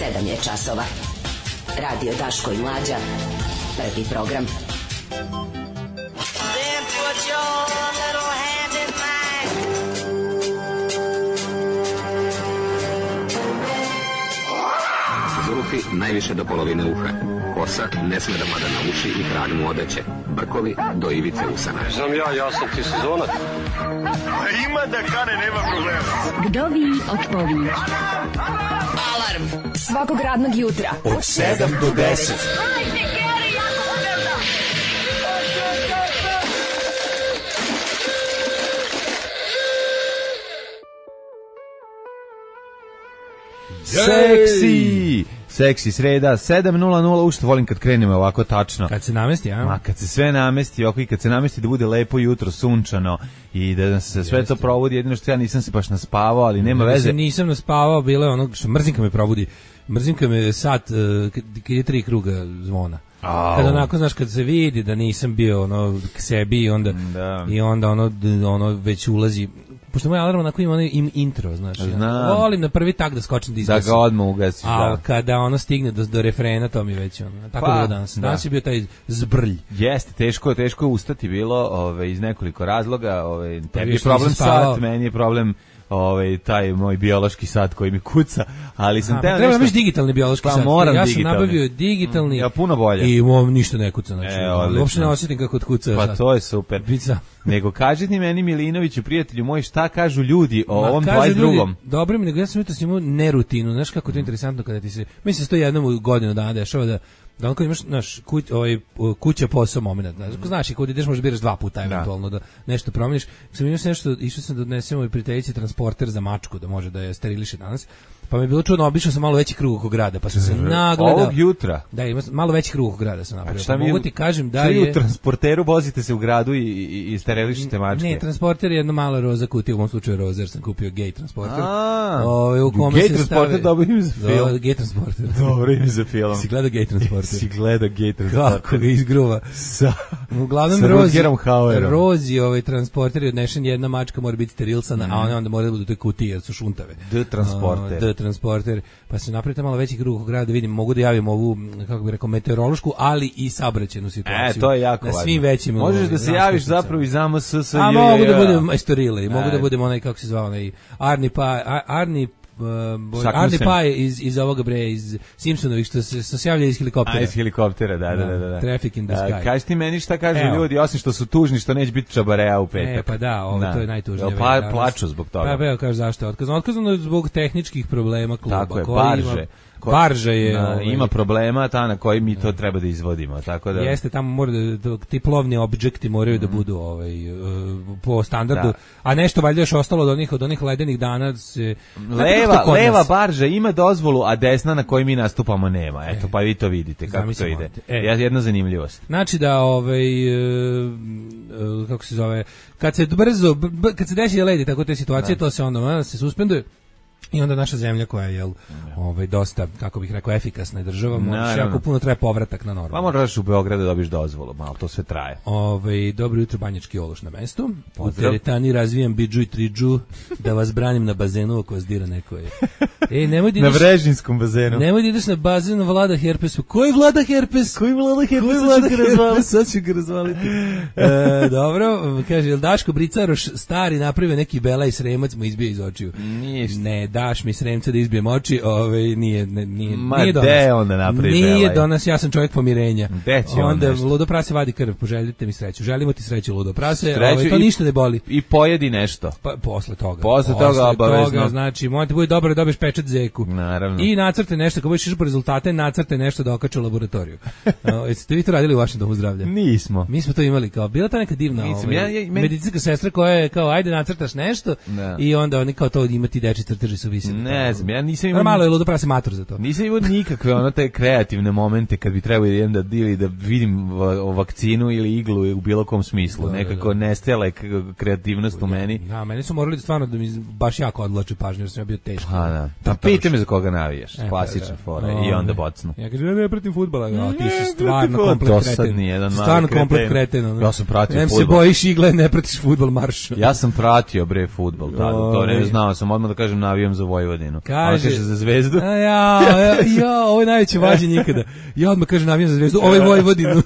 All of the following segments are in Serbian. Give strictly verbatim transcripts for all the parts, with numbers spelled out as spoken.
sedam je časova. Radio Daško i Mlađa. Prvi program. Then put your little hand in mine. Zulufi najviše do polovine uha. Kosa ne sme da pada na uši i krag mu odeće. Brkovi do ivice usana. Znam ja, ja sam ti sezonac. Ima da kane, nema problema. Kdo vi od povih? Alarm Svakog radnog jutra Od sedam do deset. Seksi! Seksi sreda, sedam nula nula, ušto volim kad krenemo ovako tačno. Kad se namesti, a? Ma, kad se sve namesti, oko i kad se namesti da bude lepo jutro, sunčano i da se sve to provodi, jedino što ja nisam se baš naspavao, ali nema veze. Ja nisam naspavao, bilo je ono što mrzinka me probudi. Mrzinka me sat, uh, kad je tri kruga zvona. Au. Kad onako, znaš, kad se vidi da nisam bio ono k sebi, onda, da. I onda ono, ono već ulazi. Pošto moj alarm onako ima onaj im intro, znaš. Ja, volim na prvi tak da skočim da izgasim. Da ga odmah ugasiš, a da. Kada ono stigne do, do refrena, to mi već ono. Tako pa, bilo danas. Danas je bio taj zbrlj. Jeste, teško, teško ustati bilo, ove, iz nekoliko razloga. Ove, tebi je problem sat, meni je problem ovaj taj moj biološki sat koji mi kuca, ali sam te treba nešto digitalni biološki pa, sat. Moram ja digitalni. sam nabavio digitalni. Ja puno bolje. I mom ništa ne kuca, znači. E, uopšte ne osjetim kako kuca. Pa to je super. Bica. Nego kaži ti meni Milinoviću, prijatelju moj, šta kažu ljudi o Ma, ovom dvadeset drugom? Dobro mi, nego ja sam jutros imao nerutinu, znaš kako to je interesantno kada ti se, mislim se to jednom u godinu dana dešava da da on kad imaš naš kuć, ovaj kuća posao momenat, znaš, znaš i kad ideš možeš biraš dva puta eventualno da, da nešto promeniš. Sam imao nešto, išao sam da odnesem ovoj prijateljici transporter za mačku da može da je steriliše danas. Pa mi je bilo čudno, obišao sam malo veći krug oko grada, pa sam se nagledao. Ovog jutra? Da, ima malo veći krug oko grada sam napravio. Pa mogu ti kažem da je... u transporteru vozite se u gradu i, i, i sterilišite mačke? Ne, transporter je jedna mala roza kutija, u mom slučaju roza, jer sam kupio gay transporter. A, o, u kome gay se transporter stave... dobro ime za film. Do, gay transporter. Dobro ime za film. Si gleda gay transporter? Si gleda gay transporter. Kako ga izgruva. Sa, Uglavnom sa rozi, Hauerom. rozi ovaj transporter je odnešen, jedna mačka mora biti sterilsana, mm. a one onda mora da budu u toj kutiji, jer su šuntave. D transporter. D transporter. Pa se napravite malo veći krug grada da vidim, mogu da javim ovu, kako bih rekao, meteorološku, ali i saobraćajnu situaciju. E, to je jako na važno. Svim većim. Možeš da se javiš zapravo iz A M S S. A mogu da budem Estorile, mogu da budem onaj, kako se zvao, onaj Arni Pa, Arni Uh, Arni Paj iz, iz ovoga bre, iz Simpsonovih što se, što se javlja iz helikoptera. A, iz helikoptera, da, da, da. da, da. Traffic in the sky. Uh, kaži ti meni šta kažu Evo. ljudi, osim što su tužni, što neće biti čabareja u petak. E, pa da, ovo, to je najtužnije. Pa, plaču zbog toga. Pa, evo, kaže zašto je otkazano. Otkazano je zbog tehničkih problema kluba. Tako je, koji barže. Ima, Barža je na, ovaj, ima problema ta na koji mi to treba da izvodimo, tako da jeste tamo mora da ti plovni objekti moraju mm. da budu ovaj uh, po standardu, da. A nešto valjda još ostalo od onih od onih ledenih dana se leva leva barža ima dozvolu, a desna na kojoj mi nastupamo nema. Eto, pa vi to vidite kako Zamislim to ide. E. Jedna zanimljivost. Znači da ovaj uh, uh, kako se zove, kad se brzo b, kad se desi ledi tako te situacije, da. To se onda se suspenduje. I onda naša zemlja koja je ovaj dosta, kako bih rekao, efikasna je država, može jako puno traje povratak na normalno. Pa moraš u Beogradu da dobiš dozvolu, malo to sve traje. Ovaj dobro jutro, Banjački Ološ na mestu. U teretani razvijam bidžu i tridžu da vas branim na bazenu ako vas dira neko je. Ej, nemoj da ideš na Vrežinskom bazenu. Nemoj da ideš na bazen Vlada Herpesu. Koji Vlada Herpes? Koji Vlada Herpes? Koji Vlada Herpes? Sad ću ga razvaliti. e, dobro, kaže, jel Daško Bricaroš stari napravio neki bela i sremac mu izbio iz očiju? Ništa. Ne, daš mi sremca da izbijem oči, ovaj nije ne, nije Ma nije donas. De onda napravi nije belaj. donas, ja sam čovjek pomirenja. Onda on Ludo Prase vadi krv, poželite mi sreću. Želimo ti sreću, Ludo Prase, ovaj, to i, ništa ne boli. I pojedi nešto. Pa posle toga. Posle, posle toga obavezno. Toga, znači, možete bude dobro da dobiješ pečat zeku. Naravno. I nacrte nešto, kako budeš išao po rezultate, nacrte nešto da okače u laboratoriju. uh, jeste vi to radili u vašem domu zdravlja? Nismo. Mi smo to imali kao, bila ta neka divna ovaj, ja, ja, men... medicinska sestra koja je kao, ajde nacrtaš nešto da. I onda oni kao to imati deči crteži su visili. Ne znam, ja nisam imao... Malo je Ludo Prase mator za to. Nisam imao nikakve ono te kreativne momente kad bi trebao idem da, ili da vidim vakcinu ili iglu u bilo kom smislu. Da, nekako da, da. Nestala je kreativnost u meni. Da, meni su morali stvarno da mi baš jako odvlače pažnju jer sam ja bio teški. Ha, da. Pa pita me za koga navijaš. E, klasična fora. I onda bocnu. Ja kažem, ja ne pratim fudbala. Ja, ti si stvarno komplet kreten. Jedan stvarno komplet kreten. Ja sam pratio fudbal. Se bojiš igle, ne pratiš fudbal marš. Ja sam pratio bre fudbal tada. To ne znao sam odmah da kažem navijam za za Vojvodinu. Kaže, kaže za Zvezdu. A ja, ja, ja, ovo je najveće vađenje ikada. Ja odmah kažem navijam za Zvezdu, ovo je Vojvodinu.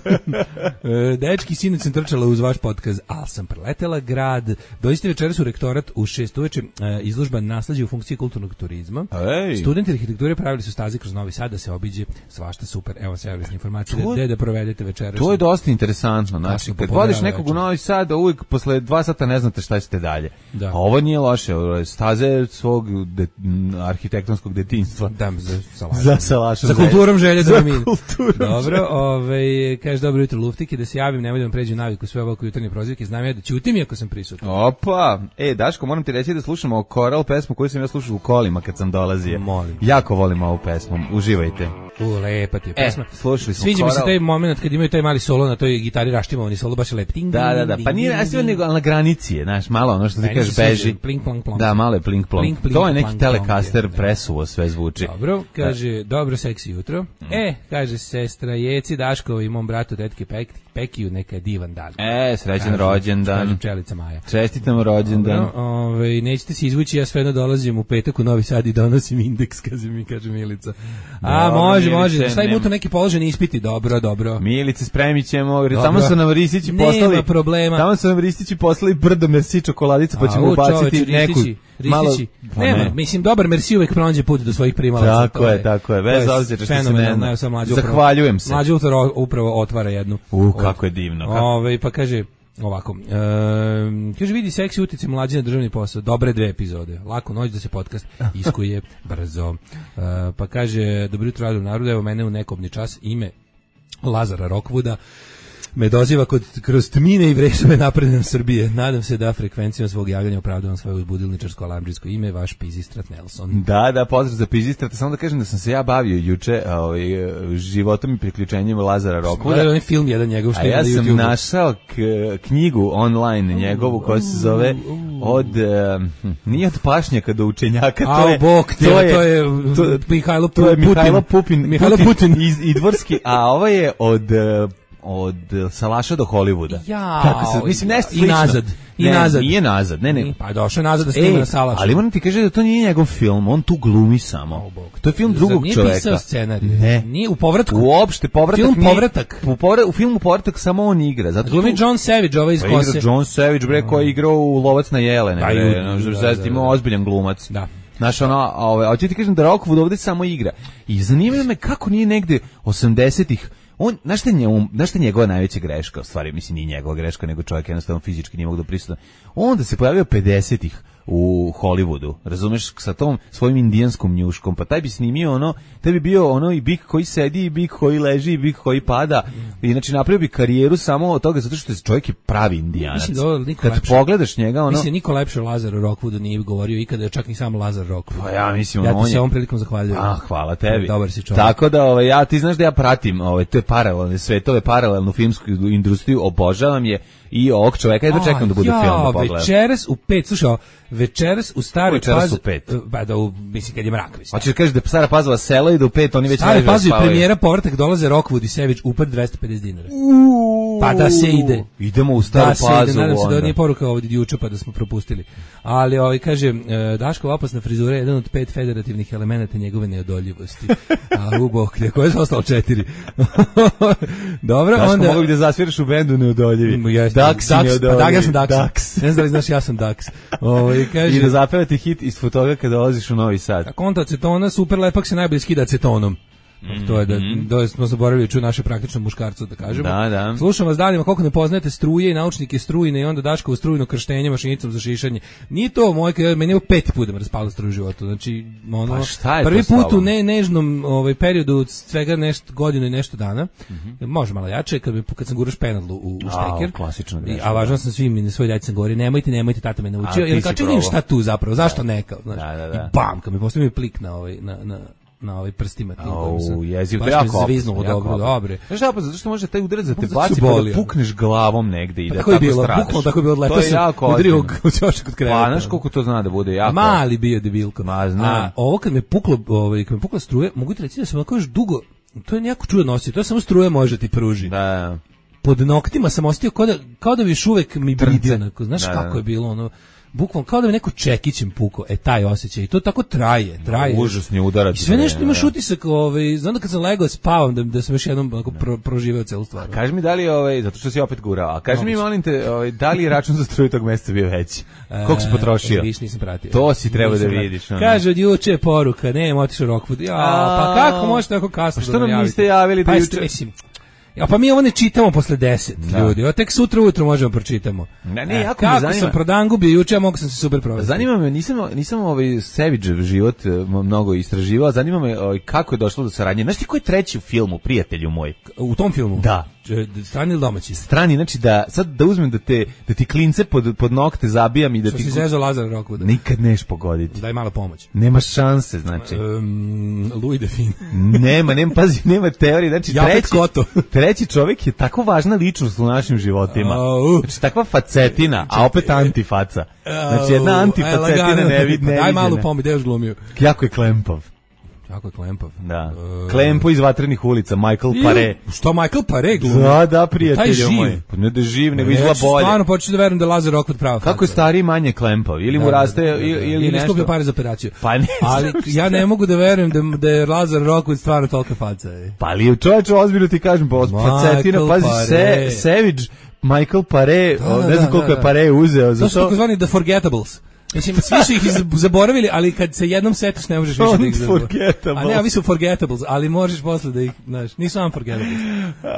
Dečki, sinoć sam trčala uz vaš podcast, ali sam preletela grad. Dođite večeras u rektorat u šest uveče, izložba nasleđe u funkciji kulturnog turizma. Ej. Studenti arhitekture pravili su staze kroz Novi Sad da se obiđe svašta super. Evo servisne informacije To- gde da provedete večeras. To je dosta interesantno, znači Kasno kad popodne vodiš rano nekog u večer. Novi Sad, uvijek posle dva sata ne znate šta ćete dalje. Da. A ovo nije loše, ovo je staze svog de, m, arhitektonskog detinjstva. Da, za salašu. Za salašu. Sa kulturom želje da Za nam ide. kulturom Dobro, ovaj kaže dobro jutro Luftike, da se javim, nemoj da vam pređu naviku sve ovako jutarnje prozivke, znam ja da ćutim iako sam prisutan. Opa, e, Daško, moram ti reći da slušamo Koral pesmu koju sam ja slušao u kolima kad sam dolazio. Molim. Jako volim ovu pesmu, uživajte. U, lepa ti je pesma. E, slušali smo Sviđa mi se Koral. taj moment kad imaju taj mali solo na toj gitari raštimovani solo, baš je lep. Ting, Da, da, da, ding, pa nije ding, nasio ding. nego ali na granici je, znaš, malo ono što ti Meni kažeš se sviđa, beži. plink, plonk, plonk. Da, malo je plink plonk. Plink, plink, To je neki plonk, Telecaster plonk, da. presuvo sve zvuči. Dobro, kaže, dobro seksi jutro. E, kaže sestra Jeci Daškovi i mom bratu tetke Pek, Pekiju, neka je divan dan. E, srećan Kaže- rođendan. kaže pčelica Maja. Čestitam rođendan. Dobro, ovaj, nećete se izvući, ja sve jedno dolazim u petak u Novi Sad i donosim indeks, kaže mi, kaže Milica. A, Dobro, može, Milice, može. Šta im nema- u to neki položeni ispiti? Dobro, dobro. Milice, spremit ćemo, jer Dobro. tamo su nam Ristići Nema poslali, problema. tamo su nam Ristići poslali brdo merci čokoladica, pa ćemo A, u, ubaciti čoveče, neku, Ristići, malo, Ristići. pa Nema, ne. mislim, dobar merci uvek pronađe put do svojih primalaca. Tako to je, tako je, bez to obzira što se ne fenomenalno, zna. evo sad mlađe upravo- Zahvaljujem se. Mlađe upravo, upravo otvara jednu. U, kako je divno. Kako... Ove, pa kaže ovako, um, kaže vidi seksi utice mlađe na državni posao, dobre dve epizode, lako noć da se podcast iskuje brzo. Uh, pa kaže, dobro jutro radio narodu, evo mene u nekobni čas, ime Lazara Rockwooda, me doziva kod, kroz tmine i vresove napredne Srbije. Nadam se da frekvencijom svog javljanja opravdavam svoje uzbudilničarsko alarmdžijsko ime, vaš Pizistrat Nelson. Da, da, pozdrav za Pizistrata. Samo da kažem da sam se ja bavio juče ovaj, životom i priključenjem Lazara Gledaj Rockwooda. onaj film jedan njegov što A ima ja na sam YouTubeu. našao k, knjigu online njegovu koja se zove od e, nije od pašnjaka do učenjaka, to Au, je bog te, to je to je to, Mihajlo to je Putin. Mihajlo Pupin, Mihajlo Putin. iz Idvorski, a ovo je od e, od Salaša do Hollywooda. Jao, Kako se, mislim nešto i slično. nazad, i ne, nazad. Nije nazad, ne, ne. Pa došao je nazad da snima Ej, na Salašu. ali moram ti kaže da to nije njegov film, on tu glumi samo. O, Bog. To je film Zar drugog nije čoveka. pisao scenarij? Ne. Nije u povratku. Uopšte povratak Film nije- Povratak. U, povra, u filmu Povratak samo on igra. Zato Glumi tu- John Savage, ovaj iz Pa igra Kose. John Savage, bre, koji je igrao u Lovac na jelene, Da, bre, i u- no, da, zaista da, ima da. ozbiljan glumac. Da. Znaš, ono, ove, hoću ti kažem da Rockwood ovdje samo igra. I zanima me kako nije negde osamdesetih, on, znaš šta je njemu- znaš šta je njegova najveća greška, u stvari, mislim, nije njegova greška, nego čovjek jednostavno fizički nije mogu da prisutan. On da se pojavio pedesetih u Hollywoodu, razumeš, sa tom svojim indijanskom njuškom, pa taj bi snimio ono, taj bi bio ono i bik koji sedi, i bik koji leži, i bik koji pada, i znači napravio bi karijeru samo od toga, zato što je čovjek je pravi indijanac. Mislim da ovo niko Kad lepše- pogledaš njega, ono, Mislim, niko lepše o Lazaru Rockwoodu nije govorio ikada, čak ni sam Lazar Rockwood. pa ja mislim, Ja on ti se je- ovom prilikom zahvaljujem. Ah, hvala tebi. Dobar si čovjek. Tako da, ovaj, ja, ti znaš da ja pratim ovaj, te paralelne svetove, paralelnu filmsku industriju, obožavam je i ovog čoveka, jedva čekam da bude A, film da ja, pogledam. večeras u pet, slušaj, ovo, večeras u staroj Večeras Pazovi, u pet. pa da, u, mislim, kad je mrak, mislim. Hoćeš da kažeš da je Stara Pazova selo i da u pet oni već Stari leže da Pazovi, spavaju? premijera povratak, dolaze Rockwood i Savage, upad dvesta pedeset dinara. Pa da se ide. Idemo u Staru Da se ide, Pazovu. nadam se da onda. nije poruka ovdje juče pa da smo propustili. Ali ovaj kaže, e, Daškova opasna frizura je jedan od pet federativnih elemenata njegove neodoljivosti. A u bok, neko je ostalo četiri. Dobro, Daško, onda... mogu bi da zasviraš u bendu neodoljivi. Jeste, Dax si Dax, neodoljivi. Pa da, ja sam Dax. Dax. Ne znam da li znaš, ja sam Dax. Ovaj kaže, I da zapevati hit iz toga kada dolaziš u Novi Sad. konta acetona, super lepak se najbolje skida acetonom. To je da, da smo zaboravili ču naše praktično muškarcu da kažemo. Da, da. Slušam vas danima koliko ne poznajete struje i naučnike strujne i onda Daškovo strujno krštenje mašinicom za šišanje. Nije to moj, kad meni je pet puta me raspala struju u životu. Znači, ono, Pa šta je prvi to s put u tobom? ne, nežnom ovaj, periodu od svega nešto, godinu i nešto dana, može malo jače, kad, mi, kad sam guraš penadlu u, u šteker. A, klasična I- greška, A važno da. sam svim i na svoj djeci sam govorio, nemojte, nemojte, tata me A, naučio. ti Jer si kao, čekaj, probao. šta tu zapravo, zašto neka? Znaš, Da, da, da. I bam, kad mi postavio plik na ovaj, na, na, na ovaj prstima. tim kojim sam- Au, jezivo, to baš je me jako opasno, zviznulo jako dobro, opasno. dobre. Znaš šta, pa zato što može taj udarac da te Zato baci su pa boli, da ono. pukneš glavom negde i da Tako je tako bilo, stradaš. bukvalno tako je bilo, To letao je sam jako udario ozbiljno. u ćošak kod kreveta. Pa, znaš koliko to zna da bude jako. Mali bio debilko. Ma, znam. A ovo kad me puklo, ovaj, kad me pukla struje, mogu ti reći da sam onako još dugo, to je jako čudno nosio, to je samo struja može ti pruži. Da, Pod noktima sam ostio kao da, kao da bi još uvek mi Trnce. bridi, onako, znaš Da, kako da. je bilo ono, bukvalno kao da me neko čekićem puko, e taj osjećaj i to tako traje, traje. No, užasni udarac. I sve nešto imaš utisak, ovaj, znam da kad sam legao spavam da, da sam još jednom onako pro, proživeo celu stvar. Kaži mi da li ovaj, zato što si opet gurao, a kaži mi molim te, ovaj, da li je račun za struju tog meseca bio veći? Koliko si potrošio? E, viš nisam pratio. To si treba nisam da pratio. vidiš. Ono. Kaže od juče poruka, ne, otišao Rockwood. Ja, pa kako možete tako kasno pa što da nam javite? niste javili da pa juče? Mislim, ja, pa mi ovo ne čitamo posle deset, da. Ljudi. O, tek sutra ujutro možemo pročitamo. Ne, ne, e, jako me kako zanima. sam prodangu bio juče, a mogu sam se super provesti. Zanima me, nisam, nisam ovaj Savage život mnogo istraživao, zanima me ovaj, kako je došlo do saradnje. Znaš ti ko je treći u filmu, prijatelju moj? U tom filmu? Da. Strani ili domaći? Strani, znači da sad da uzmem da te da ti klince pod pod nokte zabijam i da što ti si zezao Lazara Rockwooda. Nikad neš pogoditi. Daj malo pomoć. Nema šanse, znači. Um, Louis Define. nema, nema, pazi, nema teorije, znači ja treći, Koto. treći čovjek je tako važna ličnost u našim životima. Uh, znači takva facetina, a opet antifaca. Znači jedna antifacetina ne vidi, ne daj malu pomoć, da još glumio. Jako je klempav. Jako je klempav. Da. Uh, Klempo iz Vatrenih ulica, Michael Paré. Što Michael Paré glumi? Da, da, prijatelju moj. Pa ne da živ, nego izgleda bolje. Stvarno početi da verujem da Lazar Rockwood prava. Kako je stariji manje klempav? Ili mu da, raste, da, da, da. ili, ili, ili nešto? Ili skupio pare za operaciju. Pa ne. Ali ja ne mogu da verujem da, da je Lazar Rockwood stvarno tolika faca. Je. Pa ali čovječe, ozbiljno ti kažem, pa facetina, pazi, se, Savage, Michael Paré, da, da, ne znam koliko da, da. je Paré uzeo. To su takozvani The Forgettables. Mislim, svi su ih zaboravili, ali kad se jednom setiš ne možeš više da ih zaboraviti. A ne, ovi su forgettables, ali možeš posle da ih, znaš, nisu unforgettables.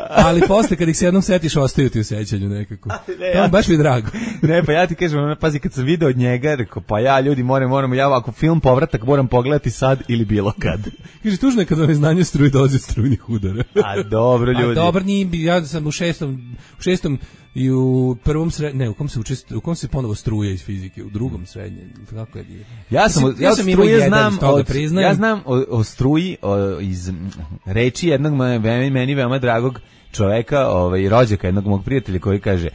Ali posle kad ih se jednom setiš, ostaju ti u sećanju nekako. Ne, ja, baš mi je drago. Ne, pa ja ti kažem, pazi, kad sam video od njega, rekao, pa ja, ljudi, moram, moramo, ja ako film Povratak moram pogledati sad ili bilo kad. Kaže, tužno je kad vam je znanje struje dolazi od strujnih udara. A dobro, ljudi. A dobro, nije, ja sam u šestom, u šestom i u prvom sred, ne, u kom se učest, u kom se ponovo struje iz fizike, u drugom srednjem, kako je. Ja sam, ja, ja sam struje znam, od, priznajem. ja znam o, o struji o, iz reči jednog meni, meni veoma dragog čoveka, ovaj rođaka jednog mog prijatelja koji kaže: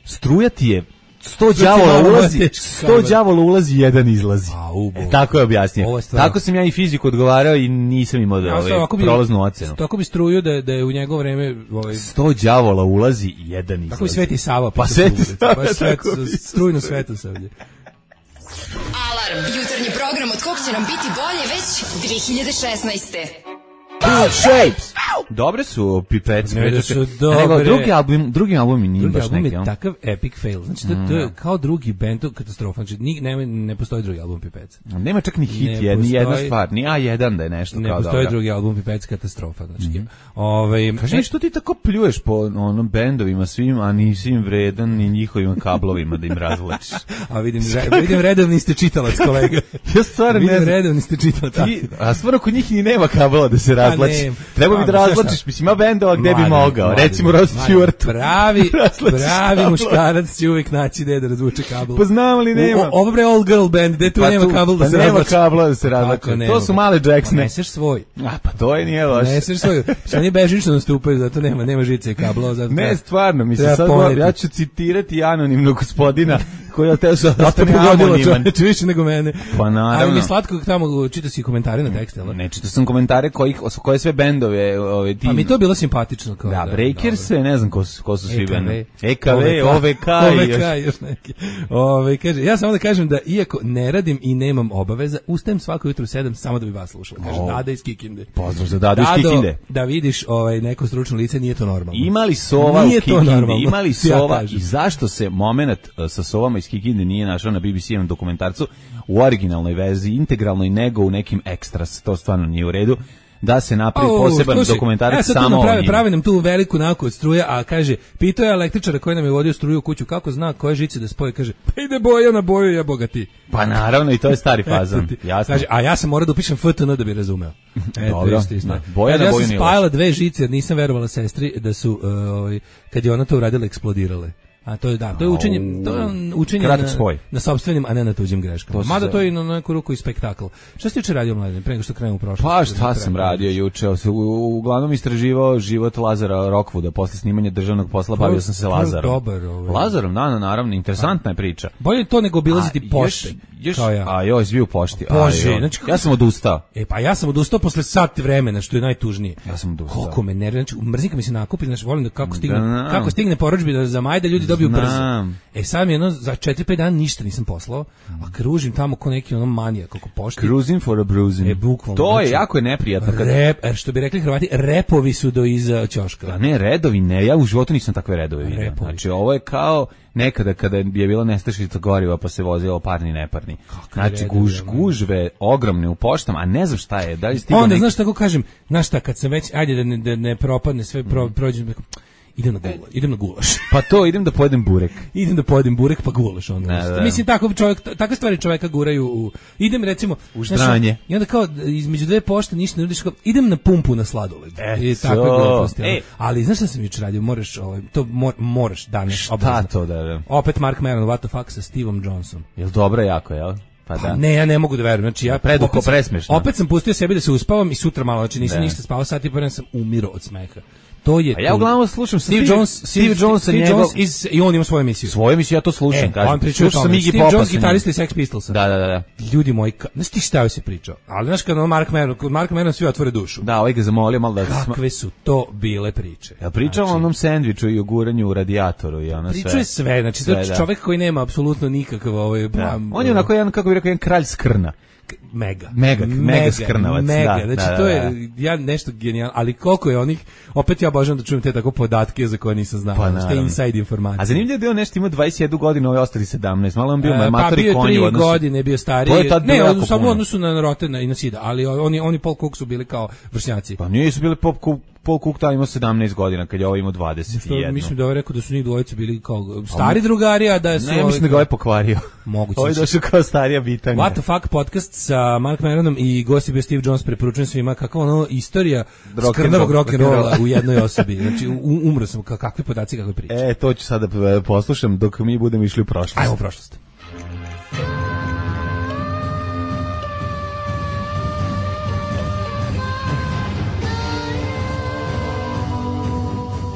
struja ti je sto đavola ulazi, sto đavola ulazi, jedan izlazi. A, e, tako je objasnio. Tako sam ja i fiziku odgovarao i nisam imao da ovaj prolaznu ocenu. Tako bi struju da da je u njegovo vreme ovaj sto đavola ulazi i jedan izlazi. Tako i Sveti Sava, pa Sveti Sava, baš svet, strujno svetu savlje. Alarm, jutarnji program od kog će nam biti bolje već dve hiljade šesnaeste. Good Shapes. Dobre su pipece. Ne da su dobre. Nego, drugi album, drugi album mi nije drugi baš album neki. Je takav epic fail. Znači, to, to je kao drugi band, katastrofa. Znači, ni, ne, ne postoji drugi album Pipece. Nema čak ni hit, je, ni jedna stvar. Ni A jedan da je nešto ne kao dobro. Ne postoji drugi album Pipece, katastrofa. Znači, mm -hmm. Ove, kaži, što ti tako pljuješ po onom bendovima svim, a nisi im vredan ni njihovim kablovima da im razvlačiš? A vidim, re, vidim redovni ste čitalac, kolega. Ja stvarno ne znam. Vidim redovni ste čitalac. Ti, a stvarno kod njih ni nema kablova da se razvlači. Treba bi da razvlačiš, mislim, ima bendova gde bi mogao. Mladen, recimo Rod Stewart. Pravi, pravi muškarac će uvijek naći gde da razvuče kabel. Pa znam li nema. Ovo bre all girl band, gde tu pa nema kabel da pa se nema razvlači. Nema kabla da se razvlači. To su male Jacksone. Neseš svoj. A pa to je nije loše. Neseš svoj. Oni bežično nastupaju, zato nema, nema žice i kabla. Zato ne, stvarno, mislim, sad go, ja ću citirati anonimnog gospodina koji je teo sa ostane anoniman. Više nego mene. Pa naravno. Ali mi je slatko tamo čita si komentare na tekste. Ne, čita sam komentare kojih, koje sve bendove ove, a mi to bilo simpatično. Kao da, da Breakers, ne znam ko su, ko su svi bendovi. E K V, O V K, O V K, još neki. Ove, kaže, ja samo da kažem da iako ne radim i nemam obaveza, ustajem svako jutro u sedam samo da bi vas slušala. Kaže, Dada iz Kikinde. Pozdrav za Dadu iz Kikinde. Da vidiš ovaj, neko stručno lice, nije to normalno. Imali Sova u Kikindi, imali Sova i zašto se moment sa Sovama iz Kikinde nije našao na B B C-evom dokumentarcu u originalnoj verziji, integralnoj, nego u nekim ekstras, to stvarno nije u redu, da se napravi oh, poseban sluši, dokumentarac samo o njima. Pravi nam tu veliku nauku od struje, a kaže, pitao je električara koji nam je vodio struju u kuću, kako zna koje žice da spoje, kaže, pa ide boja na boju, ja bogati. Pa naravno, i to je stari fazan, jasno. Kaže, a ja sam morao da upišem F T N da bi razumeo. E, dobro, na, boja kaže, na ja boju sam spajala dve žice, jer nisam verovala sestri da su, uh, ovaj, kad je ona to uradila, eksplodirale. A to je da, to je učenje, to je učenje na, na sopstvenim, a ne na tuđim greškama. Mada to je i na neku ruku i spektakl. Šta si juče radio, Mladen, pre nego što krenemo u prošlost? Pa šta sam radio juče? Uglavnom istraživao život Lazara Rockwooda posle snimanja državnog posla, bavio sam se Lazarom. Dobar, ovaj. Lazarom, da, naravno, interesantna je priča. Bolje to nego obilaziti pošte. Još, kao ja. A joj, bio u pošti. Bože, znači, ja sam odustao. E pa ja sam odustao posle sat vremena, što je najtužnije. Ja sam odustao. Koliko me nervira, znači mrzika mi se nakupi, znači volim da kako stigne, da, kako stigne porudžbina za maj da ljudi dobiju dobiju brzo. Znam. E sad mi jedno, za četiri pet dana ništa nisam poslao, a kružim tamo ko neki ono manijak, kako pošti. Cruising for a bruising. E, bukvalno. To je znači, jako je neprijatno. Kad... Rep, er, što bi rekli Hrvati, repovi su do iza ćoška. A ne, redovi ne, ja u životu nisam takve redove vidio. Repovi. Znači, ovo je kao nekada kada je bilo nestašica goriva pa se vozilo parni neparni. Znači, redovi, guž, ono. gužve ogromne u poštama, a ne znam šta je, da li stigao Onda, neki... znaš tako kažem, znaš šta, kad sam već, ajde da ne, da ne propadne sve, pro, prođem, idem na, gula, idem na gulaš. Pa to, idem da pojedem burek. Idem da pojedem burek pa gulaš onda. Da, da. Mislim tako čovjek, takve stvari čovjeka guraju u, idem recimo u ždranje. I onda kao između dve pošte ništa ne radiš, kao idem na pumpu na sladoled. I takve gluposti. E. Ali znaš šta sam jučer radio, moraš ovaj to mor, moraš danas Šta obavezno. to da, da? Opet Mark Maron, What the fuck sa Stevom Johnsonom. Jel dobro jako, jel? Pa da. Ne, ja ne mogu da verujem. Znači ja Predugo, opet sam- presmešno. Opet sam pustio sebi da se uspavam i sutra malo, znači nisam Da. ništa spavao, sat i po sam umirao od smeha. To je A ja to. uglavnom slušam Steve Steve- Jones, Steve Jones, Steve njegov- Jones iz, i on ima svoju emisiju. Svoje misli, ja to slušam, E, kažem. on priča o Slušam tome. Iggy Steve Popa Jones, sa njim. gitarista iz Sex Pistolsa. Da, da, da, da. Ljudi moji, ka- znaš ti šta joj se pričao? Ali znaš kada on Mark Maron, kod Mark Maron svi otvore dušu. Da, ovaj ga zamolio malo da... sma- Kakve su to bile priče? Ja pričam o onom sendviču i o guranju u radijatoru i ono sve. Pričao je sve, znači Sve, to je da. čovjek koji nema apsolutno nikakav ovaj Da. plan. On je onako jedan, kako bih rekao, jedan kralj skrna. mega. Mega, mega skrnavac, Mega, da, znači da, to da, je ja nešto genijalno, ali koliko je onih, opet ja obožavam da čujem te tako podatke za koje nisam znao, Pa, znači, te naravno. inside informacije. A zanimljivo je da je on nešto imao dvadeset jednu godinu, ovaj ostali sedamnaest, malo on bio E, uh, pa matori bio konji tri u odnosu. godine, bio stariji. To je tad Ne, bilo jako samo u puno. odnosu na Rotena i na Sida, ali oni oni Paul Cook su bili kao vršnjaci. Pa nisu bili Pop Cook, Paul Cook tada imao sedamnaest godina, kad je ovo imao dvadeset Što jedan. mislim da je rekao da su njih dvojica bili kao stari drugari, a da su Ne, ja mislim da ga ovaj pokvario. Moguće. Ovo je došao kao starija bitanga. What the fuck podcast sa Mark Maronom i gost je bio Steve Jones, preporučujem svima kakva ono istorija Rock and skrnavog roll, rock'n'rolla rock and roll. u jednoj osobi. Znači u- umro sam, ka- kakvi podaci, kakve priče. E, to ću sada e, poslušam dok mi budemo išli u prošlost. Ajmo u prošlost.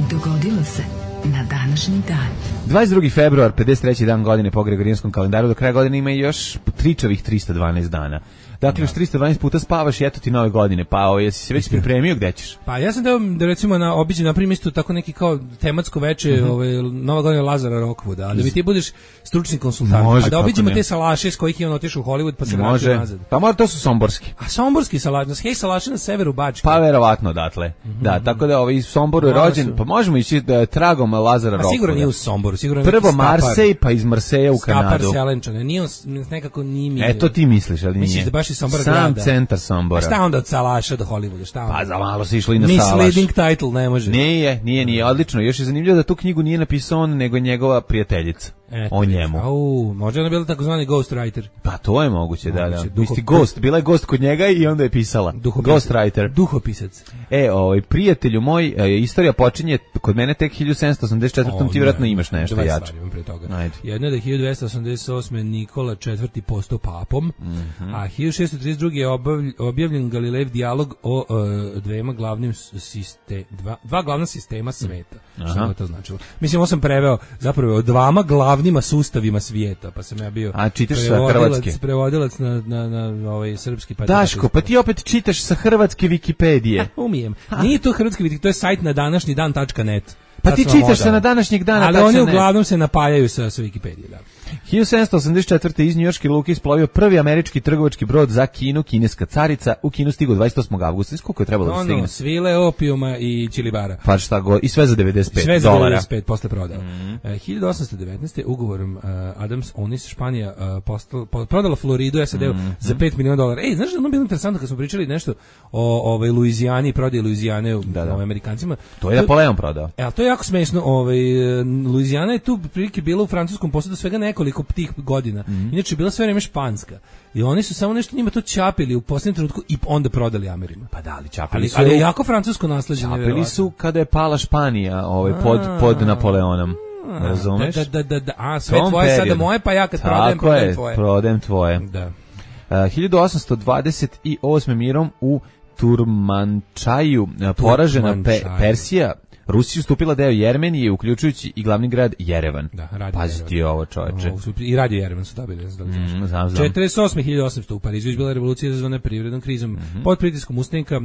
Dogodilo se na današnji dan. dvadeset drugi februar, pedeset treći dan godine po Gregorijanskom kalendaru, do kraja godine ima još tričavih trista dvanaest dana. Dakle, još trista dvanaest puta spavaš i eto ti nove godine. Pa, o, jesi se već pripremio, gde ćeš? Pa ja sam da, da recimo na obiđen napravim isto tako neki kao tematsko veče, Mhm. ovaj Nova godina Lazara Rockwooda, a da mi ti budeš stručni konsultant. Može, a da kako obiđemo ne. te salaše s kojih je on otišao u Hollywood pa se vratio Može. nazad. Pa mora, to su somborski. A somborski salaš, hej salaše na severu Bačke. Pa verovatno odatle. Da, tako da ovaj iz Somboru je Malo rođen, su. pa možemo ići da tragom Lazara A Rockfooda. sigurno nije u Somboru, sigurno je Prvo neki Stapar. Marsej, pa iz Marseja u Stapar Kanadu. Selenčane, nije on s- nekako nije mi. E, to ti misliš, ali nije. Misliš da baš iz Sombora Sam grada? centar A Sombora. šta onda od salaša do Hollywooda, šta onda? Pa za malo se išlo i na Salaš. Misleading title, ne može. Nije, nije, nije, odlično. Još je zanimljivo da tu knjigu nije napisao on, nego njegova prijateljica. Eto, O njemu. Au, možda je ona bila takozvani ghostwriter. Pa to je moguće, da, da. Moguće, duho- Isti Ghost, bila je Ghost kod njega i onda je pisala. Ghostwriter. Duhopisac. E, ovaj, prijatelju moj, e, istorija počinje kod mene tek hiljadu sedamsto osamdeset četvrtom. Ti vjerojatno imaš nešto Dve jače. stvari imam pre toga. Ajde. Jedna je da je hiljadu dvesta osamdeset osme Nikola četvrti postao papom, Mhm. a hiljadu šessto trideset druge je obavlj- objavljen Galilejev dijalog o e, dvema glavnim sistema, dva, dva glavna sistema sveta. Šta je to značilo? Mislim, ovo sam preveo zapravo o dvama glavnima sustavima svijeta, pa sam ja bio A, čitaš sa prevodilac- hrvatske? prevodilac na, na, na ovaj srpski. Pa Daško, pa ti opet čitaš sa hrvatske Wikipedije. umijem. Nije to hrvatski vidik, to je sajt na današnji dan tačka net. Pa Sad ti sam vam čitaš se odao. na današnjeg dana. Ali tačno oni ne. uglavnom se napajaju sa, sa Wikipedije, da. hiljadu sedamsto osamdeset četvrte. iz njujorške luke isplovio prvi američki trgovački brod za Kinu, kineska carica, u Kinu stigao dvadeset osmog avgusta. Znaš koliko je trebalo da stigne? Ono, svile, opijuma i čilibara. Pa šta god, i sve za devedeset pet Sve za dolara. devedeset pet posle prodao. E, hiljadu osamsto devetnaeste. ugovorom uh, Adams Onis Španija uh, postal, po, prodala Floridu S A D-u za pet miliona dolara. Ej, znaš da je ono bilo interesantno kad smo pričali nešto o ovaj Luizijani i prodaji Luizijane u Da, da. ovaj, Amerikancima. To je Napoleon prodao. E, ali to je jako smešno. Ovaj, Luizijana je tu prilike bila u francuskom posjedu svega nekoliko tih godina. Inače je bila sve vreme španska. I oni su samo nešto njima to čapili u posljednjem trenutku i onda prodali Amerima. Pa da, ali čapili Ali, su. ali je jako francusko nasleđe. Čapili nevjerovatno. su kada je pala Španija, ovaj pod pod Napoleonom. Razumeš? Da, da, da, da, a sve Tom tvoje sada periodu. moje, pa ja kad prodajem, Tako prodajem je, tvoje. prodajem tvoje. Da. Uh, hiljadu osamsto dvadeset osme. mirom u Turmančaju uh, poražena Pe- Turmančaju. Persija Rusija ustupila deo Jermenije, uključujući i glavni grad Jerevan. Da, Radio Pazi ti ovo, čoveče. Ovo su- I Radio Jerevan su dobili. Ne znam da li znaš. Mm, znam, znam. četrdeset osme hiljade osamsto u Parizu izbila revolucija izazvana privrednom krizom. Mhm. Pod pritiskom ustanika uh,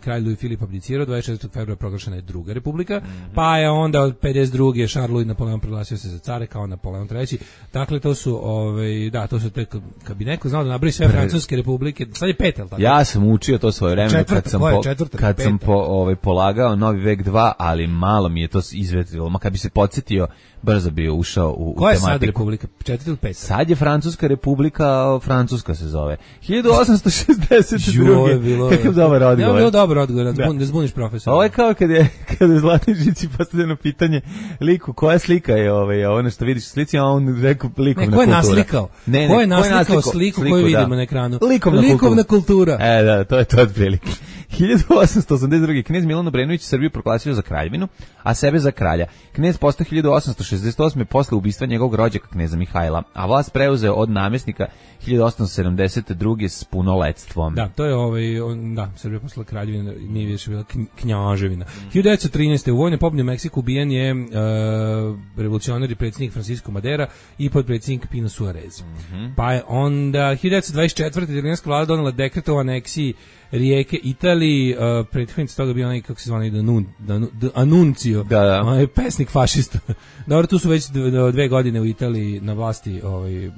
kralj Louis Filip abdicirao, dvadeset četvrtog februara proglašena je druga republika, Mhm. pa je onda od pedeset druge Charles Louis Napoleon proglasio se za care kao Napoleon treći. Dakle, to su, ovaj, da, to su te, kad bi neko znao da nabravi sve francuske republike, sad je pet, jel tako? Ja sam učio to svoje vremena Četvrta, kad sam, koja je po, četvrta, kad sam peta? po, ovaj, polagao Novi vek dva, ali malo mi je to izvetrilo. Ma kad bi se podsjetio, brzo bi ušao u, u Koja je sad tematiku. republika? Četvrta ili peta? Sad je Francuska republika, Francuska se zove. hiljadu osamsto šezdeset druge. Joj, bilo- Kakav dobar Ja, odgovor. bilo dobar odgovor, da, Da. zbun, da zbuniš profesora. Ovo je kao kad je, kad je u Zlatnoj žici postavljeno pitanje liku, koja slika je ovaj, ono što vidiš u slici, a on rekao likovna Ne, ko je kultura. naslikao? Ne, ne, ko je naslikao naslikao sliku, sliku, koju da. vidimo na ekranu? Likovna, Likovna kultura. E, da, to je to otprilike. hiljadu osamsto osamdeset druge. knez Milan Obrenović Srbiju proglasio za kraljevinu, a sebe za kralja. Knez postao hiljadu osamsto šezdeset osme posle ubistva njegovog rođaka kneza Mihajla, a vlast preuzeo od namjesnika hiljadu osamsto sedamdeset druge s punoletstvom. Da, to je ovaj, on, da, Srbija posla kraljevina, nije više bila knj- knjaževina. hiljadu devetsto trinaeste. u vojnoj pobuni u Meksiku ubijen je uh, revolucionar i predsjednik Francisco Madera i podpredsjednik Pino Suarez. Pa je onda hiljadu devetsto dvadeset četvrte. italijanska vlada donela dekret o aneksiji rijeke Italiji, uh, prethodnici toga bio onaj, kako se zvani, Danun, Danu- D- Anuncio, Da, da. onaj pesnik fašista. Dobro, tu su već dve, dve godine u Italiji na vlasti ovaj,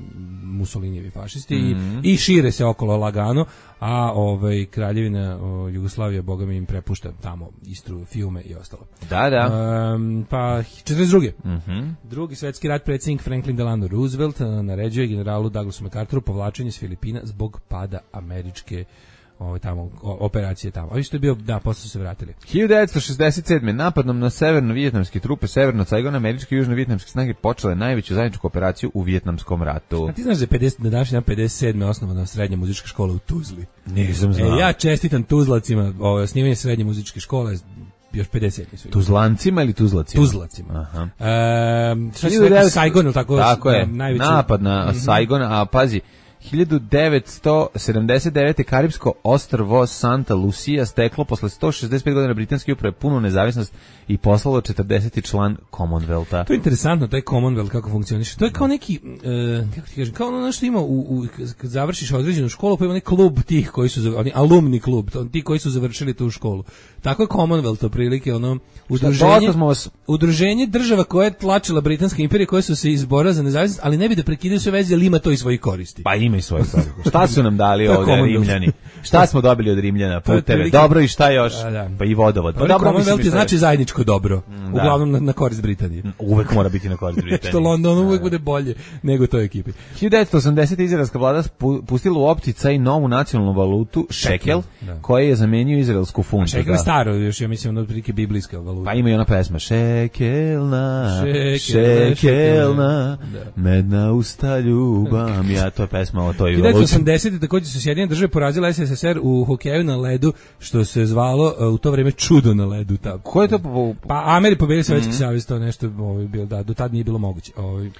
Mussolinijevi fašisti Mhm. i, i šire se okolo lagano, a ovaj, kraljevina o, Jugoslavija, boga mi, im prepušta tamo Istru, Fiume i ostalo. Da, da. Um, pa četrdeset druge. Mhm. Drugi svetski rat, predsjednik Franklin Delano Roosevelt uh, naređuje generalu Douglasu MacArthuru povlačenje s Filipina zbog pada američke ovaj, tamo, o, operacije tamo. A vi što je bio, da, posle su se vratili. hiljadu devetsto šezdeset sedme. napadom na severno-vijetnamske trupe severno Saigon, američke i južno-vijetnamske snage počele najveću zajedničku operaciju u Vijetnamskom ratu. A ti znaš da je pedeset, na današnji dan pedeset sedme osnovana srednja muzička škola u Tuzli? Nisam znao. E, ja čestitam Tuzlacima, ovo, osnivanje srednje muzičke škole, još pedeset sedmi su. Tuzlancima ili Tuzlacima? Tuzlacima. Aha. Ehm, šta si hiljadu rekao, devetsto Saigon, ili tako? Tako je, najveći- napad na Saigon, a pazi, hiljadu devetsto sedamdeset devete. Karibsko ostrvo Santa Lucia steklo posle sto šezdeset pet godina britanske uprave punu nezavisnost i poslalo četrdeseti član Commonwealtha. To je interesantno, taj Commonwealth kako funkcioniše. To je kao neki, e, kako ti kažem, kao ono što ima u, u, kad završiš određenu školu, pa ima neki klub tih koji su, zav- oni alumni klub, to- ti koji su završili tu školu. Tako je Commonwealth, otprilike, ono, udruženje, dosta smo vas- udruženje država koje je tlačila Britanska imperija, koje su se izborila za nezavisnost, ali ne bi da prekidaju sve veze, ali ima to i svoji koristi. Pa ima i svoje stvari. Šta su nam dali To je ovde Commonwealth. Rimljani? Šta smo dobili od Rimljana? To je Puteve. otprilike- Dobro i šta još? Da, da. Pa i vodovod. Pa Dobro, dobro, mislim, Commonwealth je šta znači zajedničko dobro, da. uglavnom na, na korist Britanije. uvek mora biti na korist Što Britanije. London uvek bude bolje nego toj ekipi. hiljadu devetsto osamdesete. izraelska vlada spu- pustila u opticaj novu nacionalnu valutu, šekel, da. koji je zamenio izraelsku funtu. Šekel da. je staro, još ja mislim, ono otprilike biblijska valuta. Pa ima i ona pesma Šekelna, Šekel, šekelna, da. medna usta ljubam. Ja, to je pesma o toj hiljadu devetsto valuti. osamdesete. takođe su Sjedinjene države porazile es es es er u hokeju na ledu, što se zvalo uh, u to vrijeme čudo na ledu. Ta. Ko je to? po- Pa Ameri pobedili Sovjetski Mhm. savez, to nešto ovaj, bilo, da, do tad nije bilo moguće. Ovaj.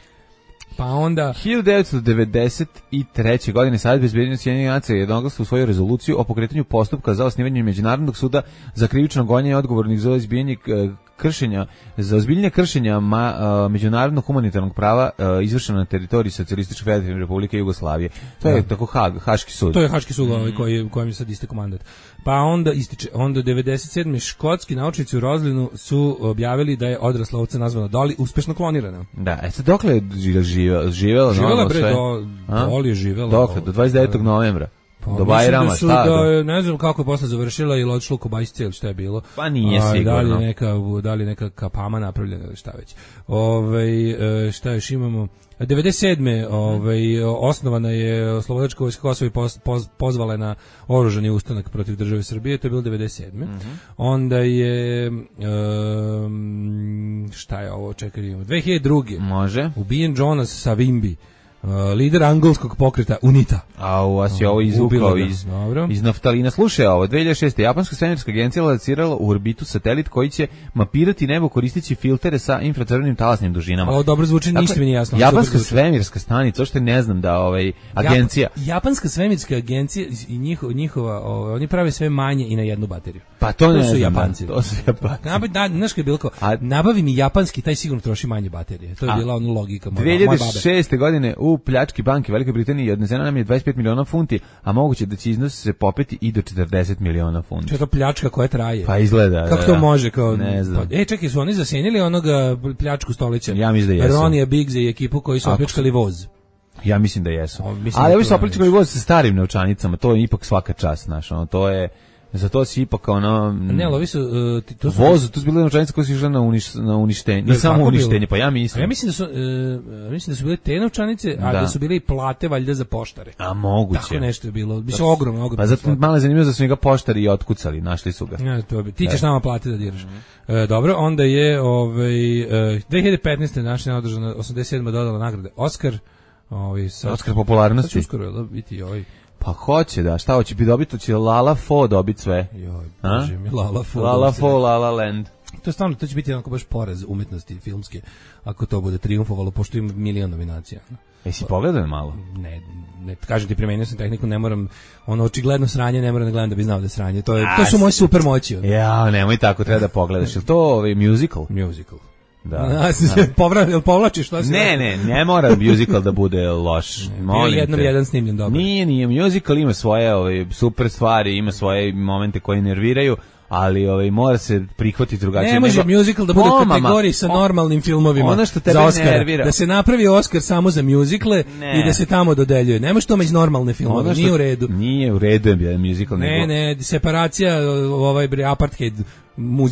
Pa onda... hiljadu devetsto devedeset treće. godine Savjet bezbednosti Sjedinjenih nacija je jednoglasno usvojio rezoluciju o pokretanju postupka za osnivanje međunarodnog suda za krivično gonjenje odgovornih za izbijanje e, kršenja, za ozbiljnije kršenja ma, a, međunarodnog humanitarnog prava a, izvršeno na teritoriji Socijalističke federativne republike Jugoslavije. To je Da. tako Hag, Haški sud. To je Haški sud ovaj koji kojem je sad istekao mandat. Pa onda ističe, onda devedeset sedme. škotski naučnici u Roslinu su objavili da je odrasla ovca nazvana Dolly uspešno klonirana. Da, e sad dokle je ži- živela? Živela, Živela normalno bre sve? do A? Dolly je živela. Dokle, do dvadeset devetog novembra. Pa, do mislim Bajrama, da su, šta? da, do- je, ne znam kako je posle završila ili odšla u Kobajsice ili šta je bilo. Pa nije A, sigurno. Da li je neka, da li je neka kapama napravljena ili šta već. Ove, e, šta još imamo? devedeset sedme. Ovaj, osnovana je Slobodačka vojska Kosova i poz, poz, pozvala je na oružani ustanak protiv države Srbije, to je bilo devedeset sedme. Mhm. Onda je um, šta je ovo, čekaj, imamo dve hiljade druge. Može. Ubijen Jonas Savimbi, Uh, lider angolskog pokreta UNITA. A u vas je ovo izvukao iz, iz naftalina. Slušaj ovo, dve hiljade šeste. Japanska svemirska agencija lancirala u orbitu satelit koji će mapirati nebo koristeći filtere sa infracrvenim talasnim dužinama. Ovo dobro zvuči, ništa mi nije jasno. Japanska svemirska stanica, što ne znam da ovaj agencija. Jap, Japanska svemirska agencija i njihova, njihova ovaj, oni prave sve manje i na jednu bateriju. Pa to, to ne su znam, Japanci. To su Japanci. Nabavi, da, znaš kad je bilo kao, a, nabavi mi japanski, taj sigurno troši manje baterije. To je a, bila ona logika moja, dve hiljade šeste. godine u pljački banke Velike Britanije odnesena nam je dvadeset pet miliona funti, a moguće da će iznos se popeti i do četrdeset miliona funti. Što je to pljačka koja traje? Pa izgleda. Kako da, to može? Kao, ne znam. Pa, e, čekaj, su oni zasenili onoga pljačku stolića? Ja mislim da jesu. Ronija Biggs i ekipu koji su opljačkali voz. Ja mislim da jesu. O, mislim ali ovi su opljačkali voz sa starim novčanicama, to je ipak svaka čast, znaš, ono, to je... Za to si ipak ono... Ne, ali ovi su... Uh, to su vozu, to su bile novčanice koje su išle na, uniš, na uništenje. Ne samo uništenje, bilo? Pa ja mislim. A ja mislim da su, uh, mislim da su bile te novčanice, a da. da su bile i plate valjda za poštare. A moguće. Tako nešto je bilo. Biće ogromno, ogromno. Pa zato malo je zanimljivo da su njega poštari i otkucali, našli su ga. Ja, to bi. Ti ćeš nama plate da diraš. Mm. Uh, dobro, onda je ovaj, uh, dve hiljade petnaeste. naša održana osamdeset sedma dodala nagrade Oscar. Ovaj, sad, Oscar popularnosti. Sad će uskoro da biti ovaj... Pa hoće da, šta hoće bi dobiti, će Lala Fo dobiti sve. Joj, bože mi, Lala Fo. Lala Fo, Lala Land. To je stvarno, to će biti jednako baš poraz umetnosti filmske, ako to bude triumfovalo, pošto ima milion nominacija. Jesi pogledao malo? Ne, ne, kažem ti, primenio sam tehniku, ne moram, ono, očigledno sranje, ne moram da gledam da bi znao da je sranje. To, je, to su moje super moći. Ono. Ja, nemoj tako, treba da pogledaš. Je to ovaj musical? Musical. Da. A, se da. Povra, povlačiš, šta se Ne, ne, ne mora musical da bude loš. Molim jednom te. Jedan snimljen dobro. Nije, nije, musical ima svoje ove, super stvari, ima svoje momente koji nerviraju, ali ovaj mora se prihvatiti drugačije. Ne može nego... musical da bude u kategoriji sa normalnim filmovima. Ono što tebe za Oscara, nervira. Da se napravi Oscar samo za muzikle i da se tamo dodeljuje. Ne može to među normalne filmove, što... nije u redu. Nije u redu je musical. Ne, nego... ne, separacija ovaj apartheid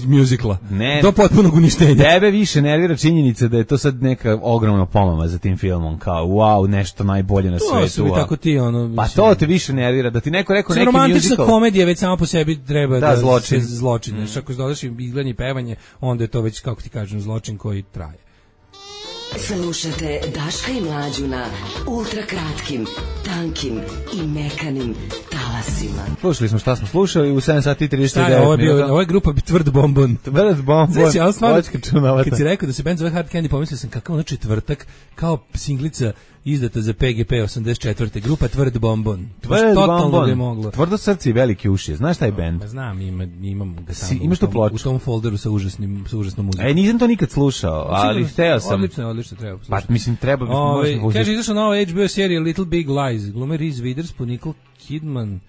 muzikla. Ne. Do potpunog uništenja. Tebe više nervira činjenica da je to sad neka ogromna pomama za tim filmom, kao wow, nešto najbolje na to svetu. To su mi tako ti, ono... Pa to te više nervira, da ti neko rekao neki musical. Romantična komedija već samo po sebi treba da, da zločin. se zločin. Mm. Ako dodaš izgledanje i pevanje, onda je to već, kako ti kažem, zločin koji traje. Slušate Daška i Mlađu na ultrakratkim, tankim i mekanim talasima. Slušali smo šta smo slušali u sedam sati i trideset devet minuta. Ovo je, bio, ovo je grupa Tvrd Bombon. Tvrd Bombon. Znači, ja stvarno, kad si rekao da se band zove Hard Candy, pomislio sam kakav ono četvrtak, kao singlica izdata za P G P osamdeset četvrte. Grupa Tvrd Bombon. Tvrd Bombon. Tvrdo srce i veliki uši. Znaš taj band? Ma znam, ima, imam ga tamo. Si, imaš tu ploču? U tom folderu sa užasnim, sa užasnom muzikom. E, nisam to nikad slušao, ali hteo sam. Odlično, odlično, treba poslušati. Pa, mislim, treba... Ove, kaže, izašla nova H B O serija Little Big Lies. Glume Reese Witherspoon, Nicole Kidman...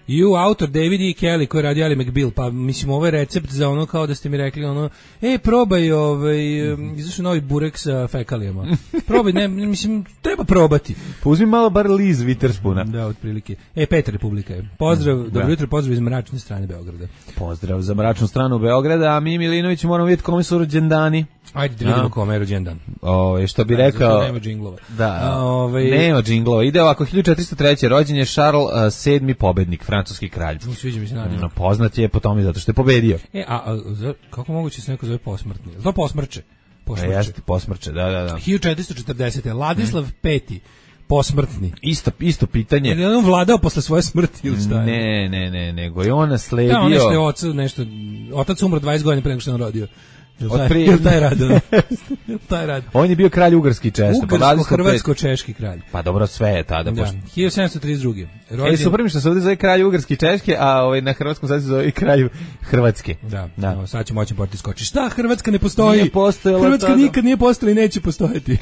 I u autor David E. Kelly koji radi Ali McBeal, pa mislim ovo je recept za ono kao da ste mi rekli ono, ej probaj ovaj, um, izašao novi burek sa fekalijama. Probaj, ne, mislim, treba probati. Pa uzmi malo bar Liz Witherspoona. Da, otprilike. E, Petar Republika je. Pozdrav, mm, dobro jutro, pozdrav iz mračne strane Beograda. Pozdrav za mračnu stranu Beograda, a mi Milinović moramo vidjeti kome su rođendani. Ajde da vidimo kome je rođendan. Ove, što bi rekao... Nema džinglova. Da, ove, nema džinglova. Ide ovako, hiljadu četiristo treće. rođen je Charles uh, sedmi pobednik, francuski kralj. Ne sviđa mi se naravno. No, poznat je po tome zato što je pobedio. E, a, a za, kako moguće se neko zove posmrtni? To posmrče. Posmrče. Jeste, posmrče, da, da, da. hiljadu četiristo četrdesete. Ladislav hmm. peti. Posmrtni. Isto, isto pitanje. Je li on vladao posle svoje smrti ili šta je? Ne, ne, ne, nego je on nasledio... Da, on nešto je otac, nešto... Otac umro dvadeset godina pre nego što je on rodio. Jel taj rad? taj rad. On je bio kralj ugarski često. Ugarsko-hrvatsko-češki kralj. Pa dobro, sve je tada. Da, hiljadu sedamsto trideset druge. Rođen... E, super mi što se ovdje zove kralj ugarski češke, a ovaj, na hrvatskom sad se zove i kralj Hrvatske. Da, da. No, sad će moći porti skoči. Šta, Hrvatska ne postoji? Nije postojala Hrvatska tada. Nikad nije postojala i neće postojati.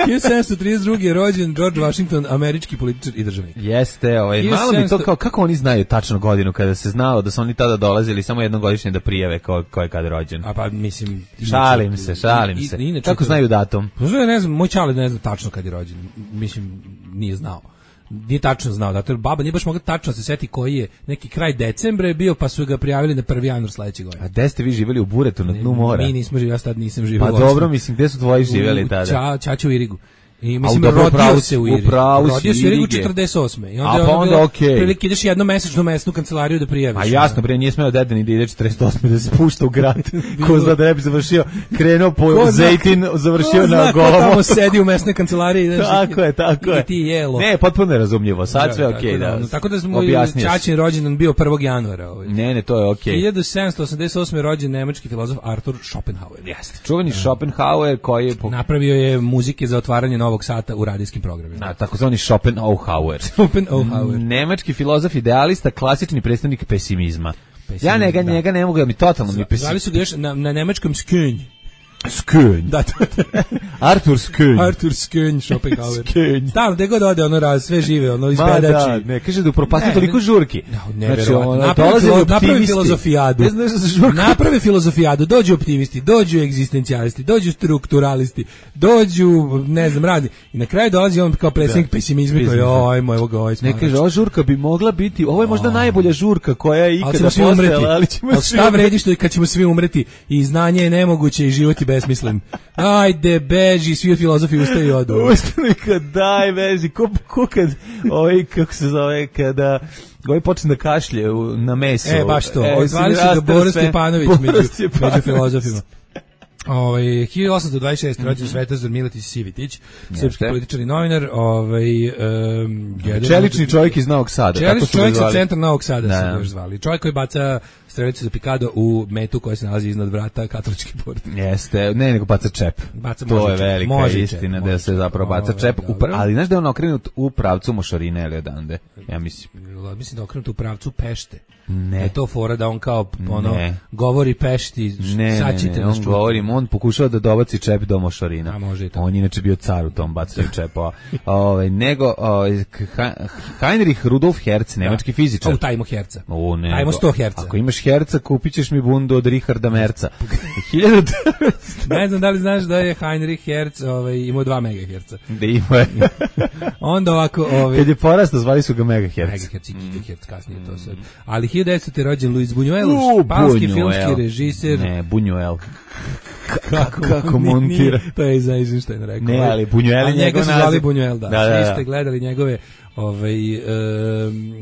hiljadu sedamsto trideset druge. je rođen George Washington, američki političar i državnik. Jeste, ovaj, malo mi to kao, kako oni znaju tačno godinu kada se znao da su oni tada dolazili samo jednogodišnje da prijave ko, ko je kad rođen. A pa mislim... Šalim se, šalim se. I, kako to, znaju datum? Pa ne znam, moj čale ne zna tačno kad je rođen. Mislim, nije znao. Nije tačno znao, zato baba nije baš mogla tačno se seti koji je neki kraj decembra je bio, pa su ga prijavili na prvi januar sledeće godine. A gde ste vi živjeli u Buretu na dnu mora? Mi nismo živjeli, ja tad nisam živjeli. Pa dobro, mislim, gde su tvoji živjeli tada? Ča, Čaču u Irigu. I mislim, A, dobro, rodio upravo se u si, Iri. upravo si, Rodio se u Irigu Irige. četrdeset osme. I A, onda, pa ono onda bilo, okej. prilike ideš jednom mesečnu mesnu kancelariju da prijaviš. A jasno, bre, nije smeo deda ni da ide četrdeset osme da se pušta u grad. Ko zna da ne bi završio, krenuo po Ko zna- Zejtin, završio Ko zna na ko Golom. tamo sedi u mesnoj kancelariji. Znaš, Tako je, tako i je. ti jelo. Ne, potpuno je razumljivo. Sad sve tako okej, da. ono, Tako da smo Objasnio si. Čačin rođendan bio prvog januara. Ovaj. Ne, ne, to je okej. hiljadu sedamsto osamdeset osme rođen nemački filozof Arthur Schopenhauer. Jeste. Čuveni Schopenhauer koji je po... Napravio je muzike za otvaranje novog sata u radijskim programima. Na, takozvani Schopenhauer. Schopenhauer. Nemački filozof idealista, klasični predstavnik pesimizma. Pesimizam, Ja njega, da. njega ne mogu da mi totalno mi Zvali pesimizam. su ga još na, na nemačkom Skönj. Skönj. Da, to Artur Skönj. Arthur Skönj, Schopenhauer. Skönj. Stalno, gde god ode, ono raz, sve žive, ono Ma da, izbedači. ne, kaže da upropasti Ne, toliko ne. žurki. No, Znači, neverovatno. ono, Napravi, dolaze filo, napravi optimisti. filozofijadu. Ne znaš da se žurka... Naprave filozofijadu, dođu optimisti, dođu egzistencijalisti, dođu strukturalisti, dođu, ne znam, radi. I na kraju dolazi on kao predsjednik pesimizma koji, Pesimizam. ajmo, evo ga, ovaj Ne smarač. kaže, ova žurka bi mogla biti, ovo je možda najbolja žurka koja je Ali ikada ćemo svi umreti. postojala, ali ćemo Ali svi šta umreti. vredi što je kad ćemo svi umreti i znanje je nemoguće i život je besmislen. Ajde, beži, svi filozofi ustaju i odu. Ustali kad daj vezi, ko, ko kad, ovaj, kako se zove, kada ovaj počne da kašlje u, na meso. E, baš to. E, Odvali si su ga rastao Boro sve. Stjepanović Boro među, Stjepanović. među filozofima. Ovaj hiljadu osamsto dvadeset šeste rođen Svetozar Miletić Sivitić, srpski političar i novinar, ovaj um, jedan Čelični čovjek iz Novog Sada. tako Čelični su ga čovjek sa zvali. centra Novog Sada Da. se ga još zvali. Čovjek koji baca strelicu za pikado u metu koja se nalazi iznad vrata katoličke porte. Jeste, ne, nego baca čep. Baca- to može je čep, velika može istina čep, da može se čep. zapravo baca Ovo, čep, u dobro. pra- ali znaš da je on okrenut u pravcu Mošorine ili odande, ja mislim. Mislim da okrenut u pravcu Pešte. Ne. Je to fora da on kao ono Ne. govori Pešti, Ne, ne, sačite ne, nas on čuti. govori, on pokušava da dobaci čep do Mošorina. A, može i to. On je inače bio car u tom bacanju čepova. Ovaj nego ovaj, Ha- Heinrich Rudolf Hertz, nemački fizičar. O, tajmo herca. O, ne, Ajmo go- sto herca. Ako imaš herca, kupit ćeš mi bundu od Richarda Merca. hiljadu devetsto Ne znam da li znaš da je Heinrich Hertz ovaj, imao dva megaherca. Da ima je. Onda ovako... Ovaj, Kad je porastao, zvali su ga megahertz. megahertz i gigahertz kasnije to sve. Ali hiljadu devetsto je rođen Luis Buñuel, U, španski Buñuel. filmski režiser. Ne, Buñuel. Kako, kako ni- montira. nije, to je za Eisenstein rekao. Ne, ali Buñuel je A njega njegov su zvali naziv. Buñuel, da. Da, da, da. Svi ste gledali njegove ovaj, um,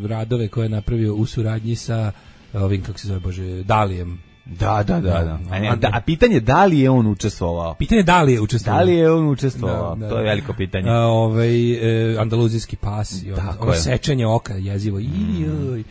radove koje je napravio u suradnji sa ovim, kako se zove, Bože, Dalijem. Da, da, da, da. A, ne, A, da, a pitanje je da li je on učestvovao? Pitanje je da li je učestvovao. Da li je on učestvovao? Da, da, To je da. veliko pitanje. A, ovaj, e, andaluzijski pas i ono, Tako ono je. sečanje oka jezivo. Ijoj.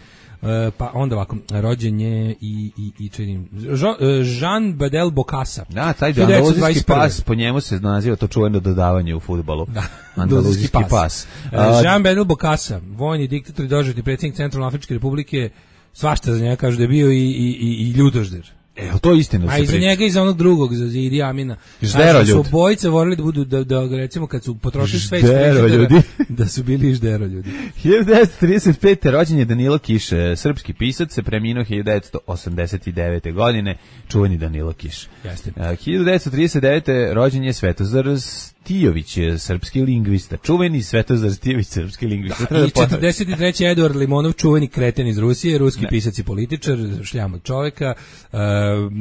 E, pa onda ovako, rođen je i, i, i činim, Jo- e, Jean Bedel Bokassa. Da, taj hiljadu devetsto andaluzijski dvadeset prve. pas, po njemu se naziva to čuveno dodavanje u fudbalu. Da, Andaluzijski pas. E, A, Jean Bedel Bokassa, vojni diktator i doživotni predsjednik Centralnoafričke republike, svašta za njega kažu da je bio i, i, i, i ljudožder. E, jel to istina? A i za njega i za onog drugog, za Idi Amina. Žderoljud. Kažu da su obojice volili da budu, da, da recimo kad su potrošili sve iz Žderoljudi. frižidera, da su bili žderoljudi. hiljadu devetsto trideset pete rođen je Danilo Kiš, e, srpski pisac, se preminuo hiljadu devetsto osamdeset devete godine, čuveni Danilo Kiš. Jeste. E, hiljadu devetsto trideset devete rođen je Svetozar Stijović, e, srpski lingvista, čuveni Svetozar Stijović, srpski lingvista. Treba I da ponovim. četrdeset treći Eduard Limonov, čuveni kreten iz Rusije, ruski pisac i političar, šljam od čoveka, uh,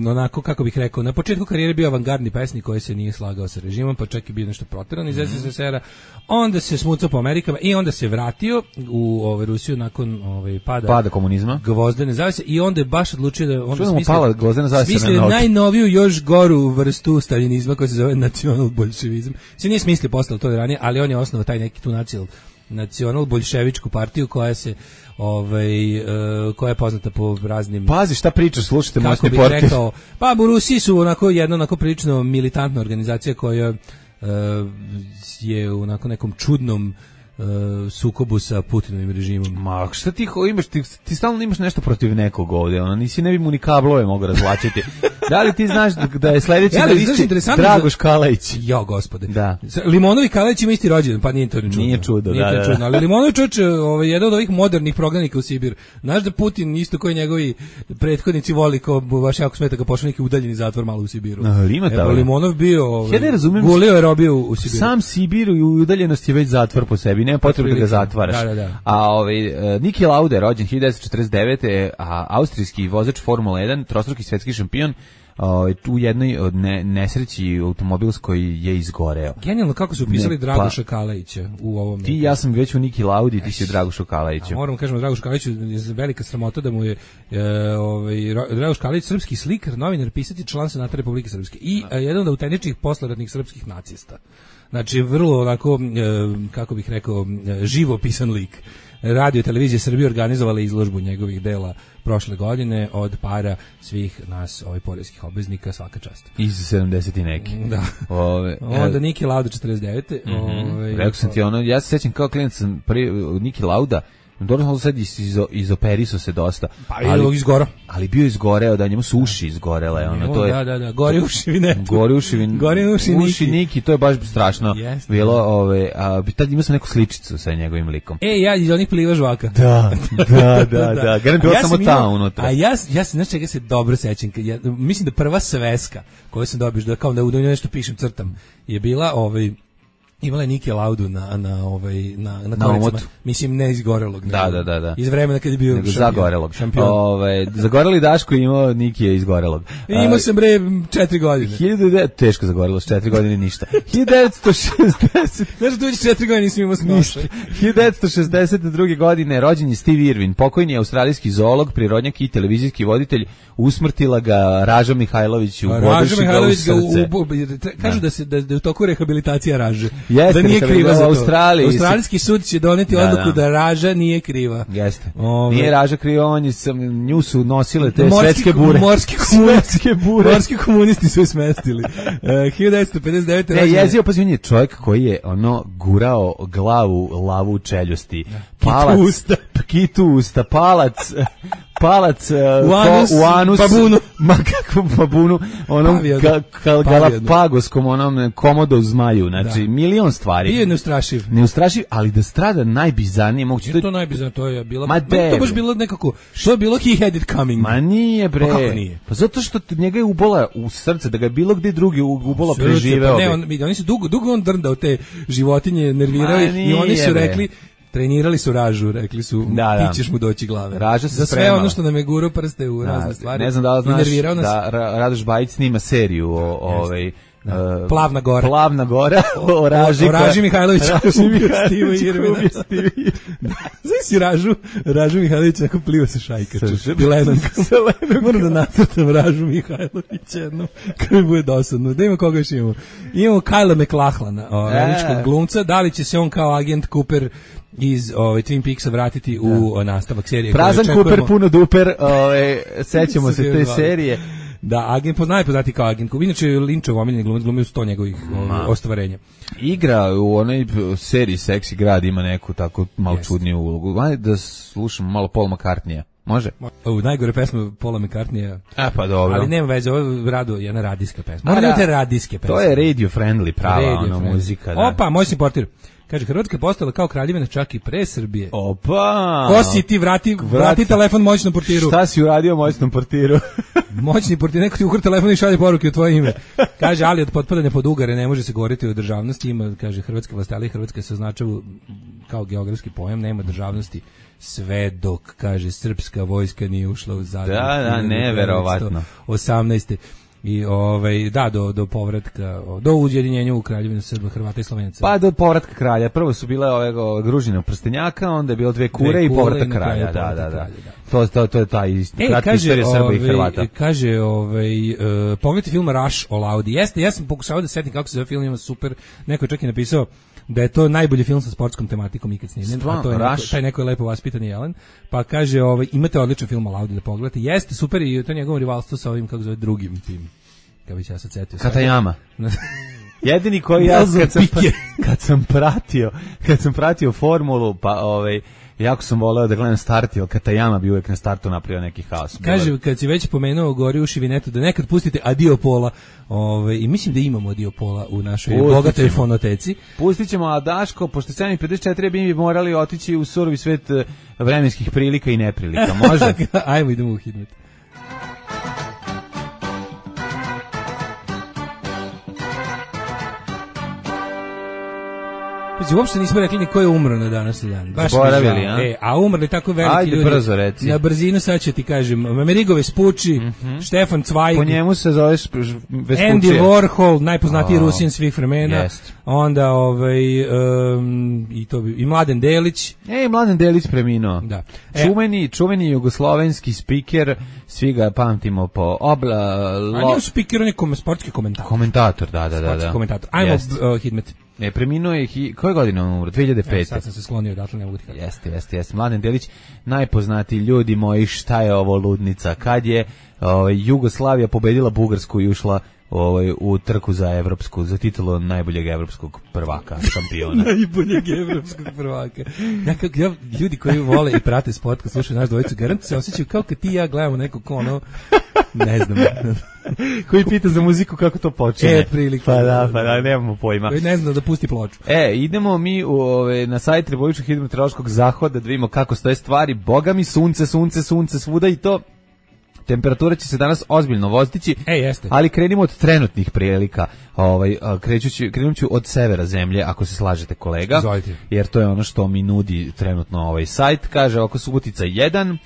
onako, kako bih rekao, na početku karijere bio avangardni pesnik koji se nije slagao sa režimom, pa čak i bio nešto proteran iz S S S R-a, onda se smucao po Amerikama i onda se vratio u ovaj, Rusiju nakon ovaj, pada, Pada komunizma. gvozdene zavese i onda je baš odlučio da onda Što da mu smislio, pala gvozdena zavesa na smislio noge? najnoviju još goru vrstu staljinizma koja se zove nacional bolševizam. Se nije smislio postalo to ranije, ali on je osnovao taj neki tu nacional nacional bolševičku partiju koja se ovaj e, koja je poznata po raznim Pazi šta pričaš, slušajte kako Mosni bih podcast. rekao, pa u Rusiji su onako jedna onako prilično militantna organizacija koja e, je u onako nekom čudnom e, sukobu sa Putinovim režimom. Ma, šta ti ho- imaš, ti, ti stalno imaš nešto protiv nekog ovdje, ono, nisi ne bi mu ni kablove mogu razvlačiti. Da li ti znaš da je sledeći Ja, na ali znaš, listi interesantno Dragoš za- Kalajić? Jo, gospode. Da. Limonovi Kalajić ima isti rođendan, pa nije to ni čudno. Nije čudo, Nije da, to da, čudno, da. ali Limonovi čoveče, ovaj, jedan od ovih modernih prognanika u Sibir. Znaš da Putin, isto koji njegovi prethodnici voli, ko baš jako smeta ga pošao neki udaljeni zatvor malo u Sibiru. Ali ima Evo, tamo. Limonov bio, ovaj, Ja ne razumijem- gulio je robio u, u Sibiru. Sam Sibir i udaljenost je već zatvor po sebi, nema potrebe da ga Otprilike. zatvaraš. Da, da, da. A ovaj, e, Niki Lauda je rođen hiljadu devetsto četrdeset devete. a austrijski vozač Formula jedan, trostruki svetski šampion, ovaj, u jednoj od ne, nesreći automobilskoj je izgoreo. Genijalno kako su upisali Ne, Dragoša pa- Kalajića u ovom. Ti i ja sam već u Niki Laudi, ti si u Dragošu Kalajiću. A moramo kažemo Dragoš Kalajić je velika sramota da mu je e, ovaj Ro- Dragoš Kalajić srpski slikar, novinar, pisatelj, član Senata Republike Srpske i e, jedan od autentičnih posleratnih srpskih nacista. Znači vrlo onako e, kako bih rekao e, živopisan lik. Radio i televizija Srbije organizovala izložbu njegovih dela prošle godine od para svih nas, ovaj poreskih obveznika, svaka čast. Iz sedamdeset i neki. Da. Ove, Onda Niki Lauda četrdeset devete Ovaj, Rekao sam ti ono, ja se sećam kao klinac sam pri Niki Lauda, dobro sad iz, iz, izoperiso se dosta. Pa je izgorao. Ali bio izgoreo, da njemu su uši izgorele. Ono, to je, da, da, da, gori uši vinetu. Gori uši, vin, Gori uši Niki. Niki, to je baš strašno. Jeste. Bilo, ove, a, tad imao sam neku sličicu sa njegovim likom. E, ja iz onih pliva žvaka. Da, da, da, da. Garant bilo samo ta unutra. A ja, ja se, znaš čega se dobro sećam, kad ja, mislim da prva sveska koju sam dobio, da kao da u njoj nešto pišem, crtam, je bila ovaj, imala je Niki Laudu na na ovaj na na, na omotu. Mislim ne izgorelog, da, da, da, da. Iz vremena kad je bio nego šampion, zagorelog. šampion. Ovaj zagoreli Daško je imao Niki je izgorelog. Imao sam bre četiri godine. hiljadu teško zagorelo, s četiri godine ništa. hiljadu devetsto šezdeset Znaš, tu već četiri godine nisam imao ništa. hiljadu devetsto šezdeset druge godine rođen je Steve Irwin, pokojni australijski zoolog, prirodnjak i televizijski voditelj. Usmrtila ga Raža Mihajlović u Raža Mihajlović ga u, srce. u, kažu da se da, da je u toku rehabilitacija Raže. Jeste, da nije kriva za to. Australiji. Australijski sud će doneti da, odluku da. da Raža nije kriva. Jeste. Ove. Nije Raža kriva, on je sam, nju su nosile te Morski, svetske bure. Morski svetske bure. Morski komunisti su je smestili. Uh, hiljadu devetsto pedeset devete Ne, rođen je- jezio, pa on je čovjek koji je ono gurao glavu lavu u čeljusti. Palac, Kitu usta. kitu usta, palac, palac uh, U anus, ko- u anus, babunu. ma kakvom babunu, onom Pavionu. ka, ka, Pavionu. galapagoskom, onom komodo zmaju, znači Da. milion stvari. Bio je neustrašiv. Neustrašiv, ali da strada najbizarnije moguće. Je to najbizarno, to je bilo. Ma meni to de, baš bre. bilo nekako, što je bilo he had it coming. Ma nije bre. Pa kako nije? Pa zato što t- njega je ubola u srce, da ga je bilo gde drugi u- ubola Srce, preživeo. pa ne, bi. on, vidi, oni su dugo, dugo on drndao te životinje, nervirao Ma ih i oni nije, su bre. rekli, trenirali su Ražu, rekli su, Da, da. ti ćeš mu doći glave. Raža se za sve spremala. ono što nam je gurao prste u Da, razne stvari. ne znam da li I znaš nervirao nas. da Ra- Radoš Bajić snima seriju o, o ovaj Da. e, Plavna gora. Plavna gora o Raži. o Raži Mihajloviću. Raži Mihajlović. Steve Irwina. koji je Steve Irwin. Znaš si Ražu, Ražu Mihajlović neko pliva sa šajkačom. Sa- I Lennon. sa Lennon. Moram da nacrtam Ražu Mihajlović jednom, kad mi bude dosadno. Da ima koga još imamo. Imamo Kyla McLachlana, o, E. američkog glumca. Da li će se on kao agent Cooper iz ovaj Twin Peaksa vratiti u o, nastavak serije? koju Prazan očekujemo? Cooper, puno duper, ovaj, sećamo se te serije. Da, agent, po najpoznati kao agent Cooper. Inače, Linčov omiljeni glumac, glumio sto njegovih o, ostvarenja. Igra u onoj seriji Seksi grad, ima neku tako malo Jeste. čudniju ulogu. Ajde da slušamo malo Paul McCartneya. Može? U najgore pesme Paula McCartneya. A pa dobro. Ali nema veze, ovo je rado jedna radijska pesma. A, Moram da. te radijske pesme. To je radio friendly, prava Radio ono friendly. muzika. Da. Opa, moj si portir. Kaže, Hrvatska je postala kao kraljevina čak i pre Srbije. Opa! Ko si ti, vrati, vrati telefon moćnom portiru. Šta si uradio moćnom portiru? Moćni portir, neko ti ukra telefon i šalje poruke u tvoje ime. Kaže, ali od potpadanja pod ugare ne može se govoriti o državnosti. Ima, kaže, Hrvatska vlast, ali Hrvatska se označava kao geografski pojam, nema državnosti sve dok, kaže, srpska vojska nije ušla u Zagreb. Da, da, neverovatno. osamnaeste I ovaj da do do povratka do ujedinjenja u Kraljevinu Srba, Hrvata i Slovenaca. Pa do povratka kralja. Prvo su bile ove ove Gružina prstenjaka, onda je bilo dve kure, Dve i kure povratak i na kraju kralja. Da, povratak da, da. kralja, da. To to to je taj E, kratka kaže, istorija Srba i ovaj, Hrvata. kaže, ovaj, uh, pogledajte film Rush o Laudi. Jeste, ja sam pokušao da setim kako se zove film, ima super. Neko je čak i napisao da je to najbolji film sa sportskom tematikom ikad snimljen, Stvarno, a to je neko, Rush? taj neko je lepo vaspitan Jelen. Pa kaže, ovaj, imate odličan film o Laudi da pogledate. Jeste, super, i to je njegovo rivalstvo sa ovim, kako zove, drugim tim. Kako bi se ja sad setio. Katajama. Jedini koji ja Nelson kad sam, Piquet. kad sam pratio, kad sam pratio formulu, pa ovaj jako sam voleo da gledam start, jer Katajama bi uvek na startu napravio neki haos. Kaže, kad si već pomenuo gori uši vinetu, da nekad pustite Adio Pola, ovaj, i mislim da imamo Adio Pola u našoj Pustit bogatoj ćemo. fonoteci. Pustit ćemo, a Daško, pošto sedam i pedeset četiri bi mi morali otići u surovi svet eh, vremenskih prilika i neprilika. Može? Ajmo, idemo u Hidmet. Znači, uopšte nismo rekli ni ko je umro na današnji dan. Baš Zaboravili, mi žao. a? E, a umrli tako veliki Ajde, ljudi. brzo reci. Na brzinu sad ću ti kažem. Amerigo Vespucci, mm-hmm. Štefan Zweig. Po njemu se zove Vespucci. Andy Warhol, najpoznatiji oh. Rusin svih vremena. Jest. Onda ovaj um, i to bi, i Mladen Delić. Ej, Mladen Delić preminuo. Da. E, čuveni, čuveni jugoslovenski spiker, svi ga pamtimo po obla... Lo... A nije spiker, on je kom, sportski komentator. Komentator, da, da, da. Sportski da. komentator. Ajmo, uh, Hidmet. E, preminuo je, hi, koje godine on umro? dve hiljade pete. E, sad sam se sklonio, odatle ne mogu ti kada. Jeste, jeste, jeste. Mladen Delić, najpoznatiji ljudi moji, šta je ovo ludnica? Kad je ovaj, Jugoslavija pobedila Bugarsku i ušla ovaj, u trku za evropsku, za titulu najboljeg evropskog prvaka, šampiona. Najboljeg evropskog prvaka. Ja, kako, ja, ljudi koji vole i prate sport, kad slušaju naš dvojicu, garant se osjećaju kao kad ti i ja gledamo nekog ono, ne znam, koji pita za muziku kako to počine. E, prilike. Pa da, pa da, nemamo pojma. Koji ne zna da pusti ploču. E, idemo mi u, ove, na sajt Republičkog hidrometeorološkog zahoda da vidimo kako stoje stvari. Boga mi, sunce, sunce, sunce, svuda i to. Temperatura će se danas ozbiljno vozdići, e, jeste. Ali krenimo od trenutnih prilika. Ovaj, krećući, krenuću od severa zemlje, ako se slažete kolega. Zvolite. Jer to je ono što mi nudi trenutno ovaj sajt. Kaže, oko Subotica jedan,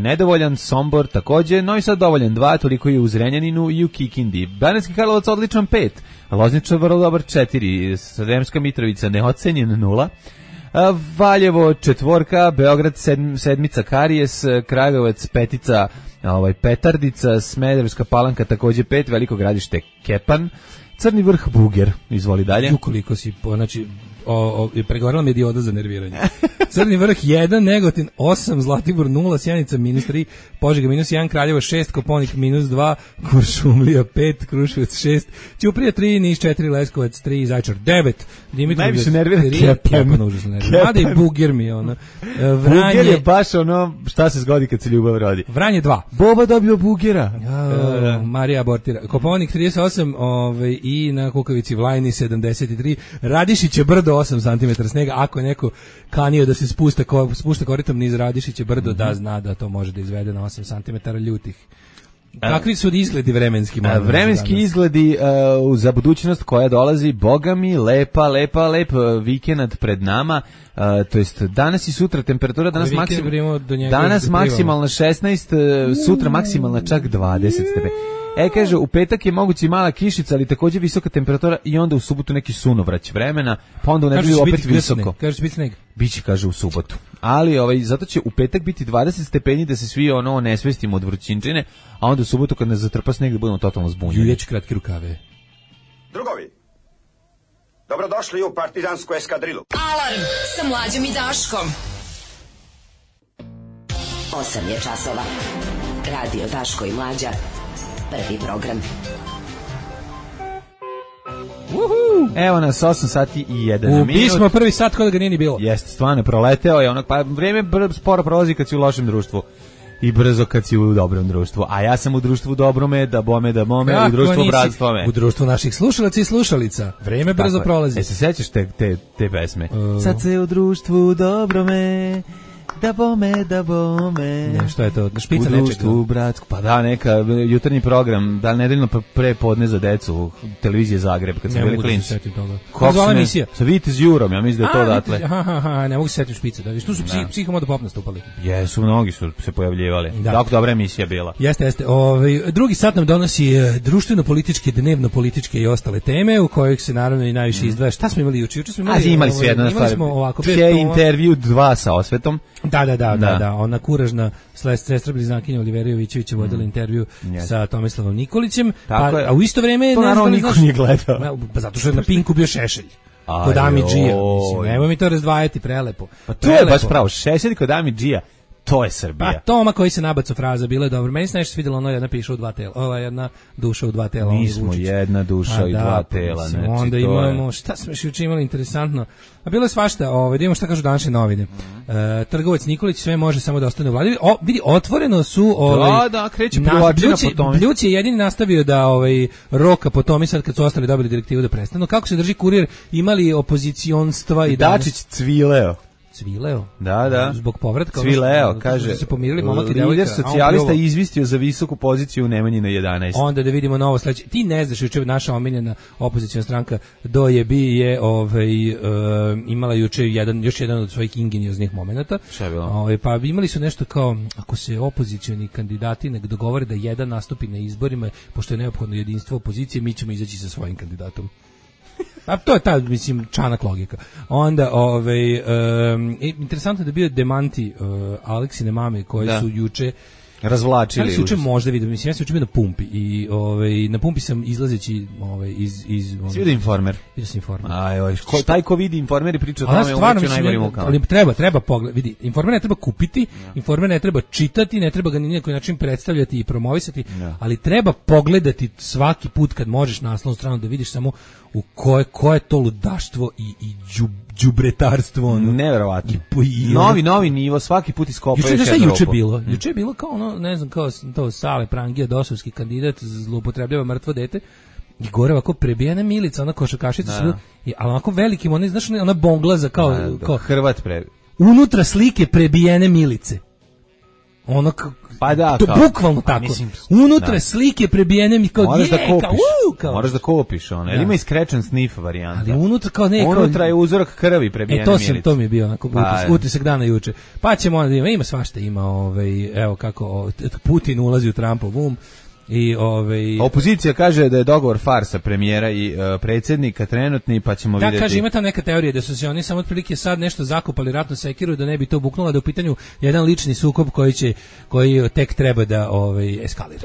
nedovoljan, Sombor također, Novi Sad dovoljan dva, toliko je u Zrenjaninu i u Kikindi. Banatski Karlovac odličan pet, Loznica vrlo dobar četiri, Sremska Mitrovica neocenjen nula, Valjevo četvorka, Beograd sedm, sedmica Karijes, Kragujevac petica, ovaj Petardica, Smederevska Palanka također pet, Veliko Gradište Kepan, Crni Vrh Buger, izvoli dalje. Ju koliko si, znači, o, o, pregovarala mi je dioda za nerviranje. Crni Vrh jedan, Negotin osam, Zlatibor nula, Sjenica minus tri, Požega minus jedan, Kraljevo šest, Koponik minus dva, Kuršumlija pet, Kruševac šest, Ćuprija tri, Niš četiri, Leskovac tri, Zaječar devet, Dimitrov najviše nervira Kepan. Kepan užasno nervira. Mada i Buger mi je ono. Vranje, Buger je baš ono šta se zgodi kad se ljubav rodi. Vranje dva. Boba dobio Bugera. Ja, Marija abortira. Koponik trideset osam, ovaj, i na Kukavici Vlajni sedamdeset tri, Radišiće brdo osam centimetara snega, ako je neko kanio da se spušta, ko, spušta koritom niz Radišiće brdo, mm-hmm. da zna da to može da izvede na osam centimetara ljutih. Kakvi su izgledi vremenski? A, vremenski izgledi uh, za budućnost koja dolazi, boga mi, lepa, lepa, lep vikend pred nama, uh, to jest danas i sutra temperatura, danas, maksim, danas maksimalna šesnaest, uh, sutra maksimalna čak dvadeset stepeni. E, kaže, u petak je moguće mala kišica, ali također visoka temperatura i onda u subotu neki sunovrać vremena, pa onda u nedelju opet visoko. Kaže će biti sneg. Biće, kaže, u subotu. Ali ovaj, zato će u petak biti dvadeset stepeni da se svi ono nesvestimo od vrućinčine, a onda u subotu kad ne zatrpa sneg da budemo totalno zbunjeni. Juljeć kratke rukave. Drugovi, dobrodošli u partizansku eskadrilu. Alarm sa Mlađom i Daškom. osam je časova. Radio Daško i Mlađa. Prvi program. Uhu. Evo nas osam sati i jedan minut. Ubismo prvi sat kod ga nije ni bilo. Jeste, stvarno proleteo je onak, pa vrijeme br- sporo prolazi kad si u lošem društvu i brzo kad si u dobrom društvu. A ja sam u društvu dobrome, da bome, da mome, kako u društvu bratstvome. U društvu naših slušalaca i slušalica. Vrijeme brzo tako prolazi. E, se sećaš te, te, te pesme? Uh. Sad se u društvu dobrome, da bome, da bome. Ne, što je to? Špica u društvu, bratsku. Pa da, neka jutarnji program, da nedeljno pre podne za decu, televizije Zagreb, kad su bili klinci. Kako zvala emisija? Sa Vitez Jurom, ja mislim da je to odatle. Aha, aha, ne mogu se setiti špice. Da, viš, tu su psi, Psihomoda Pop nastupali. Jesu, mnogi su se pojavljivali. Da. Tako dobra emisija bila. Jeste, jeste. Ovaj, drugi sat nam donosi društveno-političke, dnevno-političke i ostale teme, u kojih se naravno i najviše izdvaja. Šta smo imali juče? Juče smo imali, A, imali smo jedno stvar. Tje intervju dva sa Osvetom. Da, da, da, da, da, ona kuražna sestra bliznakinja Olivera Jovićević je vodila mm. intervju yes. sa Tomislavom Nikolićem, pa, a u isto vrijeme... To naravno niko nije gledao. Pa zato što je na Pinku bio Šešelj. Kod Amidžija. Mislim, nemoj mi to razdvajati, prelepo. Pa to prelepo. Je baš pravo, Šešelj kod Amidžija. To je Srbija. Pa Toma koji se nabacu fraza, bilo je dobro. Meni se nešto svidjelo, ono jedna piše u dva tela. Ova jedna duša u dva tela. Mi smo jedna duša i da, dva tela. Znači, onda imamo, je... šta smo još juče imali interesantno? A bilo je svašta, ovaj, da imamo šta kažu današnje novine. Mm. E, trgovac Nikolić sve može samo da ostane u vladi. O, vidi, otvoreno su... Ovaj, da, da, kreće privlačina po tome. Bljuc je jedini nastavio da ovaj, roka po tome sad kad su ostali dobili direktivu da prestanu. Kako se drži kurir, imali opozicionstva i Dačić cvileo. Cvileo. Da, da. Zbog povratka. Cvileo, ono, kaže, su se pomirili momak i devojka. lider socijalista izvistio za visoku poziciju u Nemanjinoj jedanaest. Onda da vidimo novo sledeće. Ti ne znaš, juče naša omiljena opoziciona stranka Do je bi je ovaj, uh, imala juče jedan, još jedan od svojih ingenioznih momenata. Šta je bilo? Ovaj, pa imali su nešto kao, ako se opozicioni kandidati ne dogovore da jedan nastupi na izborima, pošto je neophodno jedinstvo opozicije, mi ćemo izaći sa svojim kandidatom. A to je ta, mislim, čanak logika. Onda, ovaj, um, interesantno je da bio demanti uh, Aleksine mame koje da. su juče razvlačili. Ali se juče možda vidio, mislim, ja sam juče bio na pumpi i ovaj, na pumpi sam izlazeći ovaj, iz... iz si vidio Informer? Vidio sam Informer. Aj, oj, ko, taj ko vidi Informer i priča o tome, umeću najgorim mukama. Ali treba, treba pogled, vidi, Informer ne treba kupiti, ja. Informer ne treba čitati, ne treba ga ni na koji način predstavljati i promovisati, ja. Ali treba pogledati svaki put kad možeš na naslovnu stranu da vidiš samo u koje, koje to ludaštvo i, i džub, đubretarstvo ono. Neverovatno. I, i, novi novi nivo, svaki put iskopaju juče, šta juče bilo? Mm. Juče je bilo kao ono, ne znam, kao to Sale Prangija, dosovski kandidat, zloupotrebljava mrtvo dete. I gore ovako prebijena Milica, ona košarkašica, da. Ali onako velikim, ona, znaš, ona bonglaza kao, da, kao Hrvat pre. Unutra slike prebijene Milice. Ono k- pa da, to kao, bukvalno pa, tako. Mislim, unutra da. slike prebijene mi kao moraš je, da kopiš. Kao, uh, kao. Moraš da kopiš ona. Da. Ima i scratch and sniff varijanta. Ali unutra kao ne, unutra kao, je uzorak krvi prebijene e, to Milice. sam, to mi je bio onako pa, utisak, utisak dana juče. Pa ćemo onda ima, ima svašta, ima ovaj, evo kako Putin ulazi u Trumpov um. I ovaj opozicija kaže da je dogovor farsa premijera i uh, predsjednika trenutni, pa ćemo da, vidjeti. Da, kaže, ima ta neka teorija da su se oni samo otprilike sad nešto zakopali ratnu sekiru da ne bi to buknulo, da u pitanju jedan lični sukob koji će koji tek treba da ovaj eskalira.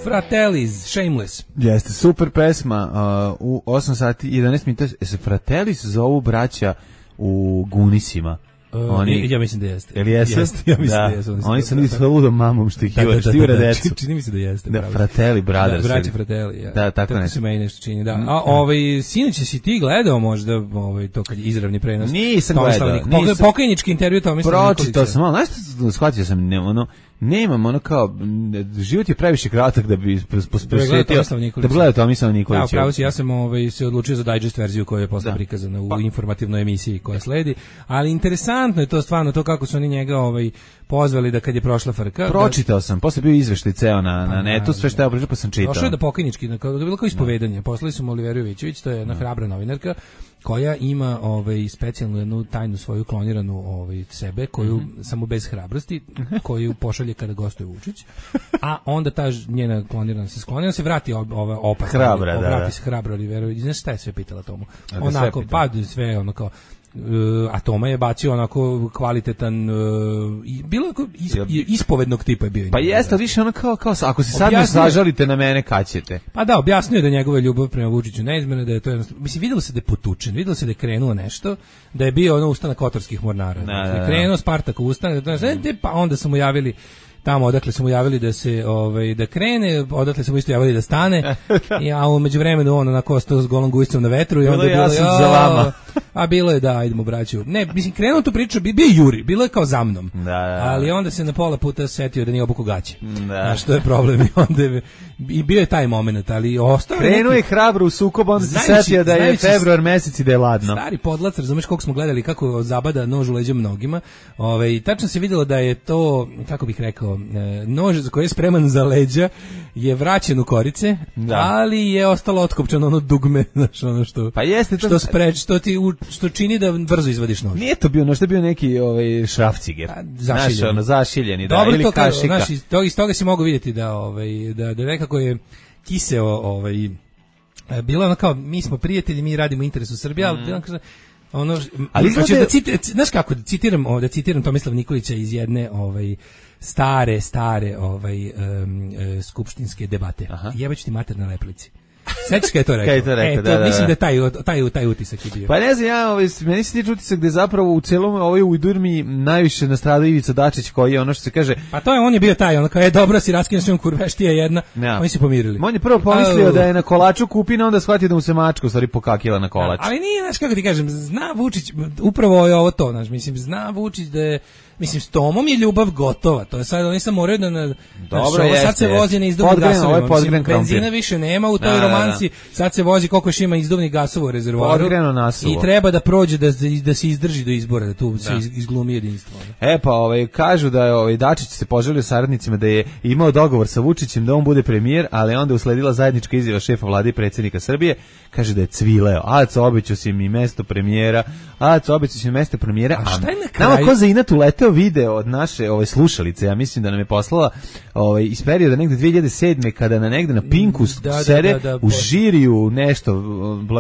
Fratellis, Shameless. Jeste, super pesma, uh, u osam sati i jedanaest minuta. Se Fratellis zovu braća u Gunisima. Oni, ja mislim da jeste. Jel jesu? Jeste, ja mislim da, da jesu. Oni, oni su nisu sa ludom mamom štihivali, štihivali decu. Čini mi se da jeste. Da, Fratelli Brothers. Da, braći Fratelli, ja. Da, tako, tako se meni nešto čini, da. A ovaj, sinoć si ti gledao možda ovaj, to kad je izravni prenos? Nisam gledao. Nisam. Pokajnički intervju Tomislava Nikolića. Pročitao sam, ali znaš što shvatio sam, ne, ono, nemam ono kao, život je previše kratak da bi posvetio, da bi gledao Tomislava Nikolića. Da, pravo si, ja sam ovaj, se odlučio za digest verziju koja je posle prikazana u pa. informativnoj emisiji koja sledi, ali interesantno je to stvarno, to kako su oni njega ovaj, pozvali da kad je prošla frka. Pročitao da, sam, posle bio izveštaj ceo na, na netu, sve što je pričao pa sam čitao. Došao je da pokajnički, da je bilo kao ispovedanje, poslali su mu Oliveru Jovićević, to je jedna hrabra novinarka, koja ima ovaj specijalnu jednu tajnu svoju kloniranu ovaj sebe koju mm-hmm. samo bez hrabrosti koju pošalje kada gostuje Vučić, a onda ta njena klonirana se skloni, on se vrati ova opet hrabra, da, vrati da. se hrabro Oliveru, znaš šta je sve pitala tomu, onako pa sve ono kao Uh, a Toma je bacio onako kvalitetan uh, i bilo is, ispovednog tipa je bio. Pa jeste, više ono kao, kao ako se sad ne zažalite na mene, kad ćete? Pa da, objasnio je da njegova ljubav prema Vučiću neizmjerna, da je to jednostavno, mislim, videlo se da je potučen, videlo se da je krenuo nešto, da je bio ono ustanak kotorskih mornara. Da, da, da. Krenuo Spartakov ustanak, da, da, pa onda su mu javili tamo odakle su mu javili da se ovaj da krene, odakle su mu isto javili da stane. I a u međuvremenu on onako ostao s golom gujicom na vetru i onda bilo bilo ja sam za vama. A bilo je da, ajdemo braću. Ne, mislim krenuo tu priču, bio je Juri, bilo je kao za mnom. Da, da. Ali onda se na pola puta setio da nije obuko gaće. Da. Što je problem i onda je, i bio je taj momenat, ali ostao krenuo je hrabro u sukob, onda se setio da je februar mesec i da je ladno. Stari podlac, razumeš koliko smo gledali kako zabada nož u leđa mnogima. Ovaj tačno se videlo da je to, kako bih rekao, nož za koji je spreman za leđa je vraćen u korice, da. Ali je ostalo otkopčano ono dugme, znaš, ono što pa jeste to što spreč, što ti u, što čini da brzo izvadiš nož. Nije to bio nož, to je bio neki ovaj šrafciger. Znaš, ono zašiljeni, da, dobro, ili to, kašika. Znaš, iz toga, iz toga si mogu vidjeti da ovaj da da nekako je kiseo ovaj bilo ono kao mi smo prijatelji, mi radimo u interesu Srbije, ali bilo kaže ono ali znači da citiram, znaš kako da citiram, da citiram Tomislava Nikolića iz jedne ovaj stare, stare ovaj, um, uh, skupštinske debate. Jebaću ti mater na leplici. Sećaš kada je to rekao? Kaj je to rekao, e, to, da, da, mislim da je taj, taj, taj utisak je bio. Pa ne znam, ja, ovaj, meni se tiče utisak da je zapravo u celom ovoj ujdurmi najviše nastradao Ivica Dačić, koji je ono što se kaže... Pa to je, on je bio taj, ono kao je dobro si raskinuo s njom kurveštija jedna, ja. Oni se pomirili. On je prvo pomislio uh, da je na kolaču kupina, onda shvatio da mu se mačka u stvari pokakila na kolač. Ali nije, znaš kako ti kažem, zna Vučić, upravo je ovo to, znaš, mislim, zna Vučić da je, mislim, s Tomom je ljubav gotova, to je sad, oni sam moraju da, na, dobro, znaš, jeste, sad se vozi na izdobnog gasovima, mislim, benzina više nema u toj romansi, sad se vozi koliko još ima izduvnih gasova u rezervoaru. Odgreno nasuvo. I treba da prođe da, da se izdrži do izbora, da tu da. se izglumi jedinstvo. E pa ovaj, kažu da je ovaj, Dačić se poželio saradnicima da je imao dogovor sa Vučićem da on bude premijer, ali onda usledila zajednička izjava šefa vlade i predsjednika Srbije, kaže da je cvileo. Aco, obećao si mi mesto premijera, Aco, obećao si mi mesto premijera. A šta je na kraju? Nama ko za inat uleteo video od naše ove slušalice, ja mislim da nam je poslala ovaj, iz perioda negde dve hiljade sedme kada na negde na Pinku da, sede da, da, da, u žiriju nešto,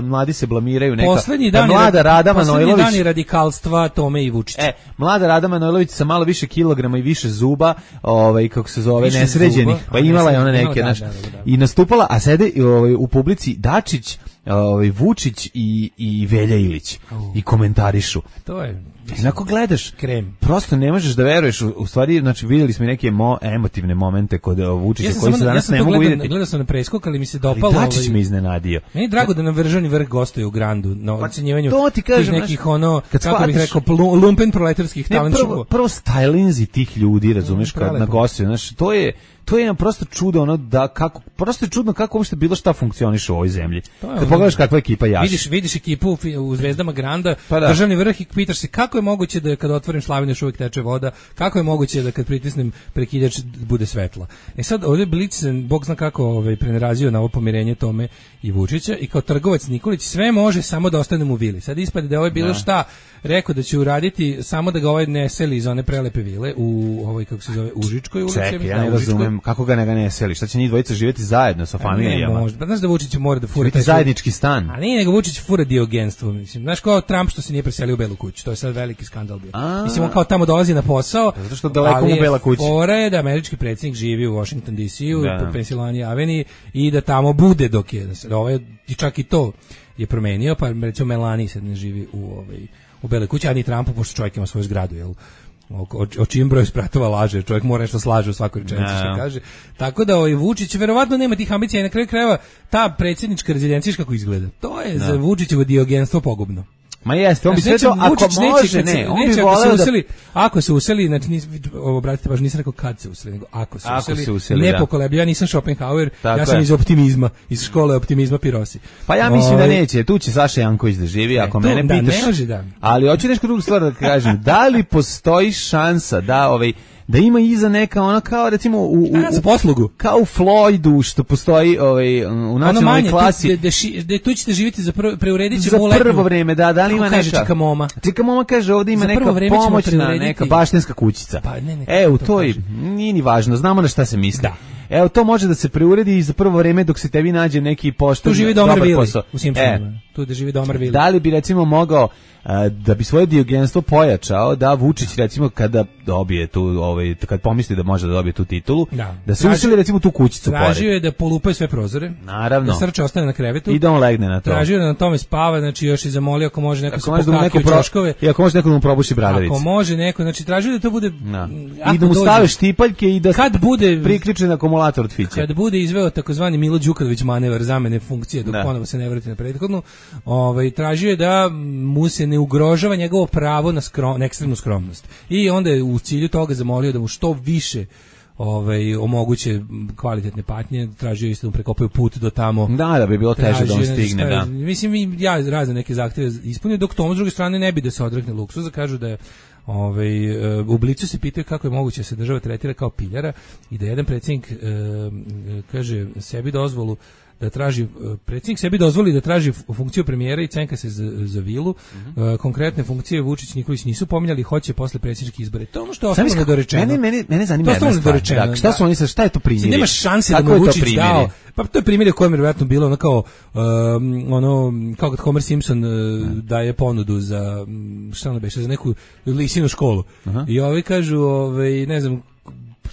mladi se blamiraju neka. Poslednji dan mlada Rada Manojlović. Dani radikalstva Tome i Vučića. E, mlada Rada Manojlović sa malo više kilograma i više zuba, ovaj kako se zove, više nesređenih, zuba, pa imala je ona neke, naš, da, da, da. I nastupala, a sede ovaj, u publici Dačić, ovaj Vučić i i Velja Ilić uh. i komentarišu. To je Inako gledaš, krem. Prosto ne možeš da veruješ, u, u stvari, znači vidjeli smo neke mo, emotivne momente kod Vučića ja koji se danas ja ne mogu vidjeti. Gledao sam na preskok, ali mi se dopalo. Ali Dačić ovaj, me iznenadio. Meni je drago da nam Državni vrh gostuje u Grandu na ocenjivanju pa, ti kažem, nekih znaš, ono, kako bih rekao, lumpen proletarskih talent show. Prvo, prvo stylinzi tih ljudi, razumeš, kad na gostuju, znači to je to je prosto čudo, ono da kako prosto je čudno kako uopšte bilo šta funkcioniše u ovoj zemlji. Kad pogledaš kakva ekipa jaši. Vidiš, vidiš ekipu u Zvezdama Granda, pa da. Državni vrh i pitaš se kako je moguće da kad otvorim slavinu još uvijek teče voda, kako je moguće da kad pritisnem prekidač bude svetla. E sad ovdje Blic se, Bog zna kako ovaj, prenerazio na ovo pomirenje Tome i Vučića i kao trgovac Nikolić sve može samo da ostane u vili. Sad ispade da je ovo bilo da. šta rekao da će uraditi samo da ga ovaj ne seli iz one prelepe vile u ovoj, kako se zove, Užičkoj ulici. Čekaj, ja ne razumem kako ga ne ga ne seli, šta će njih dvojica živjeti zajedno sa familijama? Ne, možda. Pa znaš da Vučić mora da fura taj zajednički stan. A nije nego Vučić fura diogenstvo, mislim. Znaš kao Trump što se nije preselio u Belu kuću, to je sad veliki skandal bio. A, mislim on kao tamo dolazi na posao, zato što daleko mu Bela kuća. Fora je da američki predsjednik živi u Washington D C-u, u Pennsylvania Avenue i da tamo bude dok je, da ovaj, i čak i to je promenio, pa recimo Melania sad ne živi u ovaj u Beloj kući, a ni Trumpu, pošto čovjek ima svoju zgradu, jel? O, o, o čijem broju spratova laže, čovjek mora nešto slaže u svakoj rečenici što kaže. Tako da ovaj Vučić verovatno nema tih ambicija i na kraju krajeva ta predsjednička rezidencija kako izgleda. To je no. za Vučićevo diogenstvo pogubno. Ma jeste, on bi sve to, ako može, ne, ne, on bi voleo da... Useli, ako se useli, znači, nis, obratite baš, nisam rekao kad se useli, nego ako se ako useli, se useli nepokolebljivo, ja nisam Schopenhauer, tako ja sam je. iz optimizma, iz škole optimizma Pirosi. Pa ja mislim o... da neće, tu će Saša Janković da živi, ako ne, mene da, pitaš, ne može, da. Ali hoću nešto drugu stvar da kažem, da li postoji šansa da ovaj da ima iza neka ona kao recimo u, u, u poslugu kao u Floydu što postoji ovaj u nacionalnoj klasi da da tu ćete živjeti za prvo preuredit ćemo za prvo vreme da da li ima neka čika moma čika moma kaže ovdje ima neka pomoćna neka baštenska kućica pa, ne, ne, e u toj nije ni važno znamo na šta se misli da. Evo to može da se preuredi i za prvo vreme dok se tebi nađe neki pošten tu živi Domar Vili u Simpsonima e, tu da živi Domar Vili da li bi recimo mogao da bi svoje diogenstvo pojačao da Vučić recimo kada dobije tu ovaj kad pomisli da može da dobije tu titulu da, da se useli recimo tu kućicu pored. Tražio je da polupaju sve prozore. Naravno. Da Srče ostane na krevetu. I da on legne na to. Tražio da na tome spava, znači još i zamolio ako može neko ako se pokaki u ćoškove. I ako može neko da mu probuši bradavicu. Ako može neko, znači tražio da to bude da. I da mu stave štipaljke i da kad bude priključen akumulator od fiće. Kad bude izveo takozvani Milo Đukanović manevar zamene funkcije dok ponovo se ne vrati na prethodnu, ovaj tražio je da mu se ne ugrožava njegovo pravo na, skrom, na ekstremnu skromnost. I onda je u cilju toga zamolio da mu što više ovaj omoguće kvalitetne patnje, tražio isto da mu prekopaju put do tamo. Da, da bi bilo teže da on stigne, da. Mislim, ja razne neke zahtjeve ispunio, dok Tom s druge strane ne bi da se odrekne luksuza, kažu da je ovaj, u Blicu se pitaju kako je moguće da se država tretira kao piljara i da jedan predsjednik e, kaže sebi dozvolu da traži, predsjednik sebi dozvoli da traži funkciju premijera i cenka se za, za vilu. Mm-hmm. Konkretne funkcije Vučić Nikolić nisu pominjali, hoće posle predsjedničkih izbora. To je ono što je ostalo nedorečeno. Mene, mene, mene zanima jedna stvar. Da, šta su oni sa, šta je to primjer? Nema šanse da mu Vučić dao. Pa to je primjer u kojem je vjerojatno bilo ono kao, um, ono, kao kad Homer Simpson uh, daje ponudu za, šta ono beše, za neku lisinu školu. Aha. I ovi kažu, ovaj, ne znam,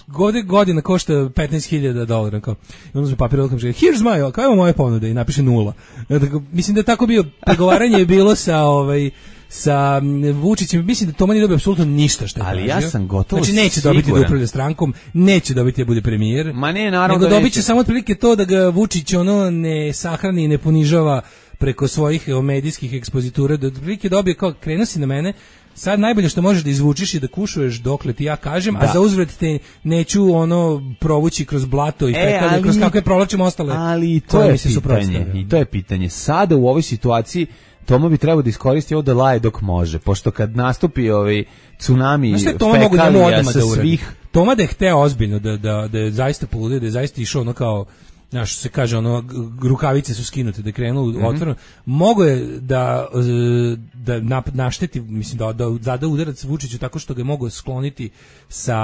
Gode, godina košta petnaest hiljada dolara kao. I onda su papir odakle kaže here's my, kao je moje ponude i napiše nula. Dakle, mislim da je tako bio pregovaranje je bilo sa ovaj sa Vučićem, mislim da Toma nije dobio apsolutno ništa što je ali tražio. Ja sam gotovo znači neće siguran. dobiti da upravlja strankom, neće dobiti da bude premijer. Ma ne, naravno nego da dobit će samo otprilike to da ga Vučić ono ne sahrani i ne ponižava preko svojih medijskih ekspozitura, da otprilike dobije kao krenuo si na mene, sad najbolje što možeš da izvučiš je da kušuješ dokle ti ja kažem, Da. a za uzvrat te neću ono provući kroz blato i E, fekalje, ali- kroz kakve provlačim ostale. Ali i to koje je mi se pitanje. suprotstavljaju. I to je pitanje. Sada u ovoj situaciji Toma bi trebao da iskoristi ovo da laje dok može, pošto kad nastupi ovaj tsunami Znaš šta je Toma mogu njemu fekalija odmah sa da uradi? svih... Toma da je hteo ozbiljno, da, da, da je zaista poludio, da je zaista išao ono kao, znaš, što se kaže, ono, g- rukavice su skinute, da je krenuo Mhm. otvoreno, mogo je da, e, da nap- našteti, mislim, da, da zada udarac Vučiću tako što ga je mogo skloniti sa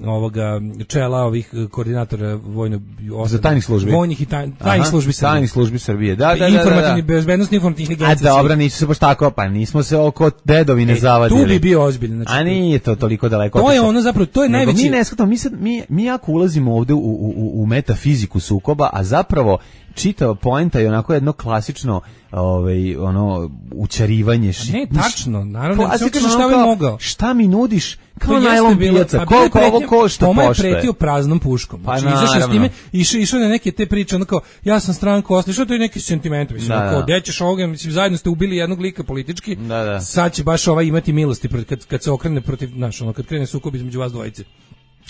ovoga čela ovih koordinatora vojno Za tajnih službi. Vojnih i taj, tajnih Aha, službi Srbije. tajnih službi Srbije. Da, da, da, da, Informativni, da. bezbednosni informativni A agencije. dobro, nisu se baš tako, pa nismo se oko dedovine E, zavadili. tu bi bio ozbiljan. Znači, A nije to toliko daleko. To je otišlo. ono zapravo, to je Nego najveći... Mi ne shvatamo, mi, sad, mi, mi jako ulazimo ovde u, u, u, u metafiziku sukoba, a zapravo čitava poenta je onako jedno klasično ovaj, ono, učarivanje. Ši, Ne, tačno, naravno, klasično, samo kaže šta ono bi kao, mogao. Šta mi nudiš? Kao To jeste najlon bilo- pijaca, pa bilo je koliko ovo pretnja- košta Toma je poštuje? pretio praznom puškom. Pa Znači, izašao s naravno. time, išao, išao na neke te priče, ono kao, ja sam stranka osla, što to je neki sentiment, mislim, Da, ono kao, da. gde ćeš ovoga, mislim, zajedno ste ubili jednog lika politički, Da, da. sad će baš ovaj imati milosti protiv- kad, kad se okrene protiv, znaš, ono, kad krene sukob između vas dvojice.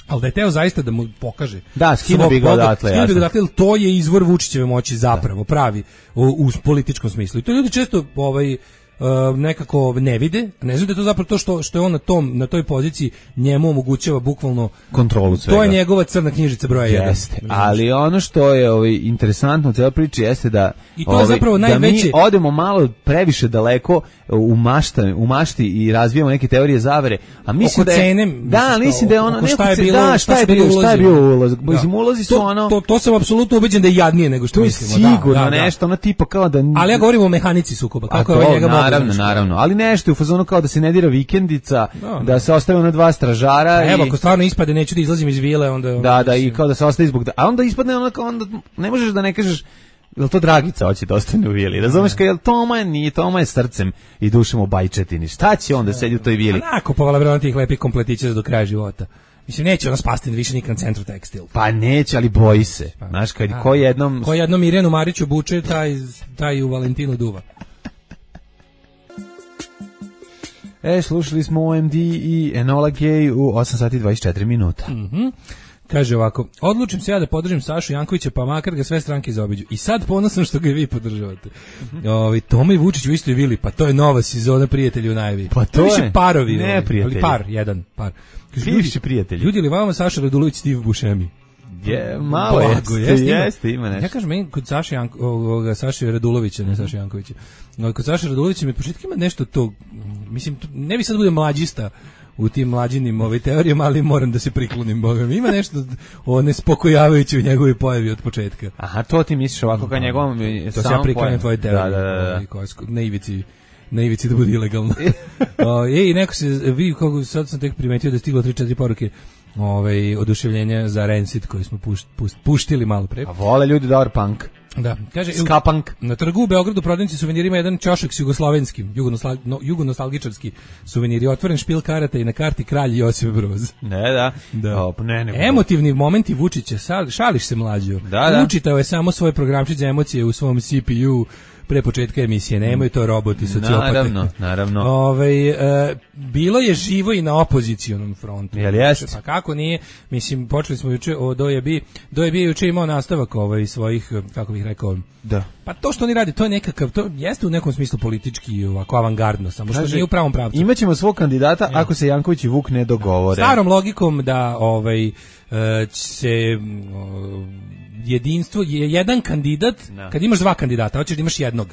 Ali da je teo zaista da mu pokaže. Da, skinuo svog bi ga Boga, odatle, skinuo bi ga jasno. odatle, jer to je izvor Vučićeve moći zapravo, pravi, u, u političkom smislu. I to ljudi često ovaj, Uh, nekako ne vide, ne znaju da je to zapravo to što, što je on na, tom, na toj poziciji njemu omogućava bukvalno Kontrolu svega. to je njegova crna knjižica broja jedan. Jeste, ali ono što je ovaj, interesantno u cijeloj priči jeste da, I to je ovaj, zapravo da najveće- mi odemo malo previše daleko u, mašta, u mašti i razvijamo neke teorije zavere, a mislim Oko da je, cene, da, misliš, mislim da je ono oko šta neko je ce- bilo, da, šta šta je su bili bio, šta je ulozi? bio ulaz, Da. mislim ulozi su to, ono, to, to sam apsolutno ubeđen da je jadnije nego što to je mislimo. Da, sigurno da, da. nešto, ono tipa kao da... Ali ja govorim o mehanici sukoba, A kako to, je ovaj njega mogao, naravno, znaš. naravno, ali nešto je u fazonu kao da se ne dira vikendica, Da, da se ostave ona dva stražara A Evo, i... ako stvarno ispade, neću da izlazim iz vile, onda... Da, da, i kao da se ostaje zbog... A onda ispadne ono kao onda... Ne možeš da ne kažeš... Jel to Dragica hoće da ostane u vili? Razumeš kao, jel Toma je, nije, Toma je srcem i dušem u bajčetini. Šta će onda sedi u toj vili? Onako, povala vremena tih lepih kompletića do kraja života. Mislim, neće ona spasti više nikad na centru tekstil. Pa neće, ali boji se. Znaš, kad ko jednom... Ko jednom Mirjanu Mariću buče, taj, taj u Valentinu duva. E, slušali smo O M D i Enola Gay u osam sati i dvadeset četiri minuta. Mhm. Kaže ovako, odlučim se ja da podržim Sašu Jankovića, pa makar ga sve stranke zaobiđu. I sad ponosan što ga i vi podržavate. Ovi, Toma i Vučić u istoj vili, pa to je nova sezona Prijatelji u najavi. Pa to više je. parovi. Ne, ovi, prijatelji. Ali par, jedan par. Kaže, Bivši ljudi, prijatelji. Ljudi li vama Saša Radulović, Steve Buscemi? Je, malo Blago, jeste, ima. jeste, ima nešto. Ja kažem, meni kod Saše Janko, ovoga, Saše Radulovića, ne Saše Jankovića. No, kod Saše Radulovića mi od početka ima nešto to, mislim, to, ne bi sad bude mlađista u tim mlađinim ove teorijama, ali moram da se priklonim, Boga mi. Ima nešto o nespokojavajuće u njegovoj pojavi od početka. Aha, to ti misliš ovako kao njegovom... To se ja priklanjam tvoje teorije. Da, da, da. da. ovaj, koje su na ivici na ivici da bude ilegalno. O, ej, neko se vidi kako sad sam tek primetio da je stiglo tri četiri poruke ovaj oduševljenja za Rancid koji smo pušt, pušt, puštili malo pre. A vole ljudi dobar punk. Da, kaže Ska punk. na trgu u Beogradu prodavnici suvenirima jedan ćošak s jugoslovenskim, jugonostal, no, jugonostalgičarski suveniri, otvoren špil karata i na karti kralj Josip Broz. Ne, da. Da. O, pa ne, ne. Emotivni momenti Vučića, sal, šališ se mlađo. Da, da. Učitao je samo svoj programčić za emocije u svom C P U pre početka emisije, nemaju to roboti, sociopate. Naravno, naravno. Ovaj e, bilo je živo i na opozicionom frontu. Jel jest? Pa kako nije? Mislim, počeli smo juče o Dojebi. Dojebi je juče imao nastavak ovaj svojih, kako bih rekao, Da. pa to što oni rade, to je nekakav, to jeste u nekom smislu politički ovako avangardno, samo što nije u pravom pravcu. Imaćemo svog kandidata ako se Janković i Vuk ne dogovore. Starom logikom da ovaj e, se o, jedinstvo je jedan kandidat, Da. kad imaš dva kandidata, hoćeš da imaš jednog.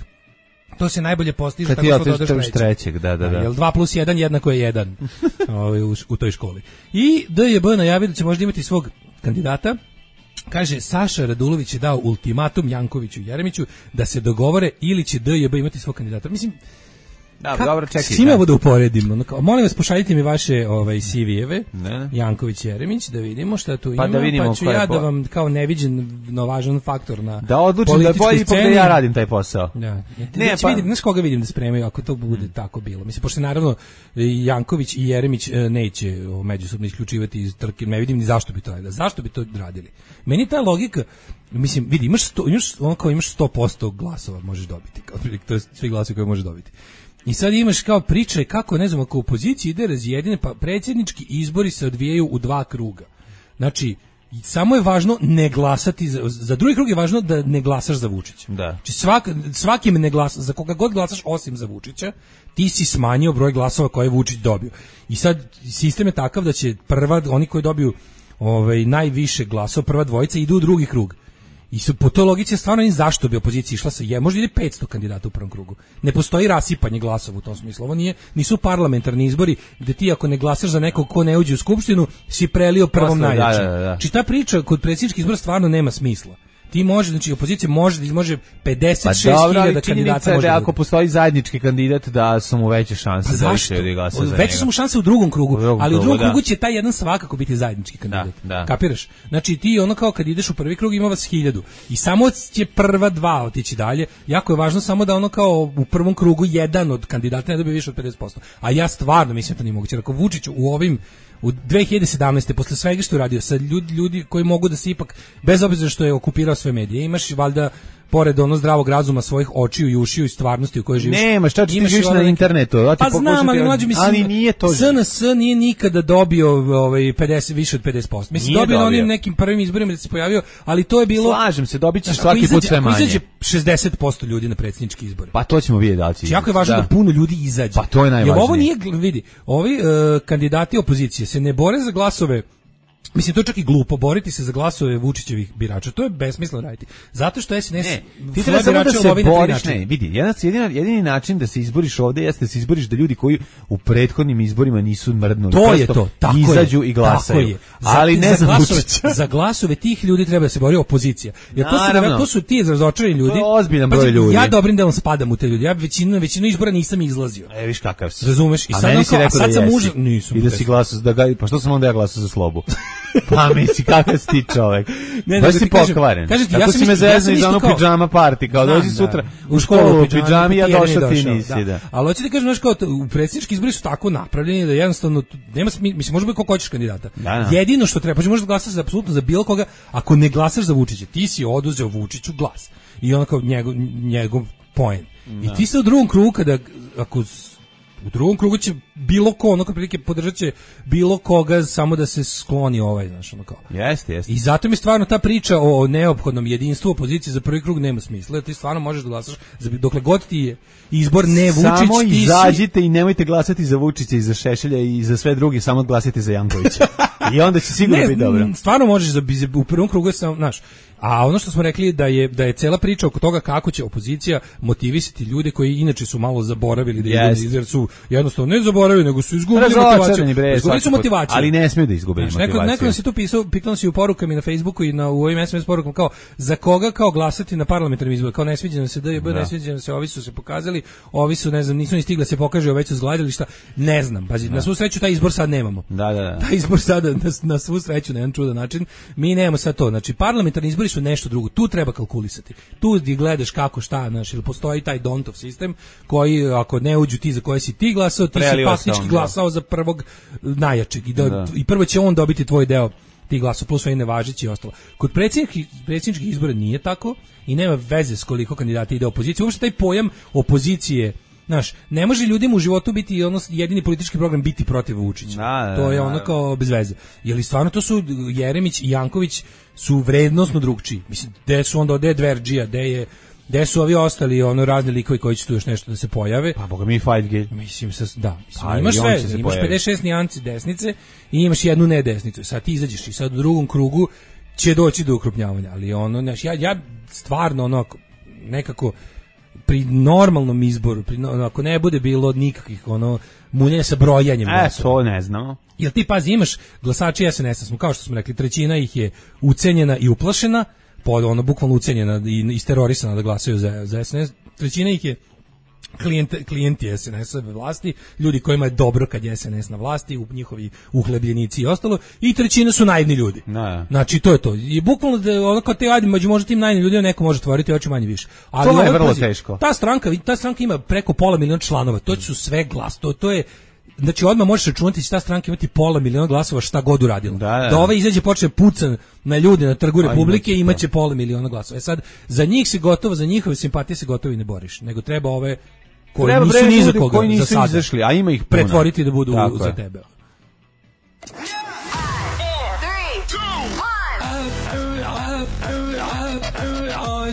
To se najbolje postiže Kad tako ti što dodaš otiš trećeg. trećeg, da, da, da. Jel dva plus jedan jednako je jedan ovaj, u, u toj školi. I D J B najavio da će možda imati svog kandidata. Kaže, Saša Radulović je dao ultimatum Jankoviću i Jeremiću da se dogovore ili će D J B imati svog kandidata. Mislim, Da, Ka, dobro, čekaj. s čime da. ovo da uporedimo? Ono kao, molim vas, pošaljite mi vaše ovaj, C V-eve, Ne. Janković Jeremić, da vidimo šta tu Pa ima, da vidimo pa ću ko je ja po- da vam kao neviđen no, važan faktor na Da odlučim da je političkoj bolje ipak da sceni. ja radim taj posao. Da. Ne, Ne, pa, pa- vidim, znaš koga vidim da spremaju ako to bude Hmm. tako bilo. Mislim, pošto naravno i Janković i Jeremić e, neće o, međusobno isključivati iz trke, ne vidim ni zašto bi to radili. Zašto bi to radili? Meni ta logika, mislim, vidi, imaš sto, imaš, on kao imaš sto posto glasova možeš dobiti, kao prilike, to je svi glasovi koje možeš dobiti. I sad imaš kao priča kako, ne znam, ako u opoziciji ide razjedine, pa predsjednički izbori se odvijaju u dva kruga. Znači, samo je važno ne glasati, za, za drugi krug je važno da ne glasaš za Vučića. Da. Znači svak, svakim ne glasa, za koga god glasaš osim za Vučića, ti si smanjio broj glasova koje je Vučić dobio. I sad sistem je takav da će prva, oni koji dobiju ovaj, najviše glasova, prva dvojica idu u drugi krug. I su, po toj logici je stvarno ni zašto bi opozicija išla sa je, možda ide petsto kandidata u prvom krugu. Ne postoji rasipanje glasova u tom smislu. Ovo nije, nisu parlamentarni izbori gde ti ako ne glasaš za nekog ko ne uđe u skupštinu, si prelio prvom najjačem. Da, da, da. Znači ta priča kod predsjedničkih izbora stvarno nema smisla. Ti može, znači opozicija može da može pedeset šest hiljada kandidata može. Da ako postoji zajednički kandidat da su mu veće šanse pa da više ljudi glasa za njega. Veće su mu šanse u drugom krugu, u drugom ali u drugom krugu, krugu da. će taj jedan svakako biti zajednički kandidat. Da, da. Kapiraš? Znači ti ono kao kad ideš u prvi krug ima vas hiljadu i samo će prva dva otići dalje. Jako je važno samo da ono kao u prvom krugu jedan od kandidata ne dobije više od pedeset posto. A ja stvarno mislim da to nije moguće. Ako Vučić u ovim u dve hiljade sedamnaeste posle svega što je radio sa ljudi, ljudi koji mogu da se ipak bez obzira što je okupirao sve medije, imaš valjda pored ono zdravog razuma svojih očiju i ušiju i stvarnosti u kojoj živiš. Nema, šta ti živiš na internetu? Ja ti pa znam, ali mlađi mislim, ali nije to. S N S nije nikada dobio ovaj pedeset više od pedeset posto. Mislim nije dobio na onim nekim prvim izborima da se pojavio, ali to je bilo. Slažem se, dobićeš svaki izađe, put sve manje. Izađe šezdeset posto ljudi na predsjednički izbore. Pa to ćemo vidjeti da li će. Jako je važno da. da puno ljudi izađe. Pa to je najvažnije. Jer ovo nije, vidi, ovi uh, kandidati opozicije se ne bore za glasove. Mislim, to je čak i glupo, boriti se za glasove Vučićevih birača, to je besmisleno raditi. Zato što S N S... Ne, ti treba samo da se boriš, ne, vidi, jedini, jedini način da se izboriš ovde jeste da se izboriš da ljudi koji u prethodnim izborima nisu mrdnuli. To je to, tako izađu je, i glasaju. Tako je. Ali ne za Vučića. Za glasove tih ljudi treba da se bori opozicija. Jer to su, to su ti razočarani ljudi. To je ozbiljan broj ljudi. Ja dobrim delom spadam u te ljudi. Ja većinu, većinu izbora nisam izlazio. E, viš kakav si. Razumeš? I sad, meni si rekao sad da sam jesi. Nisam. I da si glasao, da ga, pa što sam onda ja glasao za Slobu? Pa misli kakav si ti čovek. Ne, baš si pokvaren. Kažete, tako ja si me zezno iz ono pidžama party, kao dođi sutra u školu u pidžami, ja došao ti nisi, da. Ali hoćete da kažem, znaš, kao u predsjednički izbori su tako napravljeni da jednostavno nema smisla, mislim, može biti koliko hoćeš kandidata. Jedino što treba, pa možeš glasati za apsolutno za bilo koga, ako ne glasaš za Vučića, ti si oduzeo Vučiću glas. I on kao njegov, njegov poen. I ti se u drugom krugu, kada, ako u drugom krugu će bilo ko, onako prilike podržat će bilo koga samo da se skloni ovaj, znaš, ono kao. Jeste, jeste. I zato mi stvarno ta priča o neophodnom jedinstvu opozicije za prvi krug nema smisla. Ti stvarno možeš da glasaš za dokle god ti je izbor ne Vučić, samo ti izađite si... i nemojte glasati za Vučića i za Šešelja i za sve drugi, samo glasite za Jankovića. I onda će sigurno biti dobro. Stvarno možeš za u prvom krugu samo, znaš. A ono što smo rekli da je da je cela priča oko toga kako će opozicija motivisati ljude koji inače su malo zaboravili da yes. idu, jer su jednostavno ne zaboravili, nego su izgubili motivaciju. Izgubili su motivaciju. Ali ne smiju da izgube znači, motivaciju. Neko, neko nas je tu pisao, pitao nas i u porukama i na Facebooku i na u ovim S M S porukama kao za koga kao glasati na parlamentarnim izborima, kao ne sviđa nam se D J B, ne sviđa nam se, ovi su se pokazali, ovi su ne znam, nisu ni stigli da se pokaže, već su zgladili šta. Ne znam, pazi, na svu sreću taj izbor sad nemamo. Da, da, da. Taj izbor sada na, na svu sreću na jedan čudan način mi nemamo sad to. Znači parlamentarni izbori su nešto drugo. Tu treba kalkulisati. Tu ti gledaš kako šta, znaš, ili postoji taj Dontov sistem koji ako ne uđu ti za koje si ti glasao, ti si faktički glasao za prvog najjačeg i, da, da. i prvo će on dobiti tvoj deo ti glasova plus sve nevažeći i ostalo. Kod predsjedničkih izbora nije tako i nema veze s koliko kandidata ide opozicije. Uopšte taj pojam opozicije, znaš, ne može ljudima u životu biti ono jedini politički program biti protiv Vučića. Da, da, to je ono kao bez veze. Je li stvarno to su Jeremić i Janković su vrednosno drugčiji. Mislim, gde su onda ode Dverđija, gde je gde su ovi ostali ono razni likovi koji će tu još nešto da se pojave. Pa boga mi fight gay. Mislim se da, mislim, pa, imaš sve, imaš pedeset šest nijanci desnice i imaš jednu ne desnicu. Sad ti izađeš i sad u drugom krugu će doći do ukrupnjavanja, ali ono, znaš, ja ja stvarno ono nekako pri normalnom izboru, pri, ako ne bude bilo nikakvih ono munjenja sa brojanjem glasova. E, to ne znamo. Jel ti pazi, imaš glasači S N S-a, smo, kao što smo rekli, trećina ih je ucenjena i uplašena, pod ono bukvalno ucenjena i isterorisana da glasaju za, za S N S, trećina ih je klijente, klijenti S N S-a vlasti, ljudi kojima je dobro kad je S N S na vlasti, u njihovi uhlebljenici i ostalo, i trećina su naivni ljudi. No. Znači, to je to. I bukvalno, da, ono kao te, ajde, među možda tim naivnim ljudima neko može tvoriti oči manje više. Ali to je vrlo pazi, teško. Ta stranka, ta stranka ima preko pola miliona članova, to su sve glas, to, to je znači odmah možeš računati će ta stranka imati pola miliona glasova šta god uradila. Da, da. da ova izađe počne pucan na ljude na trgu Republike i imaće pola miliona glasova. E sad, za njih se gotovo, za njihove simpatije se gotovo i ne boriš, nego treba ove koji Treba nisu bre ni za ljudi koga koji nisu za sada. izašli, a ima ih puno. Pretvoriti da budu Tako za je. tebe.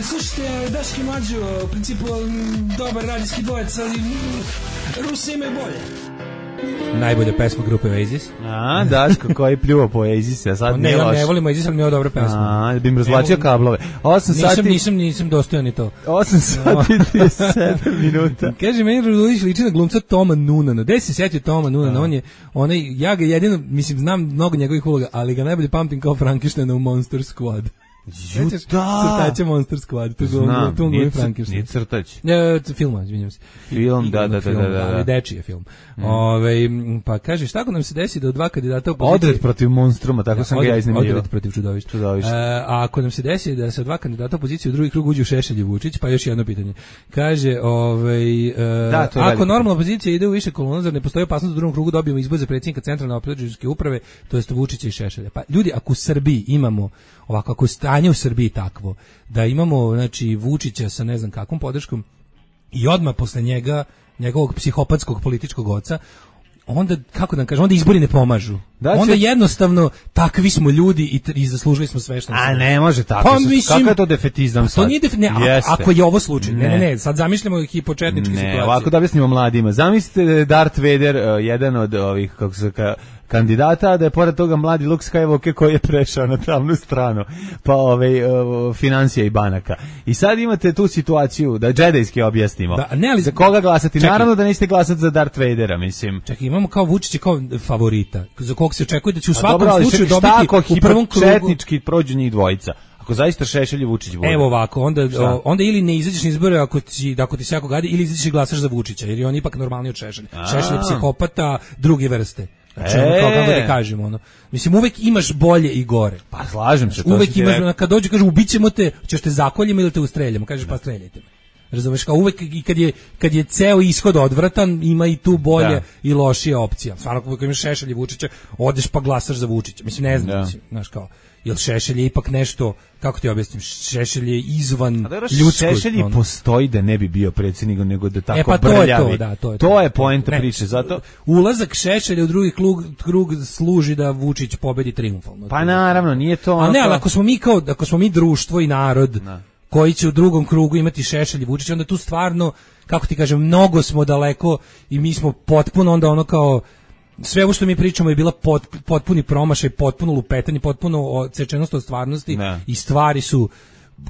Slušajte, Daški Mlađo, u principu dobar radijski dvojec, ali Rusi imaju bolje. Najbolja pesma grupe Oasis. A, Daško koji pljuva po Oasis, a sad ne, nije ja loš. ne volim Oasis, ali nije dobra pesma. A, bi im razvlačio kablove. osam nisam, sati... Nisam, nisam, dostojan ni to. osam sati i trideset sedam minuta. Kaže, meni Radulović liči na glumca Toma Nunana. Gde se setio Toma Nunana? On je, onaj, ja ga jedino, mislim, znam mnogo njegovih uloga, ali ga najbolje pamtim kao Frankensteina u Monster Squad. Ju, da. Crtaće Monster Squad. To Znam, to nije, Frankenstein. nije crtać. Ne, film, izvinjam se. Film, da, da, da, film, da, da. Ali dečiji je film. Mm. Ove, pa kaže, šta ako nam se desi da od dva kandidata opoziciji... Odred protiv monstruma, tako da, sam odred, ga ja iznimljivao. Odred protiv čudovišta. Čudovišta. E, a ako nam se desi da sa dva kandidata opozicije u drugi krug uđe u Šešelj i Vučić, pa još jedno pitanje. Kaže, ovaj, e, da, ako normalna opozicija ide u više kolona, zar ne postoji opasnost da u drugom krugu dobijemo izbor za predsjednika centralne operativne uprave, to jest Vučića i Šešelja. Pa ljudi, ako u Srbiji imamo ovako, ako je stanje u Srbiji takvo, da imamo, znači, Vučića sa ne znam kakvom podrškom i odmah posle njega, njegovog psihopatskog političkog oca, onda, kako da vam kažem, onda izbori ne pomažu. Da će... Onda jednostavno, takvi smo ljudi i, i zaslužili smo sve što nam se... A ne može tako. Pa, mislim, kakav je to defetizam sad? To nije defetizam, ako je ovo slučaj. Ne, ne, ne, sad zamišljamo hipočetničke situacije. Ne, ovako da objasnimo mladima. Zamislite Darth Vader, uh, jedan od ovih, kako se ka, kandidata, da je pored toga mladi Luke Skywalker koji je prešao na tamnu stranu, pa ove, uh, financija i banaka. I sad imate tu situaciju, da džedejski objasnimo. Da, ne, ali, za koga glasati? Čekaj. Naravno da nećete glasati za Darth Vadera, mislim. Čekaj, imamo kao Vučića kao favorita, za kog se očekuje da će u svakom dobro, slučaju dobiti u prvom krugu. Četnički prođu njih dvojica. Ako zaista Šešelj i Vučić bude. Evo ovako, onda, o, onda ili ne izađeš na izbore ako ti, ako ti se jako gadi, ili izađeš i glasaš za Vučića, jer je on ipak normalniji od Šešelja. Šešelj je psihopata druge vrste. Znači, ono, kao kako da kažemo, ono. Mislim, uvek imaš bolje i gore. Pa slažem se. Uvek imaš, ono, kad dođe, kaže, ubićemo te, ćeš te zakoljimo ili te ustreljamo. Kažeš, pa streljajte me. Razumeš, kao uvek i kad je, kad je ceo ishod odvratan, ima i tu bolje da. I lošija opcija. Stvarno, ako imaš Šešelj i Vučića, odeš pa glasaš za Vučića. Mislim, ne znam, da. Mislim, znaš kao, jel Šešelj je ipak nešto, kako ti objasnim, Šešelj je izvan ljudskog. Šešelj ono. Postoji da ne bi bio predsjednik, nego da tako e, pa brljavi. To je to, da, to je to. To je poenta priče, zato... Ulazak Šešelja u drugi krug, krug služi da Vučić pobedi triumfalno. Pa naravno, nije to... A ne, ali ako smo mi kao, ako smo mi društvo i narod, da. Koji će u drugom krugu imati Šešelj i Vučić, onda tu stvarno, kako ti kažem, mnogo smo daleko i mi smo potpuno onda ono kao, sve ovo što mi pričamo je bila pot, potpuni promašaj, potpuno lupetanje, potpuno odsečenost od stvarnosti ne. I stvari su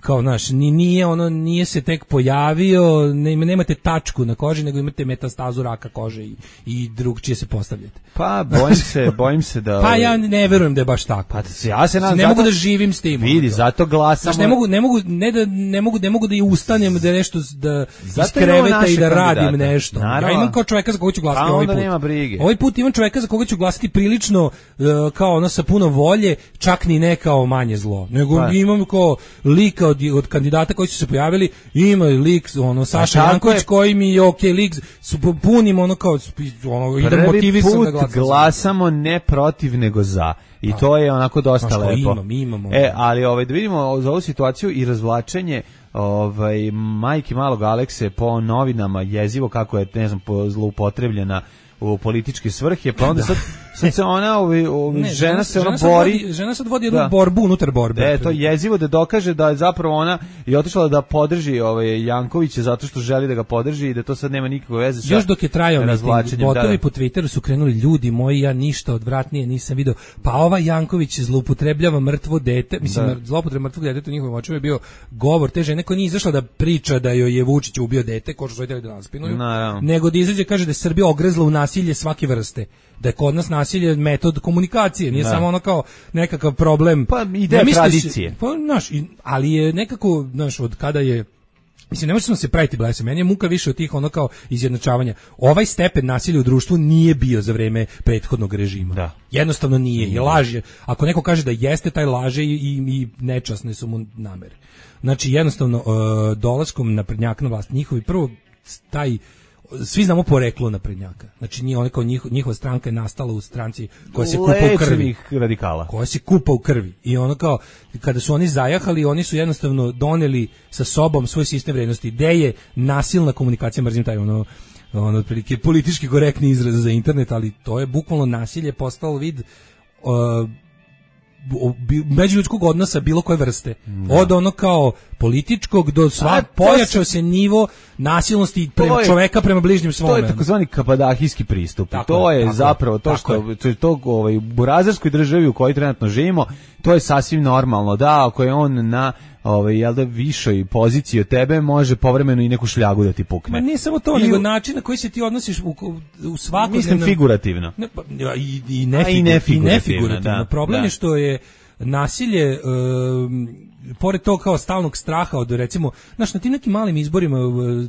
kao, znaš, nije ono, nije se tek pojavio, ne, nemate tačku na koži, nego imate metastazu raka kože i, i drugčije se postavljate. Pa, bojim se, bojim se da... Pa ja ne verujem da je baš tako. Pa ja se nadam, ne zato, mogu da živim s tim. Vidi, zato glasamo... Znaš, ne mogu, ne mogu, ne da, ne mogu, ne mogu da i ustanem, da nešto, da iz kreveta i da radim kandidata. Nešto. Naravno. Ja imam kao čovjeka za koga ću glasati pa ovaj put. Nema brige. Ovaj put imam čovjeka za koga ću glasati prilično, uh, kao ono sa puno volje, čak ni ne kao manje zlo. Nego pa. Imam kao lika od, od kandidata koji su se pojavili, ima lik ono Saša Janković koji mi je okej lik, su punim ono kao ono idem motivisan da glasam. Glasamo ne protiv nego za. I a, to je onako dosta znaš, lepo. Imam, imamo. E, ali ovaj da vidimo za ovu situaciju i razvlačenje ovaj majke malog Alekse po novinama jezivo kako je ne znam zloupotrebljena u političke svrhe, pa onda sad, sad se ona, ovi, ovi, ne, žena, žena se ona žena bori... Vodi, žena sad vodi jednu da. borbu unutar borbe. E, to je jezivo da dokaže da je zapravo ona je otišla da podrži ovaj, Jankovića zato što želi da ga podrži i da to sad nema nikakve veze sa još dok je trajao miting, botovi da. Po Twitteru su krenuli ljudi moji, ja ništa odvratnije nisam video, pa ova Janković zloupotrebljava mrtvo dete, mislim, da. Zloupotreba mrtvog deteta u njihovim očima je bio govor te žene koja nije izašla da priča da joj je Vučić ubio dete, ko što su htjeli da naspinuju, nego da izađe kaže da je Srbija ogrezla u nasilje svake vrste, da je kod nas nasilje metod komunikacije, nije da. Samo ono kao nekakav problem. Pa ide ne tradicije. Pa, znaš, ali je nekako, znaš, od kada je, mislim, ne možemo se praviti blese, meni je muka više od tih ono kao izjednačavanja. Ovaj stepen nasilja u društvu nije bio za vreme prethodnog režima. Da. Jednostavno nije, i laže. Ako neko kaže da jeste, taj laže i, i, i nečasne su mu namere. Znači, jednostavno, uh, dolaskom naprednjaka na vlast, njihovi prvo taj svi znamo poreklo naprednjaka. Znači nije ona kao njihova, njihova stranka je nastala u stranci koja se kupa u krvi, radikala. Koja se kupa u krvi. I ono kao kada su oni zajahali, oni su jednostavno doneli sa sobom svoj sistem vrednosti. Gde je nasilna komunikacija, mrzim taj ono ono otprilike politički korektni izraz za internet, ali to je bukvalno nasilje postalo vid uh, međuljudskog odnosa bilo koje vrste. Da. Od ono kao političkog do sva pojačao se nivo nasilnosti prema je, čoveka prema bližnjem svome. To je takozvani kabadahijski pristup. Tako, to je tako, zapravo to što je. To je to ovaj, u burazerskoj državi u kojoj trenutno živimo, to je sasvim normalno. Da, ako je on na ovaj jel da višoj poziciji od tebe, može povremeno i neku šljagu da ti pukne. Ma nije samo to, I, nego način na koji se ti odnosiš u, u svakodnevnom... Mislim figurativno. Ne, pa, i, i, nefigur, i nefigurativno. I nefigurativno. Da, Problem da. je što je nasilje, um, pored tog kao stalnog straha od, recimo, znaš, na tim nekim malim izborima,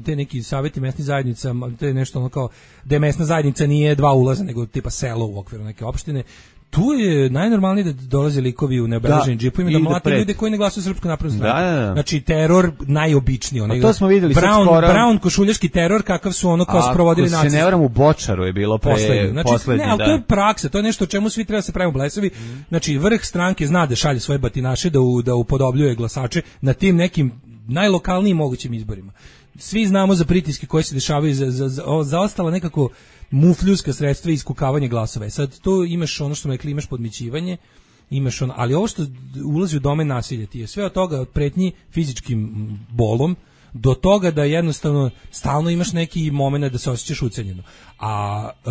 te neki savjeti mesnih zajednica, te nešto ono kao, da mesna zajednica nije dva ulaza, nego tipa selo u okviru neke opštine, tu je najnormalnije da dolaze likovi u neobeleženim džipovima da mlate ljude koji ne glasuju Srpsku naprednu stranku. Da, da, da. Znači teror najobičniji, onaj. To smo videli Brown, skoro. Brown košuljaški teror kakav su ono kao sprovodili nacisti. Ako se ne varam, u Bočaru je bilo pre poslednji. Znači, poslednji, ne, ali da. to je praksa, to je nešto o čemu svi treba se pravimo blesavi. Mm. Znači vrh stranke zna da šalje svoje batinaše da u, da upodobljuje glasače na tim nekim najlokalnijim mogućim izborima. Svi znamo za pritiske koje se dešavaju za za za, za ostala nekako mufljuska sredstva i iskukavanje glasova. Sad to imaš ono što smo rekli, imaš podmićivanje, imaš ono, ali ovo što ulazi u domen nasilja ti je sve od toga, od pretnji fizičkim bolom do toga da jednostavno stalno imaš neki momenat da se osjećaš ucenjeno. A e,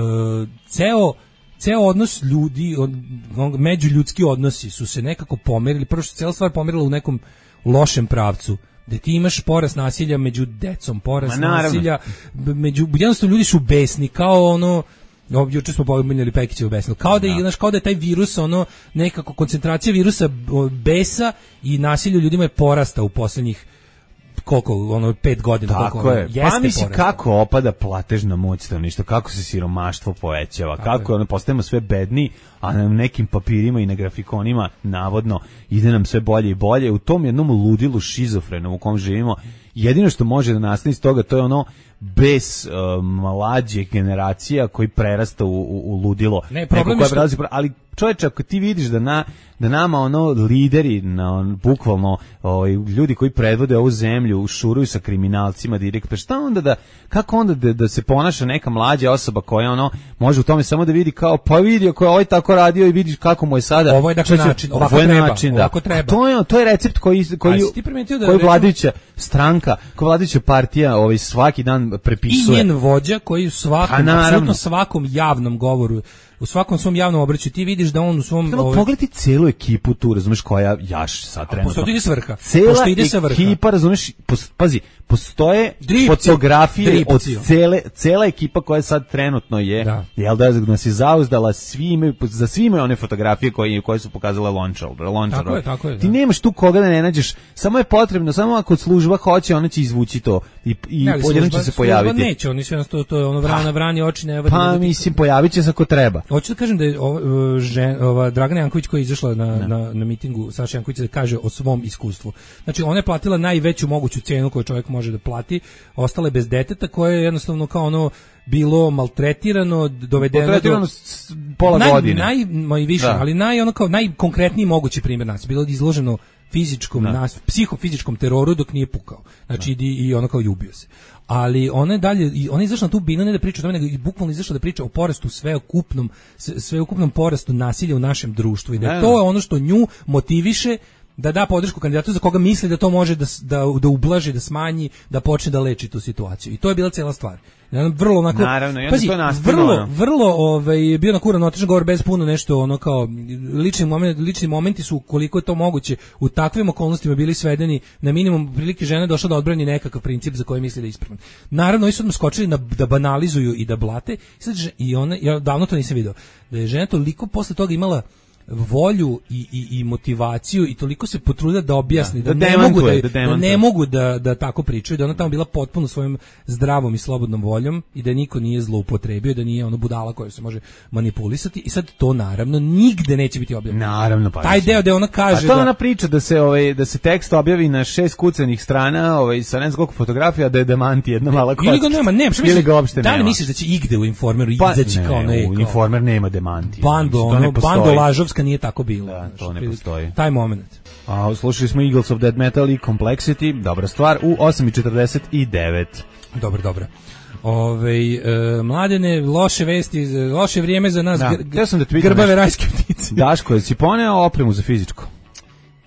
ceo ceo odnos ljudi, on, on, međuljudski odnosi su se nekako pomerili, prvo što cela stvar pomerila u nekom lošem pravcu, da ti imaš porast nasilja među decom, porast nasilja među, jednostavno ljudi su besni, kao ono, juče smo pominjali Pekićevu besnu, kao da, je, znaš, kao da je taj virus, ono, nekako koncentracija virusa besa i nasilja ljudima je porasta u poslednjih koliko, ono, pet godina. Tako koliko, je. Ono, pa misli kako opada platežna moć stanovništva, kako se siromaštvo povećava, tako kako ono, postajemo sve bedni, a na nekim papirima i na grafikonima navodno ide nam sve bolje i bolje. U tom jednom ludilu šizofrenom u kom živimo, jedino što može da nastane iz toga, to je ono bez uh, mlađe generacija koji prerasta u, u, u ludilo. Ne, problem je što... prelazi, ali čovječe, ako ti vidiš da na da nama ono lideri, na on, bukvalno ovaj, ljudi koji predvode ovu zemlju šuruju sa kriminalcima direkt, pa šta onda da, kako onda da, da se ponaša neka mlađa osoba koja ono može u tome samo da vidi kao, pa vidi ako je ovaj tako radio i vidiš kako mu je sada. Ovo je dakle način, ovako treba, način, da. ovako treba. To je, to je recept koji, koji, da koji vladajuća stranka, koja vladajuća partija ovaj, svaki dan prepisuje. I njen vođa koji u svakom, apsolutno svakom javnom govoru, u svakom svom javnom obraću ti vidiš da on u svom Treba ovaj... pogledati celu ekipu tu, razumeš, koja jaš sad trenutno. Pošto ide sa vrha. Cela Pošto ide sa vrha. Ekipa, razumeš, pos, pazi, postoje Dripci. fotografije Dripci. od cele, cela ekipa koja sad trenutno je, da. jel da nas je zauzdala, svi imaju, za svi imaju one fotografije koje, koje su pokazale Lončar. Tako je, tako je. Ti da. nemaš tu koga da ne nađeš, samo je potrebno, samo ako služba hoće, ona će izvući to i, i odjednom će se pojaviti. Neće, oni sve to, to je ono vrana, vrani oči, ne vrani. Pa mislim, pojavit će se ako treba. Hoću da kažem da je ova, žen, ova Dragana Janković koja je izašla na, na, na mitingu Saša Janković da kaže o svom iskustvu. Znači ona je platila najveću moguću cenu koju čovjek može da plati, ostale bez deteta koje je jednostavno kao ono bilo maltretirano, dovedeno maltretirano do pola naj, godine. Naj, naj više, da. ali naj ono kao najkonkretniji mogući primjer nas bilo izloženo fizičkom nas, psihofizičkom teroru dok nije pukao. Znači i, i ono kao ljubio se. Ali ona je dalje, ona je izašla na tu binu ne da priča o tome, nego i bukvalno izašla da priča o porastu sveukupnom, sveukupnom porastu nasilja u našem društvu i da je to ono što nju motiviše da da podršku kandidatu za koga misli da to može da, da, da ublaži, da smanji, da počne da leči tu situaciju. I to je bila cela stvar. Vrlo onako, naravno, i pazi, to vrlo, vrlo ovaj, bio nakuran otičan govor bez puno nešto, ono kao, lični, moment, lični momenti su, koliko je to moguće, u takvim okolnostima bili svedeni na minimum, prilike žene došla da odbrani nekakav princip za koji misli da je ispravan. Naravno, oni su odmah skočili na, da banalizuju i da blate, i, sad, i ona, ja davno to nisam video, da je žena toliko posle toga imala volju i, i, i motivaciju i toliko se potrudila da objasni da, da, da, da ne mogu da, da, da ne mogu da, da tako pričaju, da ona tamo bila potpuno svojom zdravom i slobodnom voljom i da niko nije zloupotrebio, da nije ono budala koja se može manipulisati i sad to naravno nigde neće biti objavljeno. Naravno, pa. Taj deo da ona kaže a to da ona priča da se ovaj da se tekst objavi na šest kucanih strana, ovaj sa ne znam koliko fotografija, da je demanti jedna mala kocka. Ili ga nema, nema, što ili ga uopšte da li nema. misliš da će igde u Informeru Pa, izaći kao ne? U Kao, Informer nema demanti. Bando, ono, bando lažovska nije tako bilo. Da, to ne postoji. Taj moment. A slušali smo Eagles of Death Metal i Complexity, dobra stvar, u osam i četrdeset devet. Dobro, dobro. Ove, e, mladene, loše vesti, loše vrijeme za nas, da, gr, ja sam da grbave rajske ptice. Daško, je si poneo opremu za fizičko?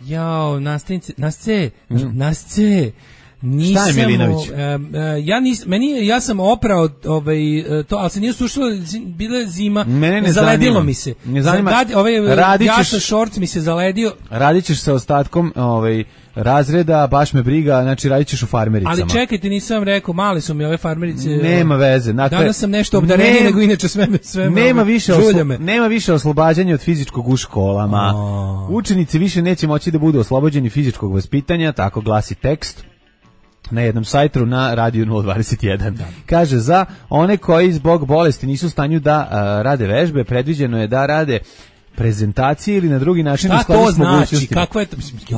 Jao, nastavnice, nasce, mm. nasce, nisam, šta je Milinović? Uh, uh, ja nis, meni ja sam oprao ovaj to, ali se nije sušilo, bila zima, mene ne zaledilo zanima. mi se. Ne zanima. Zad, ovaj Radićeš, ja sa šorc mi se zaledio. Radićeš sa ostatkom, ovaj razreda, baš me briga, znači radićeš u farmericama. Ali čekajte, nisam rekao, mali su mi ove farmerice. Nema veze. Dakle, danas sam nešto obdarenije nego inače sve sve. Nema više oslo, nema više oslobađanja od fizičkog u školama. Oh. Učenici više neće moći da budu oslobođeni fizičkog vaspitanja, tako glasi tekst na jednom sajtu na radiju nula dvadeset jedan. Da. Kaže, za one koji zbog bolesti nisu u stanju da uh, rade vežbe, predviđeno je da rade prezentacije ili na drugi način u skladu s mogućnostima. Šta to znači? Kako je to?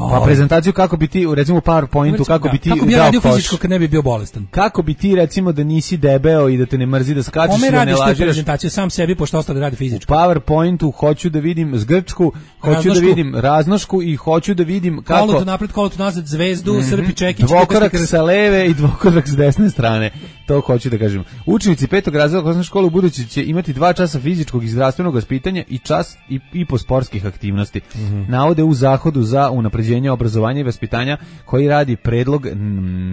Pa prezentaciju kako bi ti, recimo u PowerPointu, kako bi ti kako bi radio fizičko kad ne bi bio bolestan. Kako bi ti, recimo, da nisi debeo i da te ne mrzi da skačeš i da ne lažeš. Prezentaciju sam sebi, pošto ostali radi fizičko. U PowerPointu hoću da vidim zgrčku, hoću raznošku. Da vidim raznošku i hoću da vidim kako... Kolo tu napred, kolo tu nazad, zvezdu, mm-hmm. srpi, čekić. Dvokorak sa leve i dvokorak s desne strane. To hoću da kažem. Učenici petog razreda osnovne škole u budući će imati dva časa fizičkog i zdravstvenog vaspitanja i čas i, i po sportskih aktivnosti. Mm-hmm. Navode u zahodu za unapređenje obrazovanja i vaspitanja koji radi predlog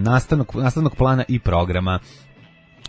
nastavnog, nastavnog plana i programa.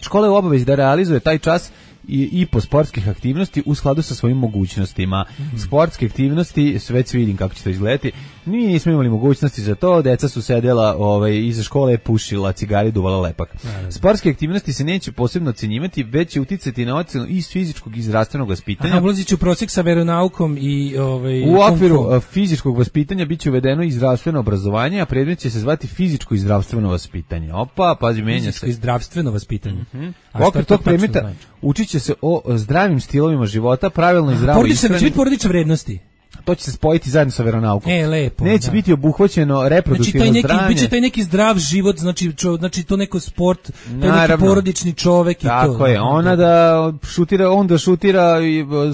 Škola je u obavezi da realizuje taj čas i, i po sportskih aktivnosti u skladu sa svojim mogućnostima. Mm-hmm. Sportske aktivnosti, već vidim kako će to izgledati, mi nismo imali mogućnosti za to, deca su sedela ovaj, iza škole, pušila cigari, duvala lepak. Mm-hmm. Sportske aktivnosti se neće posebno ocenjivati, već će uticati na ocenu iz fizičkog i zdravstvenog vaspitanja. Aha, ulazit će u prosjek sa veronaukom i... Ovaj, u okviru fizičkog vaspitanja bit će uvedeno i zdravstveno obrazovanje, a predmet će se zvati fizičko i zdravstveno vaspitanje. Opa, pazi, menja se. Fizičko i zdravstveno vaspitanje. Mm-hmm. U okviru tog predmeta znači? Učit će se o zdravim stilovima života, pravilno i zdravo ishrani. Će biti porodične vrednosti. To će se spojiti zajedno sa veronaukom. E, lepo. Neće da. biti obuhvaćeno reproduktivno znači, zdravlje. Biće taj neki zdrav život, znači, čo, znači to neko sport, to je neki porodični čovek i tako to. Tako je, ona da šutira, on da šutira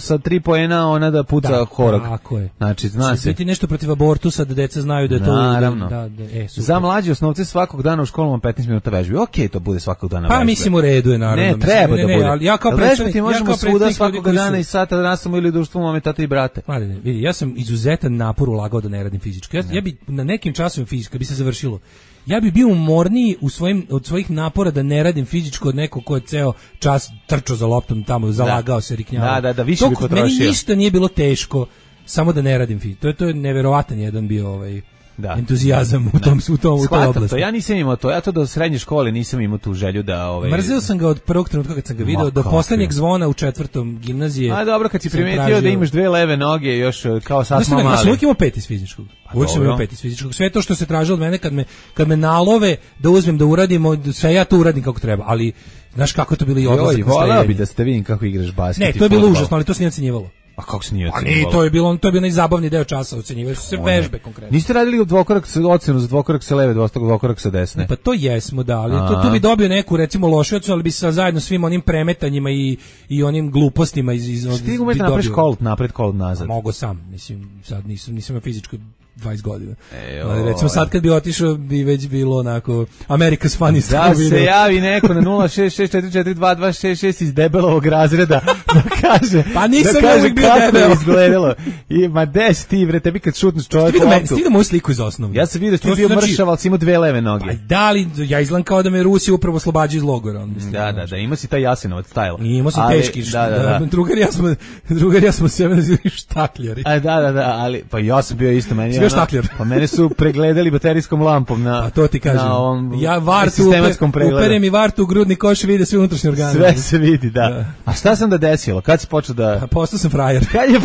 sa tri poena, ona da puca da, horak. Tako je. Znači, zna se. Biti nešto protiv abortusa, da deca znaju da je to... Naravno. Da, da, e, za mlađe osnovce svakog dana u školama petnaest minuta vežbe. Okej, okay, to bude svakog dana vežbe. Pa mislim u redu je, naravno. Ne, treba ne, da ne, bude. Ali ja kao predstavnik, ja možemo kao svuda svakog dana su... i sata da nastavimo ili društvo mame, tata i brate. Mladine, vidi, ja sam izuzetan napor ulagao da ne radim fizičko. Ja, ja bi na nekim časovima fizička bi se završilo. Ja bi bio umorniji u svojim, od svojih napora da ne radim fizičko od nekog ko je ceo čas trčao za loptom tamo, zalagao da. se, riknjavao. Da, da, da, više to, bi potrošio. Meni ništa nije bilo teško, samo da ne radim fizičko. To je, to je neverovatan jedan bio ovaj... Da. Entuzijazam u tom u tom u toj oblasti. To ja nisam imao to, ja to do srednje škole nisam imao tu želju da ovaj mrzio sam ga od prvog trenutka kad sam ga video do poslednjeg zvona u četvrtom gimnazije. A dobro, kad si primetio tražio... da imaš dve leve noge još kao sad smo mali. Ja sam uvijek imao pet iz fizičkog. Uvijek sam imao pet iz fizičkog. Sve to što se traži od mene kad me kad me nalove da uzmem da uradim, sve ja to uradim kako treba, ali znaš kako je to bilo i odlazak. Joj, voleo bi da ste vidim kako igraš basket. Ne, to je bilo užasno, ali to se nije ocenjivalo. A kako se nije ocenjivalo? A to je bilo, to je bio najzabavniji deo časa, ocenjivali su se vežbe konkretno. Niste radili dvokorak sa ocenu za dvokorak sa leve, dvokorak sa desne? Ne, pa to jesmo, da, ali to, tu bi dobio neku, recimo, lošu ocenu, ali bi sa zajedno svim onim premetanjima i, i onim glupostima iz... iz Šti umeti napred kolt, napred kolt nazad? Mogu sam, mislim, sad nisam, nisam fizičko dvadeset godina. E, ali recimo sad kad bi otišao bi već bilo onako America's Funniest. Da se javi neko na nula šest šest četiri četiri dva dva šest šest iz debelovog razreda da kaže pa nisam da kaže uvijek bio debelo. Izgledalo. I ma des ti bre, tebi kad šutneš čovjek u autu. Stigao moju sliku iz osnovne. Ja sam vidio da ti bio znači, mršav, ali si imao dve leve noge. Pa da li, ja izgledam kao da me Rusi upravo oslobađaju iz logora. Mislim, da, da, da, ima si taj Jasenovac style. I imao sam teški. Da, da, da. Drugar ja smo, drugar ja smo se nazivali štakljari. A da, da, da, ali pa ja sam bio isto meni. Bio štakljar. Pa mene su pregledali baterijskom lampom na pa to ti kažem. Na ovom ja vartu sistematskom pregledu. Uperem i vartu u grudni koš i vide sve unutrašnje organe. Sve se vidi, da. da. A šta sam da desilo? Kad si počeo da... A postao sam frajer. Kad je...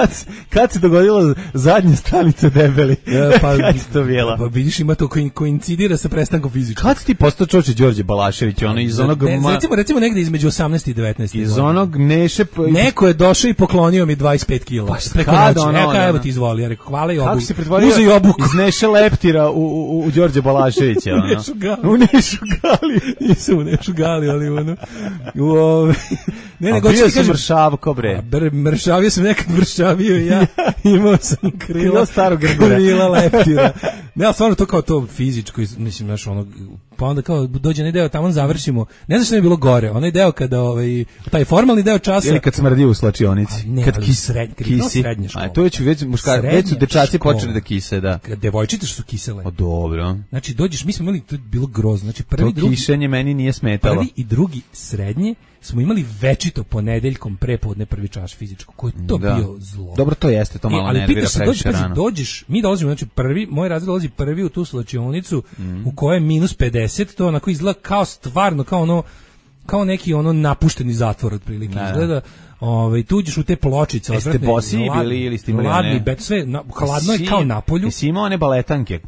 kad, kad se dogodila zadnja stanica debeli? Ja, pa, kad to bila? Pa vidiš, ima to ko koincidira sa prestankom fizičkog. Kad si ti postao čoče Đorđe Balašević, ono iz onog... Ne, recimo, recimo negde između osamnaeste i devetnaeste Iz onog Neše... Neko je došao i poklonio mi dvadeset pet kila. Pa preko noći. Ono, evo kaj, evo ti izvoli. Ja rekao, hvala i obuku. Kako si pretvorio Uzi i obuku. Iz Neše Leptira u, u, u Đorđe Balaševića? U Nešu Gali. U Nešu Gali. Nisam u Nešu Gali, ali ono... U ove... Ne, ne, bio sam mršavko, bre. Br, mršavio sam nekad mršavio i ja. Imao sam krila. Krila starog Grgora. Krila Leptira. Ne, ali stvarno to kao to fizičko, mislim, znaš, ono, pa onda kao dođe onaj deo, tamo završimo, ne znaš što je bilo gore, onaj deo kada, ovaj, taj formalni deo časa... Ili kad smrdi u slačionici. Ne, kad ali kis, sred, kad kisi. Srednja škola. A to već, već, muška, već su dečaci počeli da kise, da. Kad devojčice što su kisele. O, dobro. Znači, dođeš, mi smo imali, to je bilo grozno, znači prvi, to drugi... kišenje meni nije smetalo. Prvi i drugi srednje smo imali večito ponedeljkom prepodne prvi čas fizičko, koji je to da. bio zlo. Dobro, to jeste, to malo e, nervira previše rano. Dođeš, mi dolazimo, znači prvi, moj razred dolazi prvi u tu slačionicu mm. u kojoj je minus pedeset, to onako izgleda kao stvarno, kao ono, kao neki ono napušteni zatvor otprilike, da. Izgleda. Ovaj tu uđeš u te pločice, odvratne. Jeste bosi bili ili ste imali hladni, bet sve, na, hladno je kao na polju. Jesi imao one baletanke?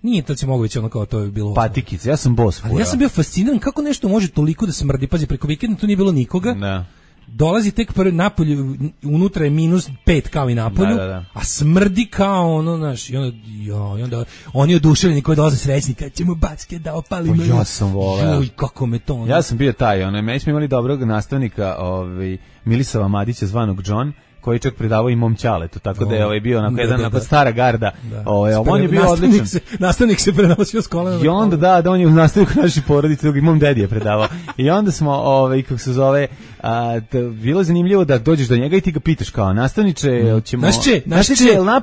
Nije, to se mogu već ono kao to je bilo. Patikice, ja sam bos. Ali ja sam bio fasciniran kako nešto može toliko da smrdi. Pazi, preko vikenda tu nije bilo nikoga. Da. Dolazi tek prvi napolju, unutra je minus pet kao i napolju, da, da, da. a smrdi kao ono, znaš, i onda, jo, i onda oni oduševljeni koji dolaze srećni, kad ćemo basket da opalimo. Pa ja sam voleo. Juj, kako me to. Ono. Ja sam bio taj, ono, mi smo imali dobrog nastavnika, ovaj, Milisava Madića, zvanog John, koji čak predavao i mom ćaletu, tako o, da je ovaj bio onako da, jedan da, da. stara garda. Da. Ovaj, on je bio nastavnik odličan. Se, nastavnik se prenosio s kolena. I onda da, da on je u nastavniku naše porodice, i mom dedi je predavao. I onda smo, ovaj, kako se zove, a, da, bilo je zanimljivo da dođeš do njega i ti ga pitaš kao nastavniče, mm. ćemo... Naš će, naš će,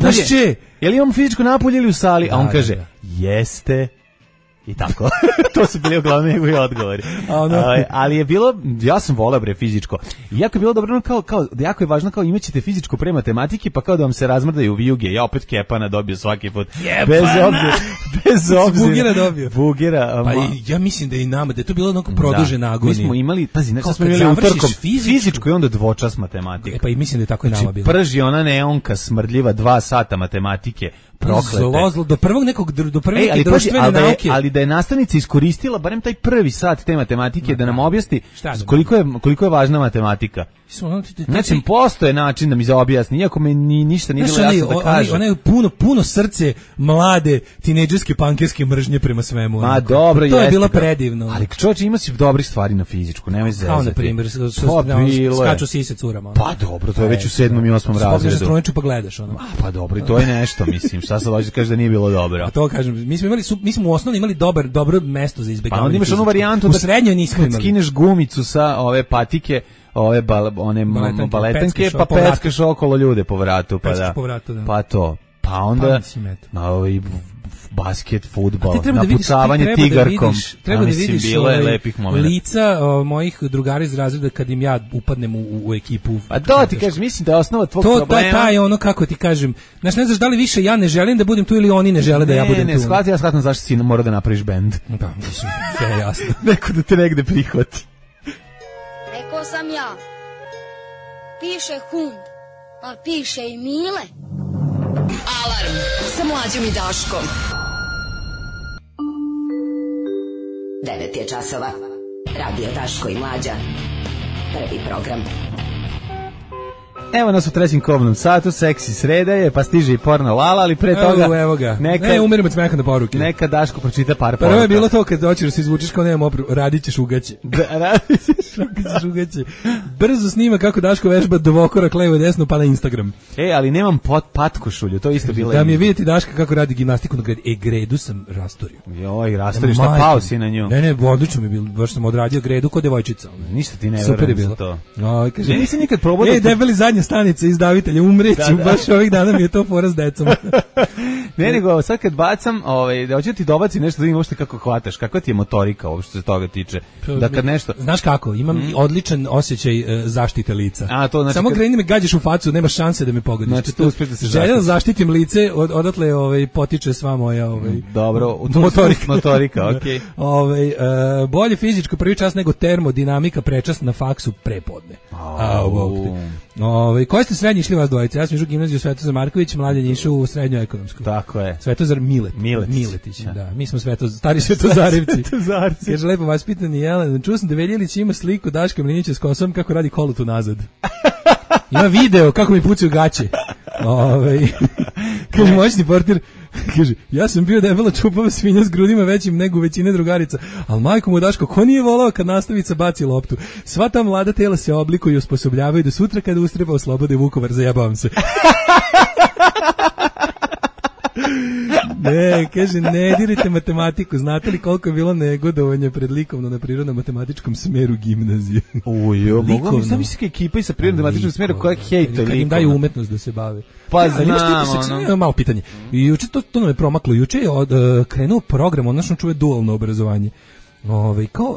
naš će. Je li imamo fizičko napolje ili u sali? Da, a on kaže, da, da. jeste. I tako. To su bili uglavnom njegovi odgovori. Ono. Ali, ali je bilo, ja sam voleo bre fizičko. I jako je bilo dobro, kao, kao, jako je važno kao imaćete fizičko pre matematike, pa kao da vam se razmrdaju vijuge. Ja opet Kepana dobio svaki put. Kepana! Bez obzira. Bez obzira. Bugera dobio. Bugera. Pa i, ja mislim da i nama, da je to bilo onako produžena da, agonija. Mi smo imali, pazi, znači smo imali utorkom fizičko, fizičko i onda dvočas matematika. E, pa i mislim da je tako i nama bilo. Prži ona neonka smrdljiva dva sata matematike. Proklete. Zlo, zlo, do prvog nekog, do prve Ej, ali, društvene ali, nauke. Da je, ali da je nastavnica iskoristila barem taj prvi sat te matematike, no, da nam objasni koliko je, koliko je važna matematika. Znači, postoje način da mi za objasni, iako me ni, ništa nije bilo jasno da kaže. Ona je puno, puno srce mlade, tinejdžerske, pankerske mržnje prema svemu. Ma dobro, to jeste, je bilo da. predivno. Ali čovječe, ima si dobrih stvari na fizičku, nemoj zezati. Kao na primjer, skaču sise curama. Pa dobro, to je već u sedmom i osmom razredu. Spogledaš struniču pa gledaš ono. Pa dobro, i to je nešto, mislim, šta sad hoćeš da kažeš da nije bilo dobro. A to kažem, mi smo imali, mi smo u osnovi imali dobar, dobro mesto za izbegavanje. Pa onda imaš onu varijantu da u srednjoj nismo imali. Skineš gumicu sa ove patike, ove bal, one baletanke, baletanke pa peckaš okolo ljude po vratu, pa da. Po vratu, da. Pa to. Pa onda na ovaj basket, fudbal, napucavanje da tigarkom. Treba da vidiš bilo je lepih momenata. Lica o, mojih drugara iz razreda kad im ja upadnem u, u ekipu. A to ti kažeš, mislim da je osnova tvog to, problema. To taj ono, kako ti kažem, znaš, ne znaš da li više ja ne želim da budem tu ili oni ne žele da ne, ja budem ne, tu. Ne, shvati, ja shvatam zašto si mora da napraviš bend. Pa, mislim, sve je jasno. Neko da te negde prihvati. Rekao sam ja, piše hund, ali piše i Mile. Alarm sa Mlađom i Daškom. devet je časova. Radio Daško i Mlađa. Prvi program. Evo nas u trećem kobnom satu, seksi sreda je, pa stiže i porno Lala, ali pre toga... Evo, evo ga. Neka, ne, umirim od smeha na poruke. Neka Daško pročita par poruka. Prvo je bilo to kad doćeš da se izvučeš kao nemam opru, radit ćeš ugaće. Da, radit ćeš ugaće. Brzo snima kako Daško vežba dvokorak levo i desno pa na Instagram. E, ali nemam pot, patkošulju, to isto bilo... Da mi je vidjeti Daška kako radi gimnastiku na gredi. E, gredu sam rastorio. Joj, rastorio, šta pao si na nju? Ne, ne, odlično mi je bilo, baš sam odradio gredu kod devojčica. Ništa ti ne verujem za to. Oj, kaže, nisam nikad probao da... Ej, debeli zadnja stanica iz umreću, baš ovih dana mi je to fora s decom. Ne, nego sad kad bacam, ovaj, da hoću ti dobaci nešto da im uopšte kako hvataš, kakva ti je motorika uopšte se toga tiče. Da kad nešto... Znaš kako, imam mm. odličan osjećaj uh, zaštite lica. A, to znači samo kad... kreni me gađaš u facu, nema šanse da me pogodiš. Znači, tu uspeš da se želja da zaštitim lice, od, odatle ovaj, potiče sva moja ovaj, dobro, motorika. motorika, okej. Okay. Ovaj, uh, bolje fizičko prvi čas nego termodinamika prečas na faksu prepodne. Oh. Ovaj, koji ste srednji išli vas dvojice? Ja sam išao u gimnaziju Svetozar Marković, Mladen je išao u srednju ekonomsku. Tako je. Svetozar Milet. Miletić. Miletić, da. da. Mi smo sveto, stari Svetozarevci. Svetozarci. Kaže, lepo vas pitani, Jelen, čuo sam da Veljilić ima sliku Daška Mlinića s kosom kako radi kolutu nazad. Ima video kako mi pucaju gaće. Ovaj, kaže, moćni portir, kaže, ja sam bio debela čupava svinja s grudima većim nego većine drugarica, ali majko mu Daško, ko nije volao kad nastavica baci loptu? Sva ta mlada tela se oblikuju i osposobljavaju da sutra kada ustreba oslobode Vukovar, zajebavam se. Ne, kaže, ne dirite matematiku. Znate li koliko je bilo negodovanja pred likovno na prirodno-matematičkom smeru gimnazije? Ujo, mogu mi sam misliti ekipa i sa prirodno-matematičkom smeru koja hejta likovno. Kad im daju umetnost da se bave. Pa ja, znam, ono. Malo pitanje. Juče to, to nam je promaklo. Juče je od, uh, krenuo program, odnosno čuje dualno obrazovanje. Ove, kao,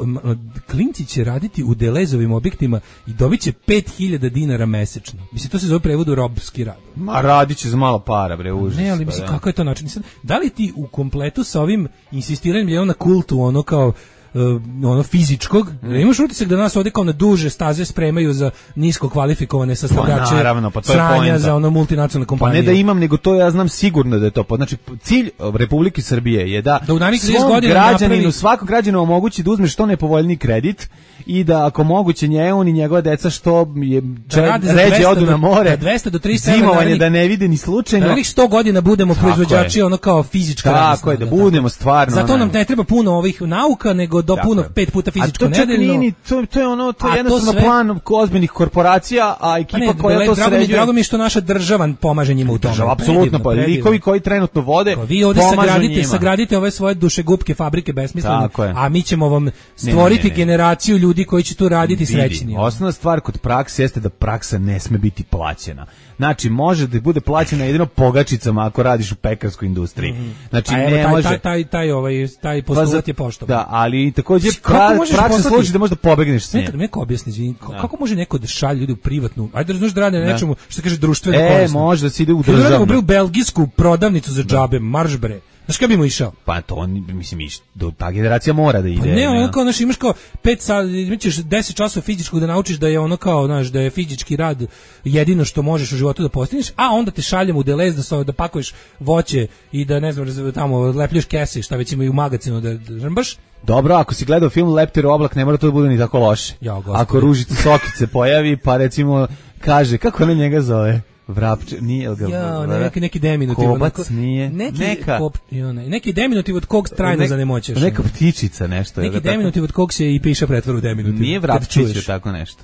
klinci će raditi u Delezovim objektima i dobit će pet hiljada dinara mesečno. Mislim, to se zove prevodu robski rad. Ma radit će za malo para, bre, užas. Ne, ali mislim, kako je to način? Da li ti u kompletu sa ovim insistiranjem je on na kultu, ono kao Uh, ono fizičkog, mm. imaš utisak da nas ovdje kao na duže staze spremaju za nisko kvalifikovane sastavljače pa, naravno, pa to je sranja poenta. za ono multinacionalne kompanije. Pa ne da imam, nego to ja znam sigurno da je to. Znači, cilj Republike Srbije je da, da u svom građaninu, napravi... svakog građaninu omogući da uzme što nepovoljniji kredit i da ako moguće nje on i njegova deca što je da ređe odu na more, dvesta do trista zimovanje da ne vide ni slučajno. Da sto godina budemo tako proizvođači je. Ono kao fizička radna Tako je, da budemo stvarno. Zato nam ne treba puno ovih nauka, nego do puno pet puta fizičko nedeljno. To, to je ono, to je jednostavno sve... plan ozbiljnih korporacija, a ekipa ne, koja to sređuje. Drago mi što naša država pomaže njima u tome. Država, apsolutno, pa likovi koji trenutno vode, vi ovdje sagradite, sagradite ove svoje dušegupke fabrike besmislene, a mi ćemo vam stvoriti ne, ne, ne. generaciju ljudi koji će tu raditi srećni. Osnovna stvar kod prakse jeste da praksa ne sme biti plaćena. Znači, može da bude plaćena jedino pogačicama ako radiš u pekarskoj industriji. Znači, a ne evo, taj, može... Taj, taj, taj, ovaj, taj postulat je poštovan. Da, ali također pra, praksa sluči da možda pobegneš s njim. Neko objasni, izvini, kako može neko da šalje ljudi u privatnu, ajde razumiješ da rade na nečemu, što kaže društveno e, korisno. E, može da se ide u državnu. Da u belgijsku prodavnicu za džabe, marš bre. Znaš kada bi mu išao? Pa to, on, mislim, iš, do, ta generacija mora da ide. Pa ne, ono kao, znaš, imaš kao pet sat, imaćeš deset časova fizičkog da naučiš da je ono kao, znaš, da je fizički rad jedino što možeš u životu da postigneš, a onda te šaljem u Delez da, so, da pakuješ voće i da, ne znam, tamo leplješ kese, šta već ima i u magazinu da, da žrmbaš. Dobro, ako si gledao film Leptir oblak, ne mora to da bude ni tako loše. Ja, ako Ružica Sokice pojavi, pa recimo kaže, kako ona njega zove? Vrapče, nije ga... Ja, neki, neki deminutiv. Kobac onako, nije. Neki, neka. Kop, jo, ne, neki deminutiv od kog trajno ne, zanemoćeš. Neka ptičica nešto. Neki deminutiv od kog se i piše pretvor u deminutiv. Nije vrapčić tako nešto.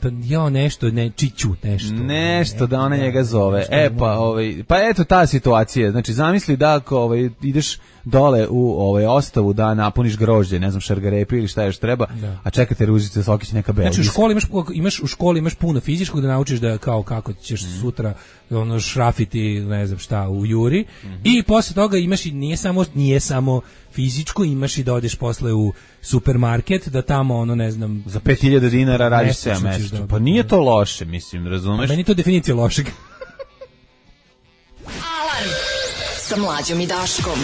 Da, ja nešto, ne, čiću, nešto. Nešto, da ona njega zove. E, pa, ovaj, pa eto ta situacija. Znači, zamisli da ako ovaj, ideš dole u ovaj ostavu da napuniš grožđe, ne znam, šargarepi ili šta još treba, da. A čekate Ružice Sokić neka belgijska. Znači u školi imaš, imaš u školi imaš puno fizičkog da naučiš da kao kako ćeš mm. sutra ono šrafiti, ne znam šta u juri mm -hmm. i posle toga imaš i nije samo nije samo fizičko, imaš i da odeš posle u supermarket da tamo ono ne znam za pet hiljada dinara radiš sedam meseci. Pa nije to loše, mislim, razumeš? Pa meni to definicija lošeg. Alarm sa Mlađom i Daškom.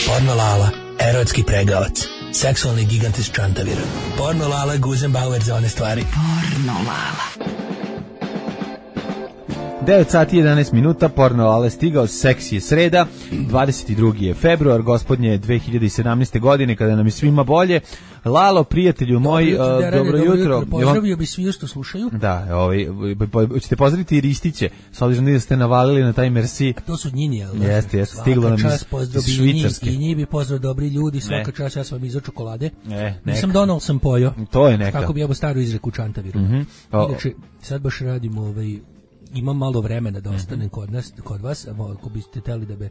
Porno Lala, erotski pregavac, seksualni gigant iz Čantavira. Porno Lala, Guzenbauer za one stvari. Porno Lala. devet sati i jedanaest minuta, Porno Lala je stigao, seksi je sreda, dvadeset drugi je februar, gospodnje dve hiljade sedamnaeste. godine, kada nam je svima bolje. Lalo, prijatelju moj, dobro, uh, dobro jutro. jutro. Pozdravio bi svi što slušaju. Da, ovaj, ćete pozdraviti i Ristiće, s obzirom da ste navalili na taj Merci. A to su njini, jel? Jeste, jeste, stiglo nam iz, iz Švicarske. I njih bi pozdrav dobri ljudi, svaka ne. čast, ja sam vam izao čokolade. Ne, Nisam donao, sam pojo. To je neka. Kako bi jebo staru izreku Čantaviru. Mm -hmm. o, Inače, sad baš radimo, ovaj, imam malo vremena da ostanem mm -hmm. kod nas, kod vas, ako biste hteli da be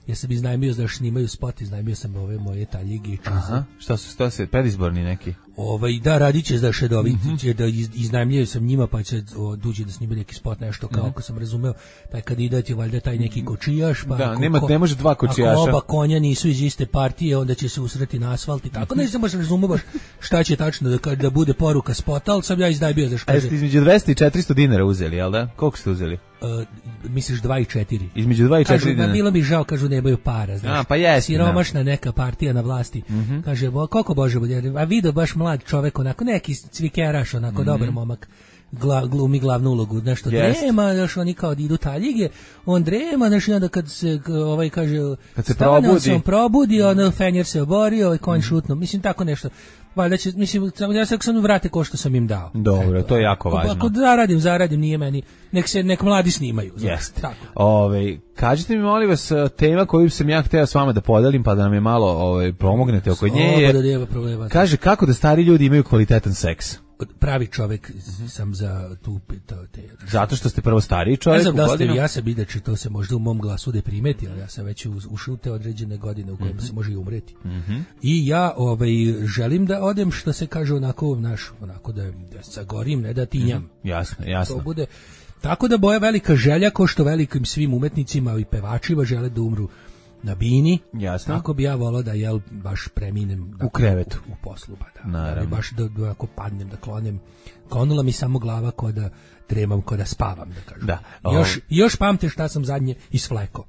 jer sam iznajmio, znaš, snimaju spot, iznajmio sam ove moje taljige i čize. Aha, šta su, šta se, predizborni neki? Ovaj, da, radit će da šedovi, Mm-hmm. će da iz, iznajmljuju sam njima, pa će o, duđi da snimaju neki spot, nešto kao, Mhm. ako sam razumeo, taj kandidat je valjda taj neki kočijaš, pa Da, ako, nema- ko- ne može dva kočijaša. Ako oba konja nisu iz iste partije, onda će se usreti na asfalt i tako, ne znam baš razumeo baš šta će tačno da, da bude poruka spota, ali sam ja iznajmio, znaš, A kaže, jeste između dvesta i četiristo dinara uzeli, jel da? Koliko ste uzeli? Uh, misliš dva i četiri. Između dva i četiri Kažu, dinara. da, bilo mi žao, kažu nemaju para, znaš. A, pa jeste, siromašna neka partija na vlasti. Mhm. Kaže, bo, koliko Bože bude, a vidio baš mlad čovek, onako neki cvikeraš, onako Mhm. dobar momak, gla, glumi glavnu ulogu, nešto Jest. drema, znaš, oni kao idu taljige, on drema, znaš, i onda kad se, k- ovaj kaže, Kad se stane, on probudi. se on probudi, onda fenjer se obori, ovaj Mhm. konj šutno, mislim, tako nešto. Valjda će, mislim, samo ja sam samo vrate ko što sam im dao. Dobro, to je jako Ako, važno. ako zaradim, zaradim, nije meni, nek se, nek mladi snimaju. znaš, Jeste. Tako. Ove, kažite mi, molim vas, tema koju sam ja hteo s vama da podelim, pa da nam je malo ove, pomognete oko nje. je- Sloboda nema problema. Kaže, kako da stari ljudi imaju kvalitetan seks? Pravi čovek sam za tu to, te. Zato što ste prvo stariji čovjek Ne znam u da ste, godinu? ja sam inače, to se možda u mom glasu ne primeti, ali ja sam već uz- ušao u te određene godine u kojima se može i umreti. Mhm. I ja ovaj, želim da odem, što se kaže, onako, naš, onako da, da sagorim, ne da tinjam. Mhm. Jasno, jasno. To bude, tako da boja velika želja, ko što velikim svim umetnicima i pevačima žele da umru na bini. Jasno. Tako bi ja volao da, jel, baš preminem dakle, U krevetu. u, u poslu, ba da. Da Naravno. bi baš da, da ako padnem, da klonem. Klonula mi samo glava ko da dremam, ko da spavam, da kažem. Da. Još, još pamte šta sam zadnje isfleko.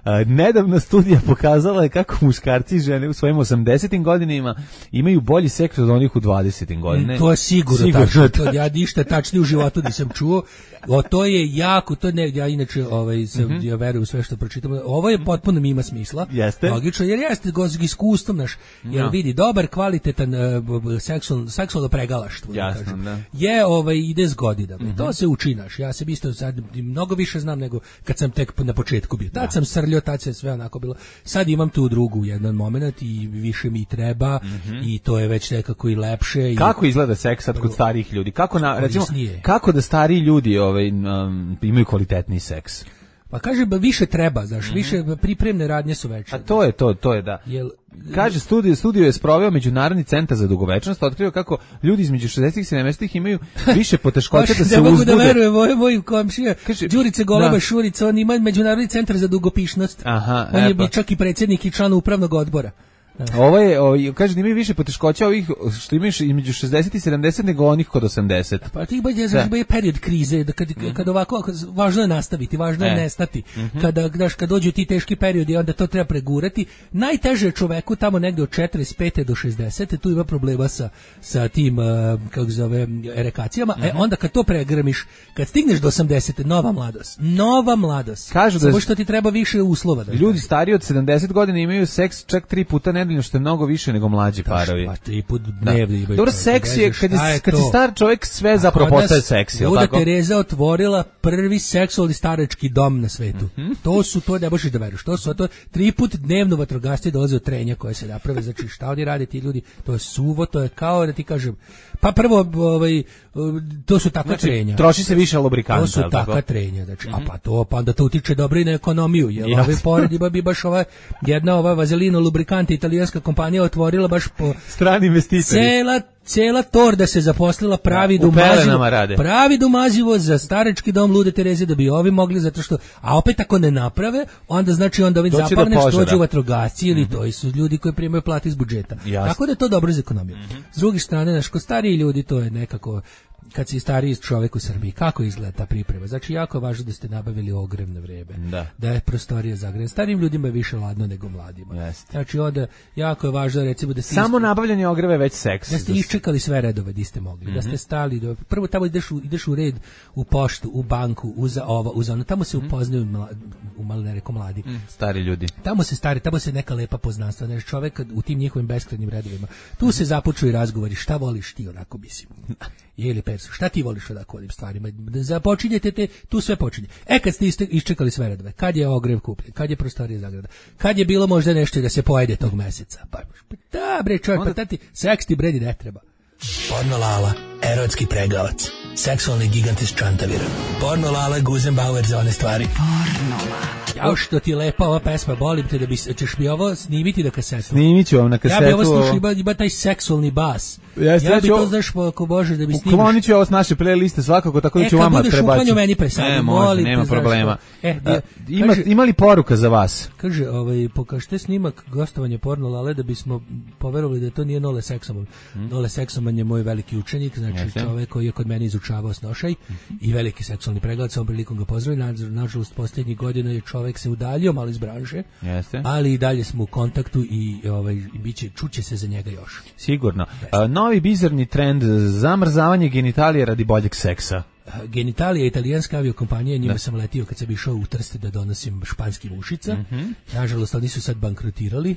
A, nedavna studija pokazala je kako muškarci i žene u svojim osamdesetim godinama imaju bolji seks od onih u dvadesetim godinama. To je sigurno, Sigurno tačno. tačno. To, ja ništa tačnije u životu nisam čuo. O, to je jako, to ne, ja inače ovaj, sam, Mhm. ja verujem u sve što pročitam. Ovo je potpuno mi ima smisla. Jeste. Logično, jer jeste go s iskustvom naš. Jer Ja. vidi, dobar, kvalitetan uh, b- b- seksual, seksualno pregalaštvo. da Jasno, kažem, da. je ovaj, ide s godinama. Mhm. To se uči naš. Ja sam isto sad mnogo više znam nego kad sam tek na početku bio. Tad sam srljio, tad se sve onako bilo. Sad imam tu drugu jedan moment i više mi treba i to je već nekako i lepše. I, Kako izgleda seks sad kod starijih ljudi? Kako na recimo Korisnije. kako da stariji ljudi ovaj um, imaju kvalitetni seks? Pa kaže ba više treba, znaš, više pripremne radnje su veće. A to je to, to je da. Jel, Kaže, studio, studio je sproveo Međunarodni centar za dugovečnost, otkrio kako ljudi između šezdesetih i sedamdesetih imaju više poteškoća baš da se ne mogu uzbude. da verujem, moj, moj komšija, Kaže, Đurice Goleba da. Šurica, on ima Međunarodni centar za dugopišnost. Aha, on je e pa. bi čak i predsjednik i član upravnog odbora. Ovo je, ovo, kaže da imaju više poteškoća ovih što imaju između šezdeset i sedamdeset nego onih kod osamdeset. Pa ti baš znaš da je period krize, da kad, kad ovako, ako- važno je nastaviti, važno je E. nestati. Kada, znaš, kad dođu ti teški periodi, onda to treba pregurati. Najteže je čoveku tamo negde od četrdeset pete do šezdesete, tu ima problema sa, sa tim, uh, kako se zove, erekacijama. E, onda kad to pregrmiš, kad stigneš do osamdesete, nova mladost. Nova mladost. Kažu da- Samo što ti treba više uslova. Da Ljudi stariji od sedamdeset godina imaju seks čak tri puta nedeljno, što je mnogo više nego mlađi parovi. Pa tri put Da. dnevno imaju. Dobro, to, seks ne je, znaš kad, šta je, je kad si to. star čovjek, sve zapravo Kod nas postaje seks, je li Luda tako? Tereza otvorila prvi seksualni starački dom na svetu. Mhm. To su, to ne možeš da veruješ. To su to tri put dnevno vatrogasci dolaze od trenja koje se naprave. Znači šta oni rade ti ljudi? To je suvo, to je kao da ti kažem. Pa prvo, ovaj, to su takva Znači, trenja. troši se više lubrikanta, To su je li tako? takva trenja, znači, a pa to, pa onda to utiče dobro i na ekonomiju, jer Jasno. ove pored ima bi baš ova, jedna ova vazelino lubrikanta italijanska kompanija otvorila baš po Strani investitori. cela cela torda se zaposlila pravi Da, u domazivo, pelenama rade. pravi domazivo za starački dom Lude Tereze da bi ovi mogli, zato što, a opet ako ne naprave, onda znači onda ovim Doći do zapadne što požara. dođu vatrogasci ili to su ljudi koji primaju plate iz budžeta. Jasno. Tako da je to dobro za ekonomiju. S druge strane, znaš, kod stariji ljudi to je nekako, kad si stariji čovjek u Srbiji, kako izgleda ta priprema? Znači, jako je važno da ste nabavili ogrevno vreme, Da. da je prostorija zagrejana. Starijim ljudima je više ladno nego mladima. Jeste. Znači, onda jako je važno, recimo, da ste Samo nabavljanje ogreve već seks. da ste iščekali sve redove di ste mogli, da ste stali, do, prvo tamo ideš u, ideš u red u poštu, u banku, u za ovo, u za ono, tamo se upoznaju mla, u malo ne reko mladi. Stari ljudi. Tamo se stari, tamo se neka lepa poznanstva, znaš, čovek u tim njihovim beskrajnim redovima. Tu se započuju i razgovori, šta voliš ti onako, mislim. Je li perso, šta ti voliš onako ovim stvarima? Da započinjete te, tu sve počinje. E, kad ste iste- iščekali sve redove, kad je ogrev kupljen, kad je prostorija zagrada, kad je bilo možda nešto da se pojede tog meseca, pa da bre čovjek, pa tati, seks ti bredi ne treba. Porno Lala, erotski pregavac, seksualni gigant iz Čantavira. Porno Lala, Guzenbauer za one stvari. Porno Lala. Jao što ti je lepa ova pesma, volim te da bi, ćeš mi ovo snimiti na kasetu. Snimit ću vam na kasetu. Ja bi ovo slušao, ima, ima taj seksualni bas. Jeste, ja bi ja to, znaš, ako može da mi snimiš. Uklonit ću ovo s naše playliste svakako, tako da e, ću vama prebaciti. E, kad budeš uklanio meni presadi, ne, molim nema te, problema. E, A, ima, kaže, ima li poruka za vas? Kaže, ovaj, pokažite snimak gostovanja Porno Lale da bismo poverovali da to nije Nole Seksoman. Hmm. Nole Seksoman je moj veliki učenik, znači Jeste. čovek koji je kod mene izučavao snošaj hmm. i veliki seksualni pregled, sa ovom prilikom ga pozdravim. Nažalost, posljednjih godina je čovek se udaljio malo iz branše, Jeste. ali i dalje smo u kontaktu i, ovaj, i biće, čuće se za njega još. Sigurno. A, novi bizarni trend, zamrzavanje genitalije radi boljeg seksa. Genitalija je italijanska aviokompanija, njima da. sam letio kad sam išao u Trste da donosim španski mušica. Mm-hmm. Nažalost, oni su sad bankrotirali.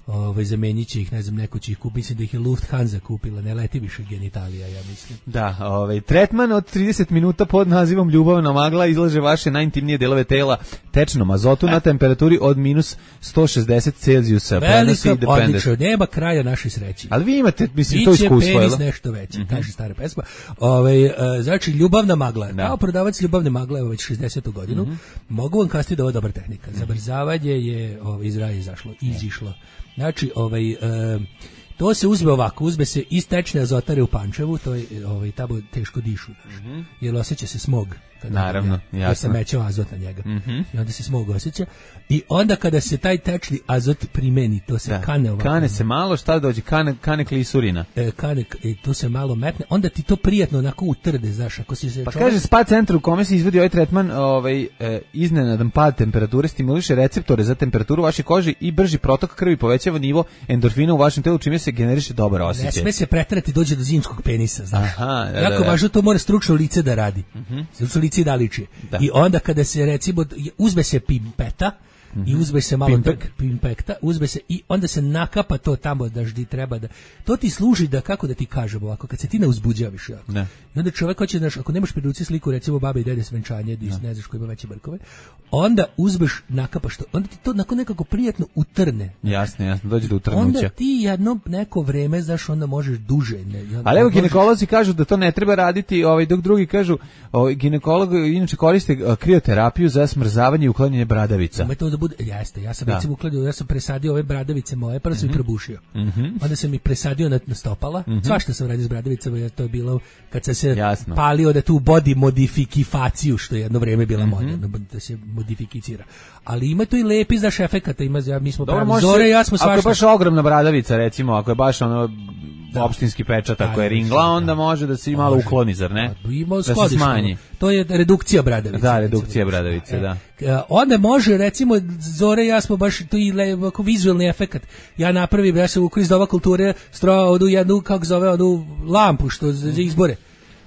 Ovaj zamenit će ih, ne znam, neko će ih kupiti, mislim da ih je Lufthansa kupila, ne leti više genitalija, ja mislim. Da, ovaj tretman od trideset minuta pod nazivom ljubavna magla izlaže vaše najintimnije delove tela tečnom azotu na temperaturi od minus sto šezdeset Celzijusa. Velika, odlično, nema kraja našoj sreći. Ali vi imate, mislim, to iskustvo, je penis nešto veći, mm-hmm. kaže stara pesma. Ovaj uh, znači ljubavna magla. Da. Kao prodavac ljubavne magle, evo već šezdesetu godinu, mm-hmm. mogu vam kazati da ovo je dobra tehnika. Zamrzavanje je ovaj, iz raja izašlo, izišlo. Znači, ovaj, e, to se uzme ovako, uzme se iz tečne azotare u Pančevu, to je ovaj, tamo teško dišu, mm-hmm. jer osjeća se smog. Kada Naravno, ja, jasno. Ja sam mećao azot na njega. Mm-hmm. I onda se smog osjeća. I onda kada se taj tečni azot primeni, to se da. kane ovako. Kane se malo, šta dođe? Kane, kane klisurina. E, kane, e, to se malo metne, onda ti to prijatno onako utrde, znaš, ako si se Pa čovjek... kaže, spa centar u kome se izvodi ovaj tretman, ovaj, e, iznenadan pad temperature, stimuliše receptore za temperaturu vaše kože i brži protok krvi, povećava nivo endorfina u vašem telu, čime se generiše dobar osjećaj. Ne sme se preterati, dođe do zimskog penisa, znaš. Aha, da, jako da, da. važno, to mora stručno lice da radi. Uh-huh. Stručno lice da liči. Da. I onda kada se recimo uzme se pimpeta mm-hmm. i uzme se malo Pimpek. da, pimpekta, uzme se i onda se nakapa to tamo da ždi treba da to ti služi da, kako da ti kažem ovako, kad se ti ne uzbuđaviš jako. Da. I onda čovjek hoće, znaš, ako nemaš pri ruci sliku recimo babe i dede s venčanja, da. ne znaš ko ima veće brkove, onda uzmeš, nakapaš to, onda ti to nakon nekako prijatno utrne. Jasno, jasno, dođe do utrnuća. Onda ti jedno neko vreme, znaš, onda možeš duže. Ne, ali evo, možeš... ginekolozi kažu da to ne treba raditi, ovaj, dok drugi kažu, ovaj, ginekolog inače koriste krioterapiju za smrzavanje i uklanjanje bradavica. Ima to da bude, jeste, ja sam da. recimo ukladio, ja sam presadio ove bradavice moje, prvo sam mm-hmm. ih probušio. Mm-hmm. Onda sam ih presadio na, na stopala, mm-hmm. svašta sam radio s bradavicama, jer to je bilo kad sam se Jasno. palio da tu body modifikaciju, što je jedno vreme bila mm-hmm. moderna, da se modifikicira. Ali ima to i lepi znaš efekata, ima, ja, mi smo Dobro, pravi Zore i ja smo svašta. Ako je baš ogromna bradavica, recimo, ako je baš ono da. opštinski pečat, ako je ringla, onda da. može da se i malo može. ukloni, zar ne? Da, da se smanji. To je redukcija bradavice. Da, redukcija bradavice, e, da. Onda može, recimo, Zore i ja smo baš to i ovako vizualni efekat. Ja napravim, ja sam u kriz dova kulture strojao odu jednu, kako zove, odu lampu što za, za izbore.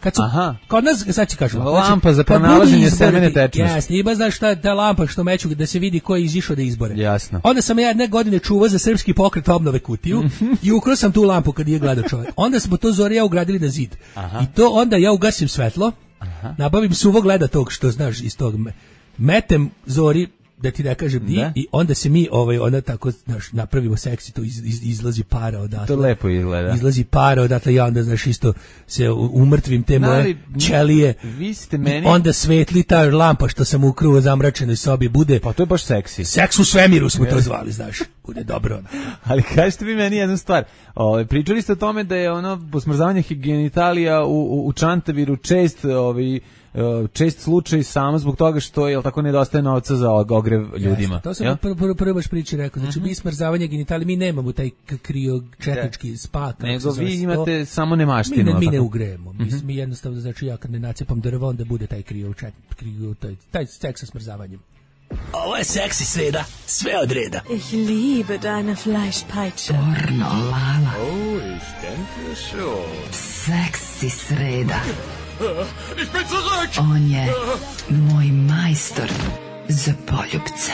Kad su, Aha. Kod nas, sad ću kažem, lampa za pronalaženje semene tečnosti. Jasno, ima znaš šta, ta lampa što meću da se vidi ko je izišao da izbore. Jasno. Onda sam ja jedne godine čuvao za srpski pokret obnove kutiju i ukrao sam tu lampu kad je gledao čovjek. Onda smo to Zore ja ugradili na zid. Aha. I to onda ja ugasim svetlo, Aha. nabavim suvog leda tog što znaš iz tog, metem Zori, da ti ne kažem di, i onda se mi ovaj onda tako znaš napravimo seksi, to iz, iz, izlazi para odatle. To lepo izgleda. Izlazi para odatle, ja onda znaš isto se umrtvim te moje ćelije. Vi ste meni onda svetli ta lampa što sam ukruo u zamračenoj sobi bude. Pa to je baš seksi. Seks u svemiru smo to zvali, znaš. Bude dobro. Ali kažete vi meni jednu stvar. Ovaj pričali ste o tome da je ono posmrzavanje genitalija u, u, u Čantaviru čest, ovaj čest slučaj samo zbog toga što je tako nedostaje novca za ogrev ljudima. Jeste, to sam prvo prvo prvo baš priči rekao. Znači mm-hmm. mi smrzavanje genitalija, mi nemamo taj krio četnički spa. Nego vi imate to, samo nemaštinu. Mi ne, mi ne ugrejemo. Mm-hmm. Mi, mi jednostavno, znači ja kad ne nacepam drvo, onda bude taj krio čet, krio taj taj seks sa smrzavanjem. Ovo je seksi sreda, sve od reda. Ich liebe deine Fleischpeitsche. Pornolala. Oh, ich denke schon. Seksi sreda. Ich bin zurück! On je moj majstor za poljubce.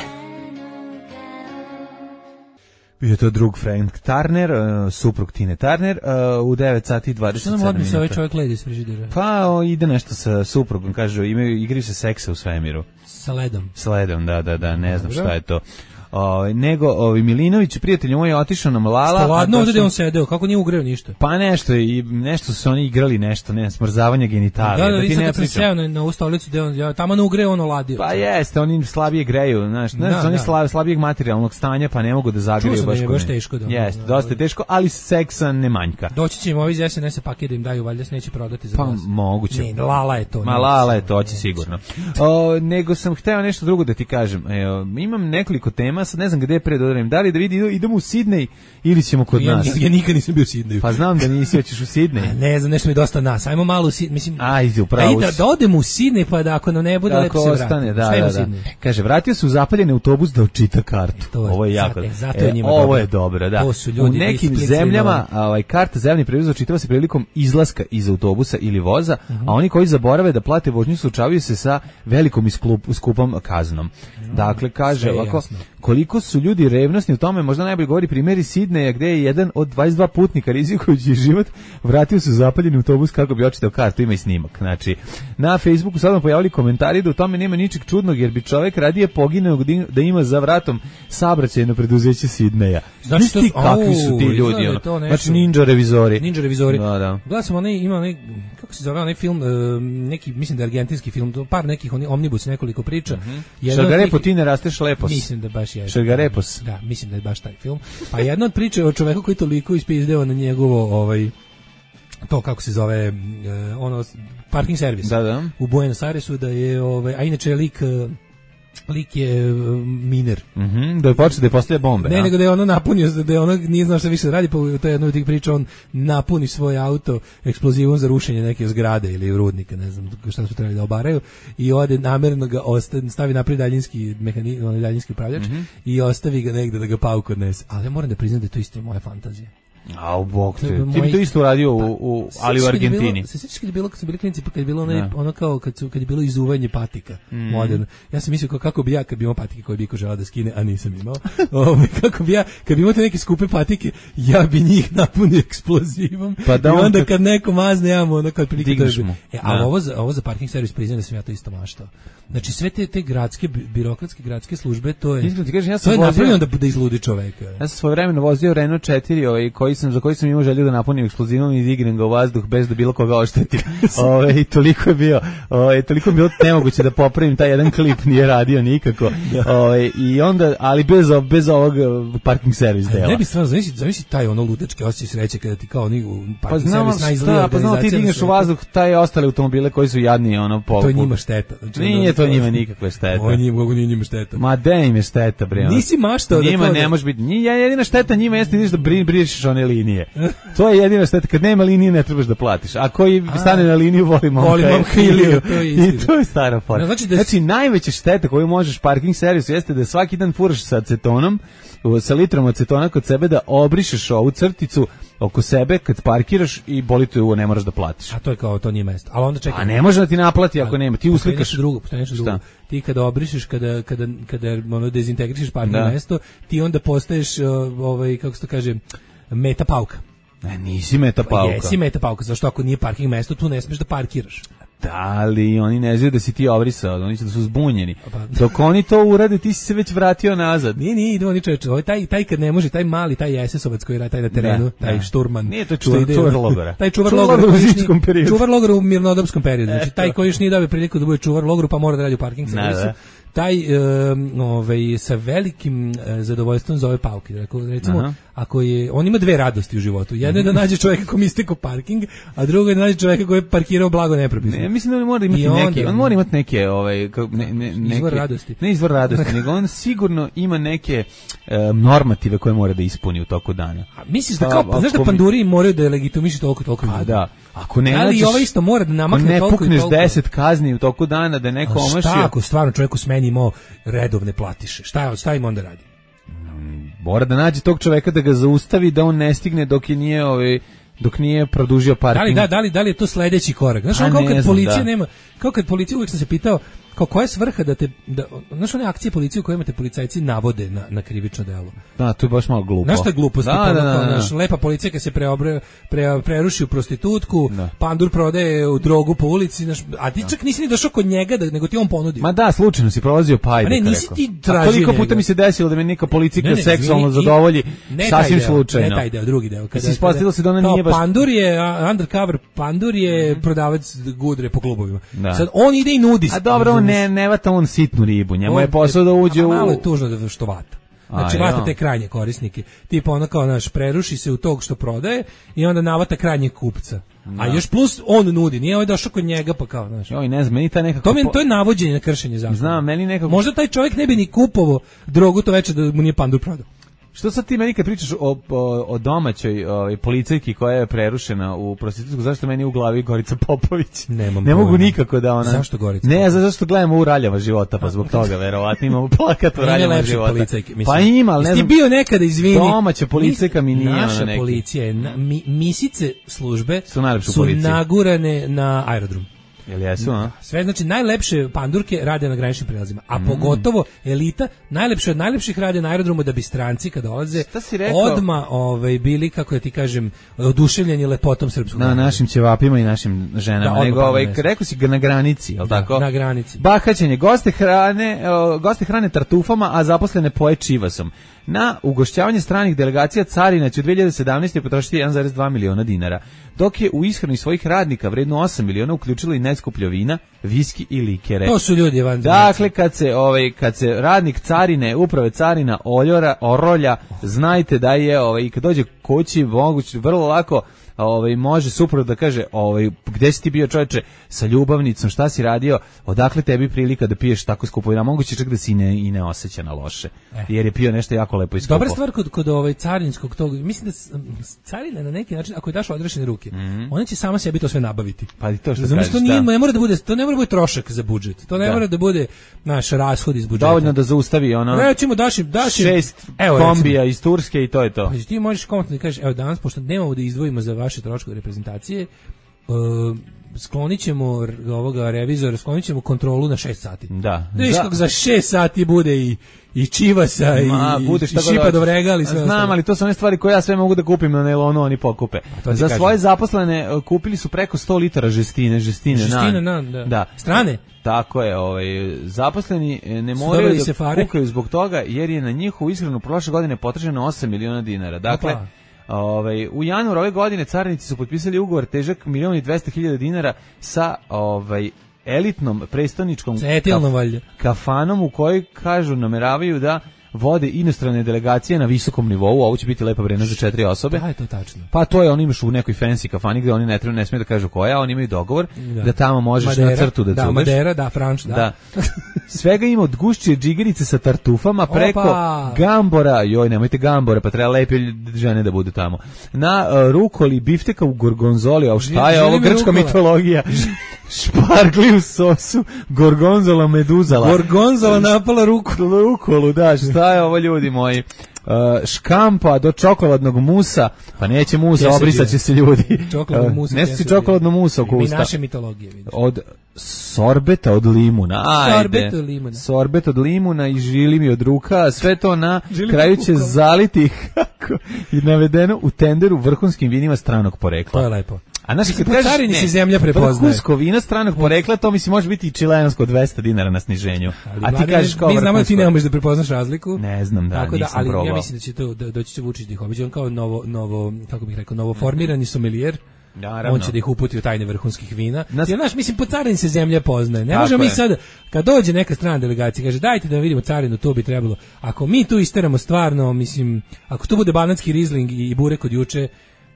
Bio je to drug Frank Turner, uh, suprug Tine Turner, uh, u devet sati i dvadeset sedam minuta. Što nam odmisa ovaj čovjek ledi iz frižidera? Pa o, ide nešto sa suprugom, kažu, imaju, igraju se seksa u svemiru. Sa ledom. Sa ledom, da, da, da, ne znam šta je to. Ovaj nego ovaj Milinović prijatelj moj je otišao na Mlala. Ladno ovde gde on sedeo, kako nije ugreo ništa. Pa nešto i nešto su oni igrali nešto, ne, smrzavanje genitalija. Da, da, da ti ne pričam. Seo na, na u stolicu gde on ja tamo ne ugreo ono ladio. Pa jeste, oni slabije greju, znaš, znaš, da, oni da. Slab, slabijeg materijalnog stanja, pa ne mogu da zagreju baš. Da je baš teško da. Jeste, dosta je teško, ali seksa ne manjka. Doći će im ovi iz es en es paket da im daju, valjda se neće prodati za pa, glas. Pa moguće. Ne, Lala je to. Ma Lala je to, će sigurno. O, nego sam hteo nešto drugo da ti kažem. Evo, imam nekoliko tema, sad ne znam gde pre dodarim. Da li da vidi idemo u Sidnej ili ćemo kod ja, nas? Ja, ja nikad nisam bio u Sidneju. Pa znam da nisi, hoćeš u Sidnej. Ne znam, nešto mi je dosta nas. Ajmo malo u Sidnej, mislim. Ajde, upravo. Da, da odemo u Sidnej, pa da ako nam ne bude lepo se ostane, da, da, da. Kaže, vratio se u zapaljeni autobus da očita kartu. E, ovo je jako. E, zato je njima e, ovo dobro. je dobro, da. To su ljudi u nekim zemljama ovaj karta za javni prevoz očitava se prilikom izlaska iz autobusa ili voza, uh -huh. a oni koji zaborave da plate vožnju suočavaju se sa velikom i skupom kaznom. Uh -huh. Dakle, kaže ovako, koliko su ljudi revnosni u tome, možda najbolje govori primjeri Sidneja gde je jedan od dvadeset dva putnika rizikujući život vratio se u zapaljeni autobus kako bi očitao kartu, ima i snimak. Znači, na Facebooku sad vam pojavili komentari da u tome nema ničeg čudnog jer bi čovjek radije poginuo da ima za vratom saobraćajno preduzeće Sidneja. Znači ti kakvi su ti ljudi, ono. Znači ninja revizori. Ninja revizori. Da, da. Gledao sam onaj, ima onaj, kako se zove onaj film, neki, mislim da je argentinski film, par nekih oni omnibus, nekoliko priča. Mm -hmm. Šargarepo, ti ne rasteš lepos. Mislim da baš je. Šargarepos. Da, mislim da je baš taj film. Pa jedna od priče o čoveku koji toliko ispizdeo na njegovo, ovaj, to kako se zove, ono, parking servis. Da, da. U Buenos Airesu da je, ovaj, a inače je lik... lik je uh, miner. Mhm, mm da je počeo da je postavlja bombe. Ne, a? nego da je ono napunio, da je ono nije znao šta više radi, pa to je jedno od tih priča, on napuni svoj auto eksplozivom za rušenje neke zgrade ili rudnika, ne znam šta su trebali da obaraju, i ode namerno ga ostavi, stavi naprijed daljinski mehanizam, onaj daljinski upravljač, mm -hmm. i ostavi ga negde da ga pauku odnese. Ali ja moram da priznam da je to isto moja fantazija. A u bog te. Ti bi to isto uradio u, u ali u Argentini. Se sjećaš kad je bilo, kad su bili klinici, pa kad je bilo ono, ono kao kad su kad je bilo izuvanje patika, mm. moderno. Ja sam mislio kako bi ja kad bi imao patike koje bi ko želeo da skine, a nisam imao. Ovaj kako bi ja kad bi imao te neke skupe patike, ja bi njih napunio eksplozivom. Pa da I onda on kad neko mazne, ja mu ono kao prilike to je. E, a ovo za ovo za parking servis priznajem da sam ja to isto maštao. Znači sve te te gradske birokratske gradske službe, to je. Ti kažeš, ja sam to je napravljeno da bude izludi čoveka. Ja sam svojevremeno vozio Renault četiri, ovaj koji sam za koji sam imao želju da napunim eksplozivom i dignem ga u vazduh bez da bilo koga oštetim. Ovaj toliko je bio, ovaj toliko je bilo nemoguće da popravim taj jedan klip, nije radio nikako. Ovaj i onda ali bez bez ovog parking servis dela. Ne bi stvarno zamisli, zamisli taj ono ludački osjećaj sreće kada ti kao oni u parking pa servis najizgleda. Pa znamo ti digneš u vazduh taj ostale automobile koji su jadni ono po. To je njima šteta. Znači, nije to njima nikakve štete. O njima, kako nije njima šteta. Ma de im je šteta, bre. Nisi maštao da njima to ne da... može biti. Njima jedina šteta njima jeste da brišeš one linije. To je jedina šteta, kad nema linije ne trebaš da platiš. A koji stane na liniju voli momka. Voli momka Iliju, to je istina. I to je stara fora. Znači, da... znači najveća šteta koju možeš parking servisu jeste da svaki dan furaš sa acetonom, sa litrom acetona kod sebe, da obrišeš ovu crticu oko sebe kad parkiraš i boli te uvo, ne moraš da platiš. A to je kao, to nije mesto. Ali onda čekaj. A ne može da ti naplati ako nema. Ti uslikaš nešto drugo, nešto drugo. Ti kada obrišeš, kada kada kada ono dezintegrišeš parking da. mesto, ti onda postaješ ovaj kako se to kaže meta pauka. Ne, nisi meta pauka. Jesi meta pauka, zašto ako nije parking mesto, tu ne smeš da parkiraš. Da, ali oni ne znaju da si ti obrisao, oni će da su zbunjeni. Pa, dok oni to urade, ti si se već vratio nazad. Nije, nije, idemo ni čoveče. Ovaj taj taj kad ne može, taj mali, taj es esovac koji radi taj na terenu, da, taj da. šturman. Nije to čuvar, čuvar logora. Taj čuvar, čuvar logora u zimskom periodu. Čuvar logora u mirnodopskom periodu. Znači taj koji još nije dobio priliku da bude čuvar logoru, pa mora da radi u parking servisu. Taj um, ovaj sa velikim uh, zadovoljstvom zove pauke. Recimo, aha, ako je on ima dve radosti u životu. Jedna je da nađe čovjeka kom istekao parking, a druga je da nađe čovjeka koji je parkirao blago nepropisno. Ne, mislim da on mora imati I neke, onda, on mora imati neke ovaj ne, ne, neke izvor radosti. Ne izvor radosti, nego on sigurno ima neke um, normative koje mora da ispuni u toku dana. A misliš da kao pa, znaš da panduri moraju da legitimišu toliko toliko. Pa da. Ako ne ali ovaj isto mora da namakne toliko i toliko. Ne pukneš deset kazni u toku dana da neko omašio. Šta ako stvarno čovjeku smeni imao redovne platiše? Šta, šta im onda radi? Mora da nađe tog čoveka da ga zaustavi, da on ne stigne dok je nije ovaj dok nije produžio parking. Da li da da li da li je to sledeći korak? Znaš, kao kad policija da. nema, kao kad policija uvijek sam se pitao kao koja je svrha da te, da, znaš one akcije policije u kojima te policajci navode na, na krivično delo. Da, to je baš malo glupo. Znaš što je glupost? Da, da, da, da. Naš, lepa policija se preobre, pre, preruši u prostitutku, da. Pandur prodaje u drogu po ulici, naš, a ti čak nisi ni došao kod njega, da, nego ti on ponudio. Ma da, slučajno si prolazio pa ajde. Ne, nisi rekao. ti tražio. Koliko puta njega. mi se desilo da me neka policijka ne, ne, seksualno izvini, zadovolji, ne sasvim deo, slučajno. Ne taj deo, drugi deo. Kada se ispostavilo se da ona nije baš... Pandur je, undercover Pandur je mm-hmm. prodavac gudre po klubovima. Da. Sad, on ide i nudi. A dobro, on ne, ne vata on sitnu ribu, njemu on, je posao da uđe u... Malo je tužno da što vata. Znači, A, vata jo. te krajnje korisnike. Tipa ono kao, naš, preruši se u tog što prodaje i onda navata krajnjeg kupca. Da. A još plus on nudi, nije ovaj došao kod njega pa kao, znaš. Joj, ne znam, meni ta nekako... To, mi, to je navođenje na kršenje zakona. Znam, meni nekako... Možda taj čovjek ne bi ni kupovao drogu to večer da mu nije Pandur prodao. Što sad ti meni kad pričaš o, o, o domaćoj o, policajki koja je prerušena u prostitutsku, zašto meni u glavi Gorica Popović? Nemam ne mogu pojma. nikako da ona... Zašto Gorica Ne, Popović? zašto gledamo u Raljava života, pa zbog toga, verovatno imamo plakat u Raljava života. Policajke, mislim. Pa ima, ali ne znam... Ti bio nekada, izvini. Domaća policajka mi nije naša ona neki. policija je, na, mi, misice službe su, su nagurane na aerodrom. Jel jesu, a? Sve, znači, najlepše pandurke rade na graničnim prelazima, a mm. pogotovo elita, najlepše od najlepših rade na aerodromu da bi stranci kad dolaze odma ovaj, bili, kako ja ti kažem, oduševljeni lepotom srpskog. Na naroda. našim ćevapima i našim ženama. Da, nego, ovaj, rekao si ga na granici, jel da, tako? Na granici. Bahaćenje, goste hrane, o, goste hrane tartufama, a zaposlene poje čivasom. Na ugošćavanje stranih delegacija carina će u dve hiljade sedamnaeste. potrošiti jedan zarez dva miliona dinara, dok je u ishrani svojih radnika vredno osam miliona uključilo i najskuplje vina, viski i likere. To su ljudi van. Dakle, kad se ovaj kad se radnik carine, uprave carina oljora, orolja, znajte da je ovaj kad dođe kući moguće vrlo lako ovaj može suprot da kaže ovaj gde si ti bio čoveče sa ljubavnicom, šta si radio, odakle tebi prilika da piješ tako skupo vino, moguće čak da si ne i ne oseća na loše, eh. jer je pio nešto jako lepo i skupo. Dobra stvar kod kod ovaj carinskog tog, mislim da carina na neki način ako je daš odrešene ruke, mm-hmm. ona će sama sebi to sve nabaviti. Pa i to što kažeš, to nije, da. ne mora da bude, to ne mora da bude trošak za budžet. To ne da. mora da bude naš rashod iz budžeta. Dovoljno da zaustavi ono. Recimo daš daš šest evo, kombija iz Turske i to je to. Pa ti možeš komentno da kažeš, evo danas pošto nemamo da izdvojimo za vaše troškove reprezentacije, uh, sklonit ćemo ovoga revizora, sklonit ćemo kontrolu na šest sati. Da. Viš kako za šest sati bude i i čivasa Ma, i, i šipa do vrega, ali sve znam, ostalo. Ali to su one stvari koje ja sve mogu da kupim na nailonu, oni pokupe. Za kažem. Svoje zaposlene kupili su preko sto litara žestine, žestine, žestine na, na, da. da. Strane. Tako je, ovaj, zaposleni ne moraju da kukaju zbog toga, jer je na njihovu ishranu prošle godine potrošeno osam miliona dinara. Dakle, Opa. Ovaj, u januaru ove godine carinici su potpisali ugovor težak milion i dvesta hiljada dinara sa ovaj, elitnom prestoničkom kaf, kafanom u kojoj kažu nameravaju da vode inostrane delegacije na visokom nivou, ovo će biti lepa vrena za četiri osobe. Da, je to tačno. Pa to je, oni imaš u nekoj fancy kafani gde oni ne treba, ne smiju da kažu koja, oni imaju dogovor da, da tamo možeš Madera, na crtu da, da cudeš. Madera, da, Franč, da. da. Svega ima od gušće džigerice sa tartufama preko Opa. Gambora, joj, nemojte gambora, pa treba lepe žene da budu tamo. Na uh, rukoli, bifteka u gorgonzoli, a šta je ovo grčka rukola. Mitologija? Špargli u sosu, gorgonzola meduzala. Gorgonzola napala ruku. Rukolu, da, šta je ovo ljudi moji? Uh, škampa do čokoladnog musa, pa neće musa, obrisat će se ljudi. Čokoladnog musa. Uh, ne si čokoladno musa oko usta. Mi naše mitologije, vidiš. Od sorbeta od limuna. Ajde. Sorbet od limuna. Sorbet od limuna i žili mi od ruka, sve to na kraju će zaliti i navedeno u tenderu vrhunskim vinima stranog porekla. To je lepo. A naši kad kažeš, carini se zemlja prepoznaje. Vrhunsko vino stranog porekla, to mislim može biti i čilensko dvesto dinara na sniženju. Ali, a ti vlade, kažeš kao mi znamo da ti ne možeš da prepoznaš razliku. Ne znam, da, tako da, nisam ali probao. Ja mislim da će to da doći će Vučić da ih obiđe, on kao novo novo kako bih rekao novo formirani somelijer. Naravno. On će da ih uputi u tajne vrhunskih vina. Nas... Jer naš, mislim, po carini se zemlja poznaje. Ne možemo mi sad, kad dođe neka strana delegacija, kaže dajte da vidimo carinu, to bi trebalo. Ako mi tu isteramo stvarno, mislim, ako tu bude banatski rizling i burek od juče,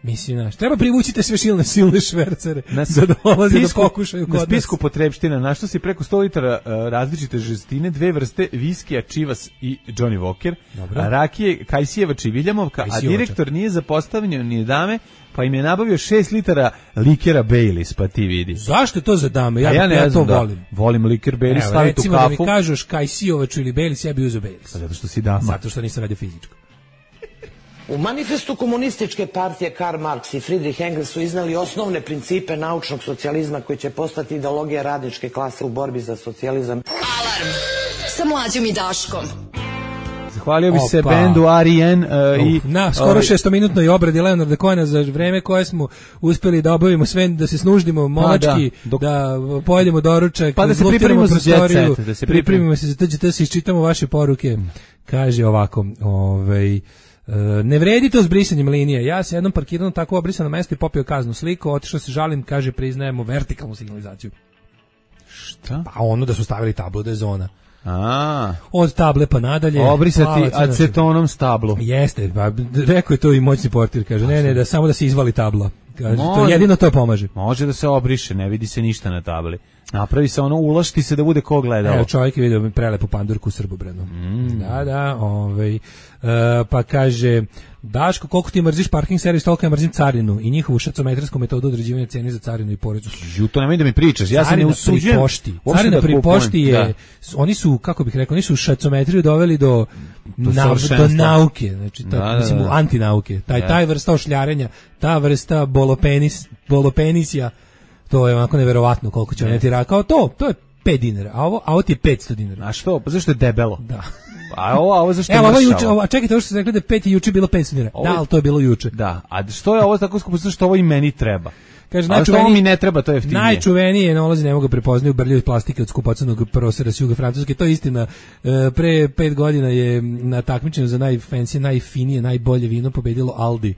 mislim, naš, treba privućite sve silne, silne švercere na, da dolaze da pokušaju kod nas. Na spisku potrebština našlo si preko sto litara uh, različite žestine, dve vrste viskija, čivas i Johnny Walker, a rakije Kajsijeva Čiviljamovka, a direktor nije zapostavljeno ni dame, pa im je nabavio šest litara likera Baileys, pa ti vidi. Zašto je to za dame? Ja, ja, ne ja znam, to da, volim. Volim liker Baileys, staviti u kafu. Recimo da mi kažeš Kajsijovaču ili Baileys, ja bi uzeo Baileys. Pa zato što si dama. Zato što nisam radio fizičko. U manifestu komunističke partije Karl Marx i Friedrich Engels su iznali osnovne principe naučnog socijalizma koji će postati ideologija radničke klase u borbi za socijalizam. Alarm sa Mlađom i Daškom. Zahvalio bi se bendu R E N uh, i na skoro ovaj, šestominutnoj obradi Leonarda Cohena za vreme koje smo uspeli da obavimo sve, da se snuždimo momački, da, dok, da pojedemo doručak, pa da se pripremimo za jet set, da se pripremimo se za T G T, se iščitamo vaše poruke. Kaže ovako, ovaj Uh, ne vredi to s brisanjem linije. Ja se jednom parkirao na tako obrisano mesto i popio kaznu sliku, otišao se žalim, kaže priznajemo vertikalnu signalizaciju. Šta? Pa ono da su stavili tablu da je zona. A. Od table pa nadalje. Obrisati acetonom stablu. Jeste, pa rekao je to i moćni portir, kaže ne, ne, da samo da se izvali tabla. Kaže, to jedino to pomaže. Može da se obriše, ne vidi se ništa na tabli. Napravi se ono, ulašti se da bude ko gledao. Evo čovjek je vidio prelepu pandurku u Srbobranu. Mm. Da, da, ovaj, uh, pa kaže, Daško, koliko ti mrziš parking servis, toliko ja mrzim carinu i njihovu šacometrijsku metodu određivanja cene za carinu i porezu. Ju, to nemoj da mi pričaš, ja se ne usuđujem. Carina pri pošti je, da. Oni su, kako bih rekao, oni su šacometriju doveli do, do, na, do nauke, znači, ta, da, mislim, da, da. antinauke. Taj, ja. taj vrsta ošljarenja, ta vrsta bolopenis, bolopenisja, to je onako neverovatno koliko će oni rakao. To, to je pet dinara, a ovo, a ovo ti je petsto dinara. A što? Pa zašto je debelo? Da. A ovo, a ovo zašto je Evo, ovo juče, ovo, a čekajte, ovo što ste rekli da je pet i juče bilo petsto dinara. Da, ali to je bilo juče. Da, a što je ovo tako skupo, što ovo i meni treba? Kaže, a što ovo mi ne treba, to je jeftinije. Najčuvenije nalazi ne mogu prepoznaju brlje od plastike od skupocenog prostora s juga Francuske. To je istina. Pre pet godina je na takmičenju za najfancy, najfinije, najbolje vino pobedilo Aldi.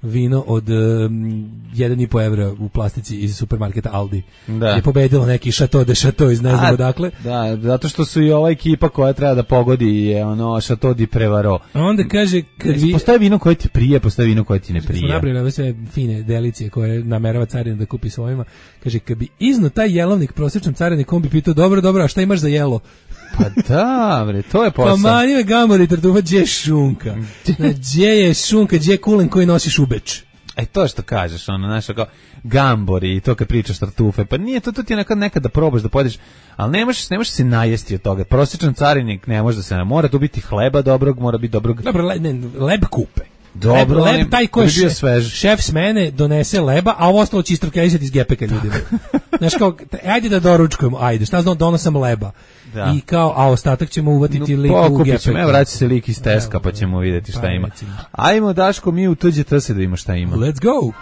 Vino od um, jedan i po evra u plastici iz supermarketa Aldi. Da. Je pobedilo neki Chateau de Chateau iz ne znam odakle. Da, zato što su i ova ekipa koja treba da pogodi je ono Chateau di Prevaro. A onda kaže, kad vi... postoje vino koje ti prije, postoje vino koje ti ne prije. Smo nabrali ove sve fine delicije koje namerava carina da kupi svojima. Kaže, kad bi izno taj jelovnik prosječnom carinikom bi pitao, dobro, dobro, a šta imaš za jelo? Pa da, bre, to je posao. Pa manje me gambori tartufa, gdje je šunka? Gdje je šunka, gdje je kulen koji nosiš u Beč? E to što kažeš, ono, znaš, kao gambori i to kad pričaš tartufe, pa nije to, to ti je nekad, nekad da probaš da pojedeš, ali ne možeš, ne možeš se najesti od toga. Prosječan carinik ne može da se ne, mora tu biti hleba dobrog, mora biti dobrog. Dobro, le, ne, leb kupe. Dobro, leb, leb taj ko je šef, šef smene donese leba, a ovo ostalo će istrokejsati iz gepeka ljudima. Znaš kao, ajde da doručkujemo, ajde, šta znam, donosam leba. Da. I kao, a ostatak ćemo uvatiti no, lik u gepeka. Evo, vraći se lik iz Teska, pa ćemo vidjeti šta pa, ima. Recimo. Ajmo, Daško, mi u T G T se da ima šta ima. Let's go!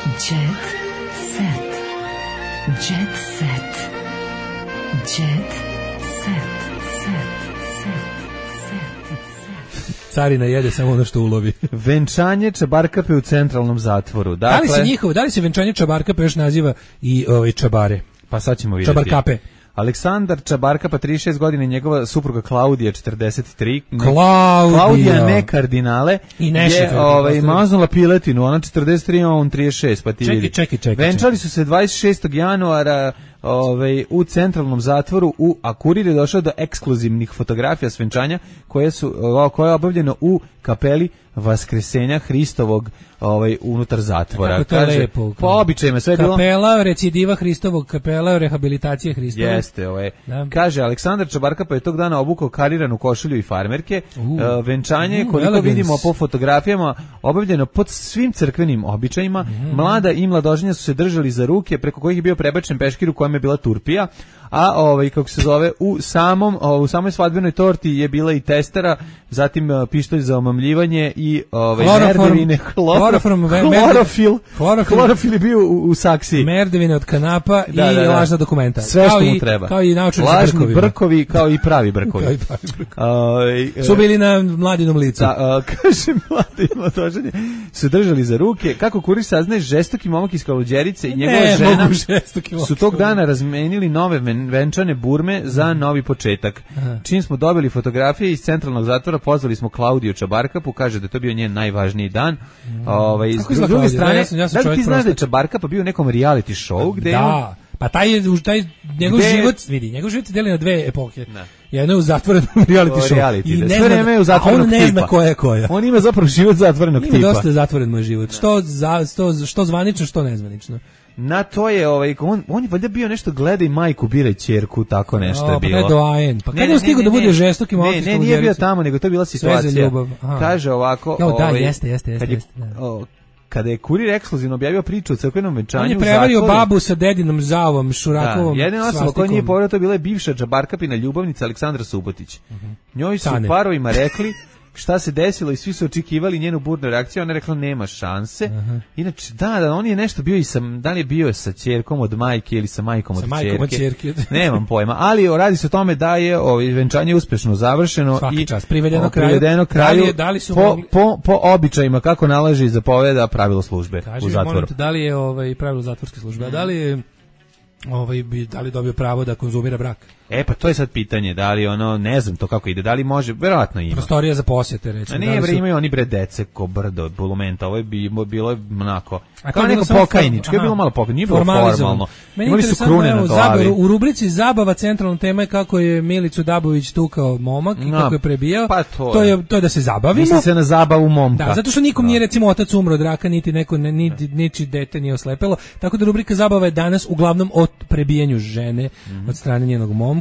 Jet set. Jet set. Jet set. Set. Set. Set. Carina jede samo ono što ulovi. Venčanje Čabarkape u centralnom zatvoru. Dakle, da li se njihovo, da li se venčanje Čabarkape još naziva i ovaj čabare? Pa sad ćemo vidjeti. Čabarkape. Aleksandar Čabarkapa, trideset šest godina, i njegova supruga Klaudija, četrdeset tri. Klaudija. Klaudija, ne kardinale. I ne je ovaj, maznula piletinu, ona četrdeset tri, on trideset šest, pa ti čekaj, vidi. Čekaj, čekaj, Venčali su se dvadeset šestog januara ovaj, u centralnom zatvoru, u, a kurir je došao do ekskluzivnih fotografija s venčanja koje su koje je obavljeno u kapeli Vaskresenja Hristovog ovaj unutar zatvora. Kako to je lepo. Po običajima sve je bilo. Kapela recidiva Hristovog, kapela rehabilitacije Hristovog. Jeste, ovaj. Da. Kaže Aleksandar Čabarkapa je tog dana obukao kariranu košulju i farmerke. Uh, uh, venčanje uh, koliko elegance. Vidimo po fotografijama obavljeno pod svim crkvenim običajima. Mm. Mlada i mladoženja su se držali za ruke preko kojih je bio prebačen peškir u kojem je bila turpija. A ovaj kako se zove u samom u samoj svadbenoj torti je bila i testera, zatim uh, pištolj za omamljivanje i ovaj merdevine, kloroform, klorofil, klorofil je bio u, u saksiji, merdevine od kanapa da, i da, da. lažna dokumenta. Sve što mu treba. Kao i naučnici lažni brkovi, kao i pravi brkovi. Kao i pravi brkovi. Uh, su bili na mladinom licu. Da, uh, kaže mladi mladoženje su držali za ruke. Kako kurir saznaje, žestoki momak iz Kaluđerice i njegova ne, žena su tog dana razmenili nove venčane burme za novi početak. Aha. Čim smo dobili fotografije iz centralnog zatvora, pozvali smo Klaudiju Čabarkapu, kaže da je to bio njen najvažniji dan. Mm. Ovaj, s druge strane, ja sam, ja sam da li ti znaš da je Čabarkapa bio u nekom reality show? Gde da, on... pa taj, taj njegov gde... život, vidi, njegov život se deli na dve epohe. Da. Jedno je u zatvorenom reality show. Reality, I ne sve vreme je u zatvorenog tipa. On ne zna koja je koja. On ima zapravo život zatvorenog ima tipa. Ima dosta zatvoren moj život. Što, za, što, što zvanično, što nezvanično. Na to je ovaj on on je valjda bio nešto gledaj majku biraj ćerku, tako nešto je bilo. Pa doajen. Pa kad je stigao da bude žestoki malo. Ne, ne, nije bio tamo, nego to je bila situacija. Kaže ovako, jo, da, jeste, jeste, jeste. jeste kada je Kurir ekskluzivno objavio priču o crkvenom venčanju, on je prevario babu sa dedinom Zavom Šurakovom. Da, jedina osoba koja nije povjerila to bila je bivša džabarkapina ljubavnica Aleksandra Subotić. Uh-huh. Njoj su Tane. Parovima rekli šta se desilo i svi su očekivali njenu burnu reakciju, ona je rekla nema šanse. Uh-huh. Inače, da, da, on je nešto bio i sa, da li je bio sa ćerkom od majke ili sa majkom od sa majkom od ćerke. Nemam pojma, ali radi se o tome da je ovo venčanje uspešno završeno. Svaki i čas, privedeno, privedeno kraju, kraju da li je, da li su po, mogli... po, po običajima kako nalaže i zapoveda pravilo službe. Kaži, u zatvoru. Te, da li je ovaj, pravilo zatvorske službe, mm. a da li je ovaj, bi, da li dobio pravo da konzumira brak? E pa to je sad pitanje, da li ono, ne znam to kako ide, da li može, verovatno ima. Prostorija za posjete, recimo. A nije, bre, su... imaju oni bre dece ko brdo, bulumenta, ovo je bi, bilo je onako, a kao neko pokajničko, je bilo malo pokajničko, nije bilo formalno. Imali su krune na glavi. Zabav, u rubrici Zabava centralna tema je kako je Milicu Dabović tukao momak i no, kako je prebijao. Pa to, to, je, to je da se zabavimo. Misli se na zabavu momka. Da, zato što nikom no. nije recimo otac umro od raka, niti neko, ne, niti, niči dete nije oslepelo, tako da rubrika Zabava je danas uglavnom o prebijanju žene mm-hmm. od strane njenog momka.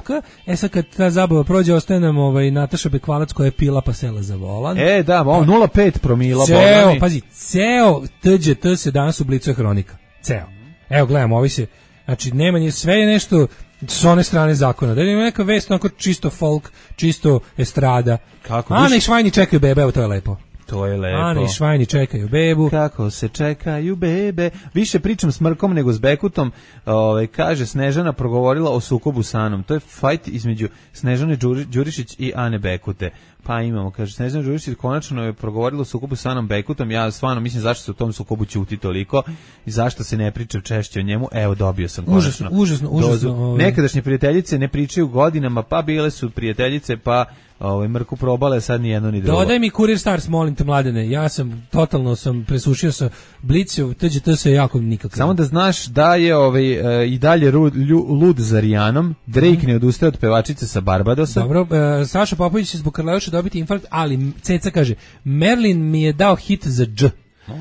E sad kad ta zabava prođe, ostaje nam ovaj, Nataša Bekvalac koja je pila pa sela za volan. E, da, on nula pet promila. Ceo, Bogani. pazi, ceo T Đ T se danas ublicuje hronika. Ceo. Evo, gledamo, ovi se, znači, nema nije, sve je nešto s one strane zakona. Da ima neka vest, onako čisto folk, čisto estrada. Kako? Ana i Švajni čekaju bebe, evo, to je lepo. To je lepo. Ana i Švajni čekaju bebu. Kako se čekaju bebe. Više pričam s Mrkom nego s Bekutom. Ove, kaže, Snežana progovorila o sukobu sa Anom. To je fajt između Snežane Đurišić i Ane Bekute. Pa imamo, kaže, Snežana Đurišić konačno je progovorila o sukobu sa Anom Bekutom. Ja stvarno mislim zašto se u tom sukobu ćuti toliko i zašto se ne priča češće o njemu. Evo, dobio sam konačno. Užasno, užasno, užasno. Ovaj. Nekadašnje prijateljice ne pričaju godinama, pa bile su prijateljice, pa ovaj Mrku probale, sad ni jedno ni drugo. Dodaj mi Kurir Stars, molim te, Mladene. Ja sam totalno sam presušio sa Blicov, T Đ T se jako nikako. Samo da znaš da je ovaj e, i dalje rud, lju, lud za Rijanom. Drake mm. ne odustaje od pevačice sa Barbadosa. Dobro, e, Saša Popović će zbog Karleuša dobiti infarkt, ali Ceca kaže, Merlin mi je dao hit za dž.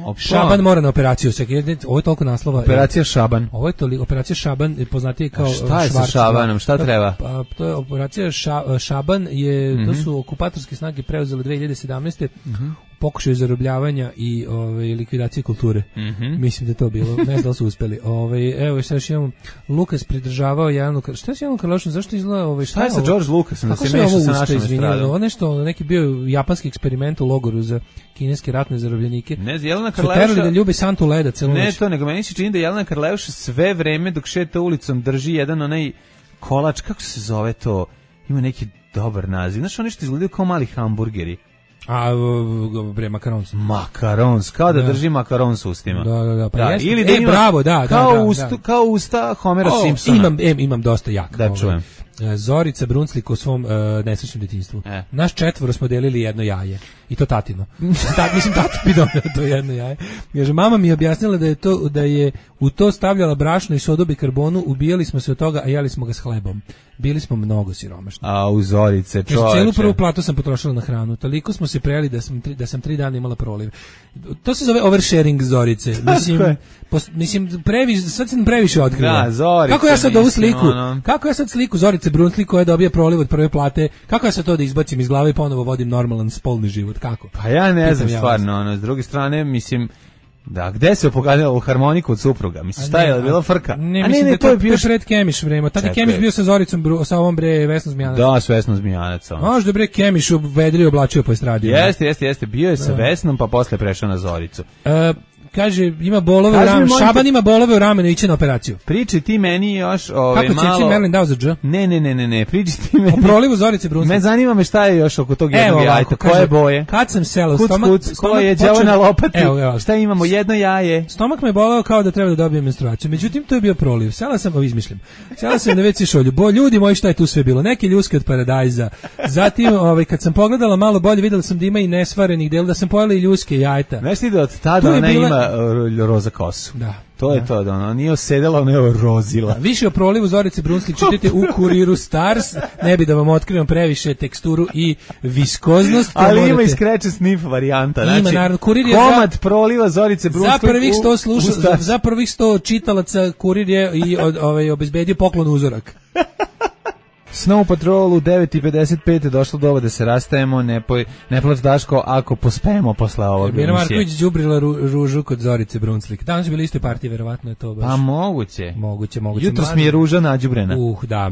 Opa. Šaban mora na operaciju. Ovo je toliko naslova. Operacija Šaban. Ovo je toliko, operacija Šaban, poznatije kao Švarc. Šta je Švarc, sa Šabanom? Šta treba? Pa, to je operacija ša, Šaban, je, mm-hmm. to su okupatorske snage preuzele dve hiljade sedamnaeste. Mm-hmm. pokušaju zarobljavanja i ove, likvidacije kulture. Mm-hmm. Mislim da je to bilo. Ne znam da li su uspeli. Ove, evo, šta još imamo. Lukas pridržavao Jelenu Karleušu. Šta je s Jelenom Karleušom? Zašto izgleda? Ove, šta, šta je sa George Lucasom? Kako se ovo usta, izvinjeno? Ovo nešto, neki bio japanski eksperiment u logoru za kineske ratne zarobljenike. Ne, Jelena Karleuša... Su terali da ljubi Santu Leda celu Ne noć. to, nego meni se čini da Jelena Karleuša sve vreme dok šeta ulicom drži jedan onaj kolač, kako se zove to? Ima neki dobar naziv. Znaš, oni što izgledaju kao mali hamburgeri. A, bre, makarons. Makarons, kao da, da drži makaron s ustima. Da, da, da. Pa da, jeste, ili da e, ima, bravo, da, kao, da, da, usta, da. kao usta Homera o, Simpsona. Imam, em, imam dosta jak. Da, čujem. Zorica Brunslik u svom uh, nesrećnom djetinjstvu. E. Naš četvoro smo delili jedno jaje. I to tatino. Ta, mislim, tata bi donio to jedno jaje. Kaže, mama mi je objasnila da je, to, da je u to stavljala brašno i sodu bikarbonu, ubijali smo se od toga, a jeli smo ga s hlebom. Bili smo mnogo siromašni. A u Zorice, čoveče. Celu prvu platu sam potrošila na hranu. Toliko smo se prejeli da sam, tri, da sam tri dana imala proliv. To se zove oversharing Zorice. Mislim, pos, mislim previš, sad sam previše otkriva. Da, Zorice. Kako ja sad ovu sliku, ono... kako ja sad sliku Zorice Brunslik koja dobija proliv od prve plate, kako ja sad to da izbacim iz glave i ponovo vodim normalan spolni život, kako? Pa ja ne znam stvarno, ono, s druge strane, mislim, da, gde se opogadila u harmoniku od supruga? Mislim, šta je, bila frka? Ne, a mislim ne, ne, da to je bio pred Kemiš vreme. Tada je Kemiš bio sa Zoricom, sa ovom bre Vesnom Zmijanac. Da, s Vesnom Zmijanac. Možda bre Kemiš vedrio oblačio po estradi. Jeste, jeste, jeste. Bio je sa Vesnom, pa posle prešao na Zoricu. E, kaže, ima bolove u ramenu. Šaban ima bolove u ramenu, iće na operaciju. Priči ti meni još ove, kako malo... Kako će Merlin dao za dž? Ne, ne, ne, ne, ne, priči ti meni... O prolivu Zorice Brunslik. Me zanima me šta je još oko tog jednog jajeta, koje boje? Kad sam sela u kuc, stomak... Kuc, ko je đavo na lopati? Evo, evo. Šta imamo, jedno jaje? Stomak me boleo kao da treba da dobijem menstruaciju. Međutim, to je bio proliv. Sela sam, ovo izmišljam, sela sam na ve ce šolju. Bo, ljudi moji, šta je tu sve bilo? Neke ljuske od paradajza. Zatim, ovaj, kad sam pogledala malo bolje, videla sam da ima i nesvarenih dela, da sam pojela i ljuske jajeta. Znaš ti da od tada ona ima bila uh, roza kosu. Da. To je da. to, da ona nije osedela, ona je rozila. Više o prolivu Zorice Brunslik čitajte u Kuriru Stars, ne bi da vam otkrivam previše teksturu i viskoznost. Ali morate... ima i scratch and sniff varijanta. Ima, znači, naravno, Kurir je komad za... proliva Zorice Brunslik za prvih sto sluša, u, u za, za prvih sto čitalaca Kurir je i od, ovaj, obezbedio poklon uzorak. Snow Patrol u devet i pedeset pet došlo do ovo da se rastajemo, ne, poj, ne plač Daško ako pospemo posle ovog. Mira Marković đubrila ru, ružu kod Zorice Brunslik. Danas su bili istoj partiji, verovatno je to baš. Pa moguće. Moguće, moguće. Jutros mi je ruža nađubrena. Uh, da,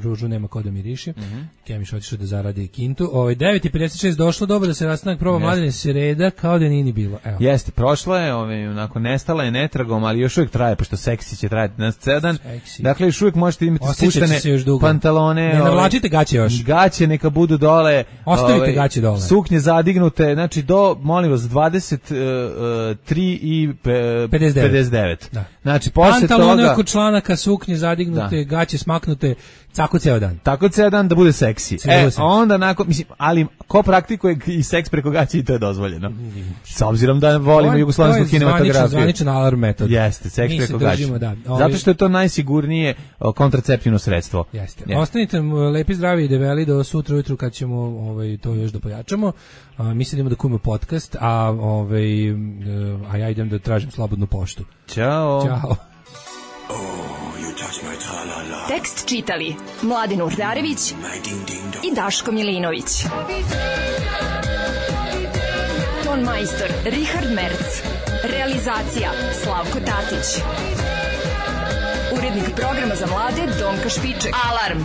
ružu nema ko da miriši. Mm -hmm. Kemiš otišao da zaradi kintu. Ovaj devet i pedeset šest došlo doba da se rastanak proba Mladene Sreda kao da nije ni bilo. Evo. Jeste, prošla je, ovaj onako nestala je netragom, ali još uvijek traje pošto seksi će trajati na ceo dan. Dakle, još uvijek možete imati spuštene pantalone. Ne navlačite gaće još. Gaće neka budu dole. Ostavite ovaj, gaće dole. Suknje zadignute, znači do, molim vas, dvadeset tri i pedeset devet. Da. Znači, posle pantalone toga... oko članaka, suknje zadignute, da. Gaće smaknute, tako ceo dan. Tako ceo dan da bude seksi. Ceo e, seksi. onda nakon, mislim, ali ko praktikuje i seks preko gaće i to je dozvoljeno. S obzirom da volimo jugoslavensku kinematografiju. To je zvaničan alarm metod. Jeste, seks Mi preko gaće. Da. Ovi... Zato što je to najsigurnije kontraceptivno sredstvo. Jeste. Jeste. Ostanite lepi, zdravi i debeli do sutra ujutru kad ćemo ovaj, to još da pojačamo. A, mi sad idemo da kujemo podcast, a, ovaj, a ja idem da tražim slobodnu poštu. Ćao. Ćao. Tekst čitali Mladin Urdarević i Daško Milinović. Ton majstor Richard Merc. Realizacija Slavko Tatić. Urednik programa za mlade Donka Špiček. Alarm!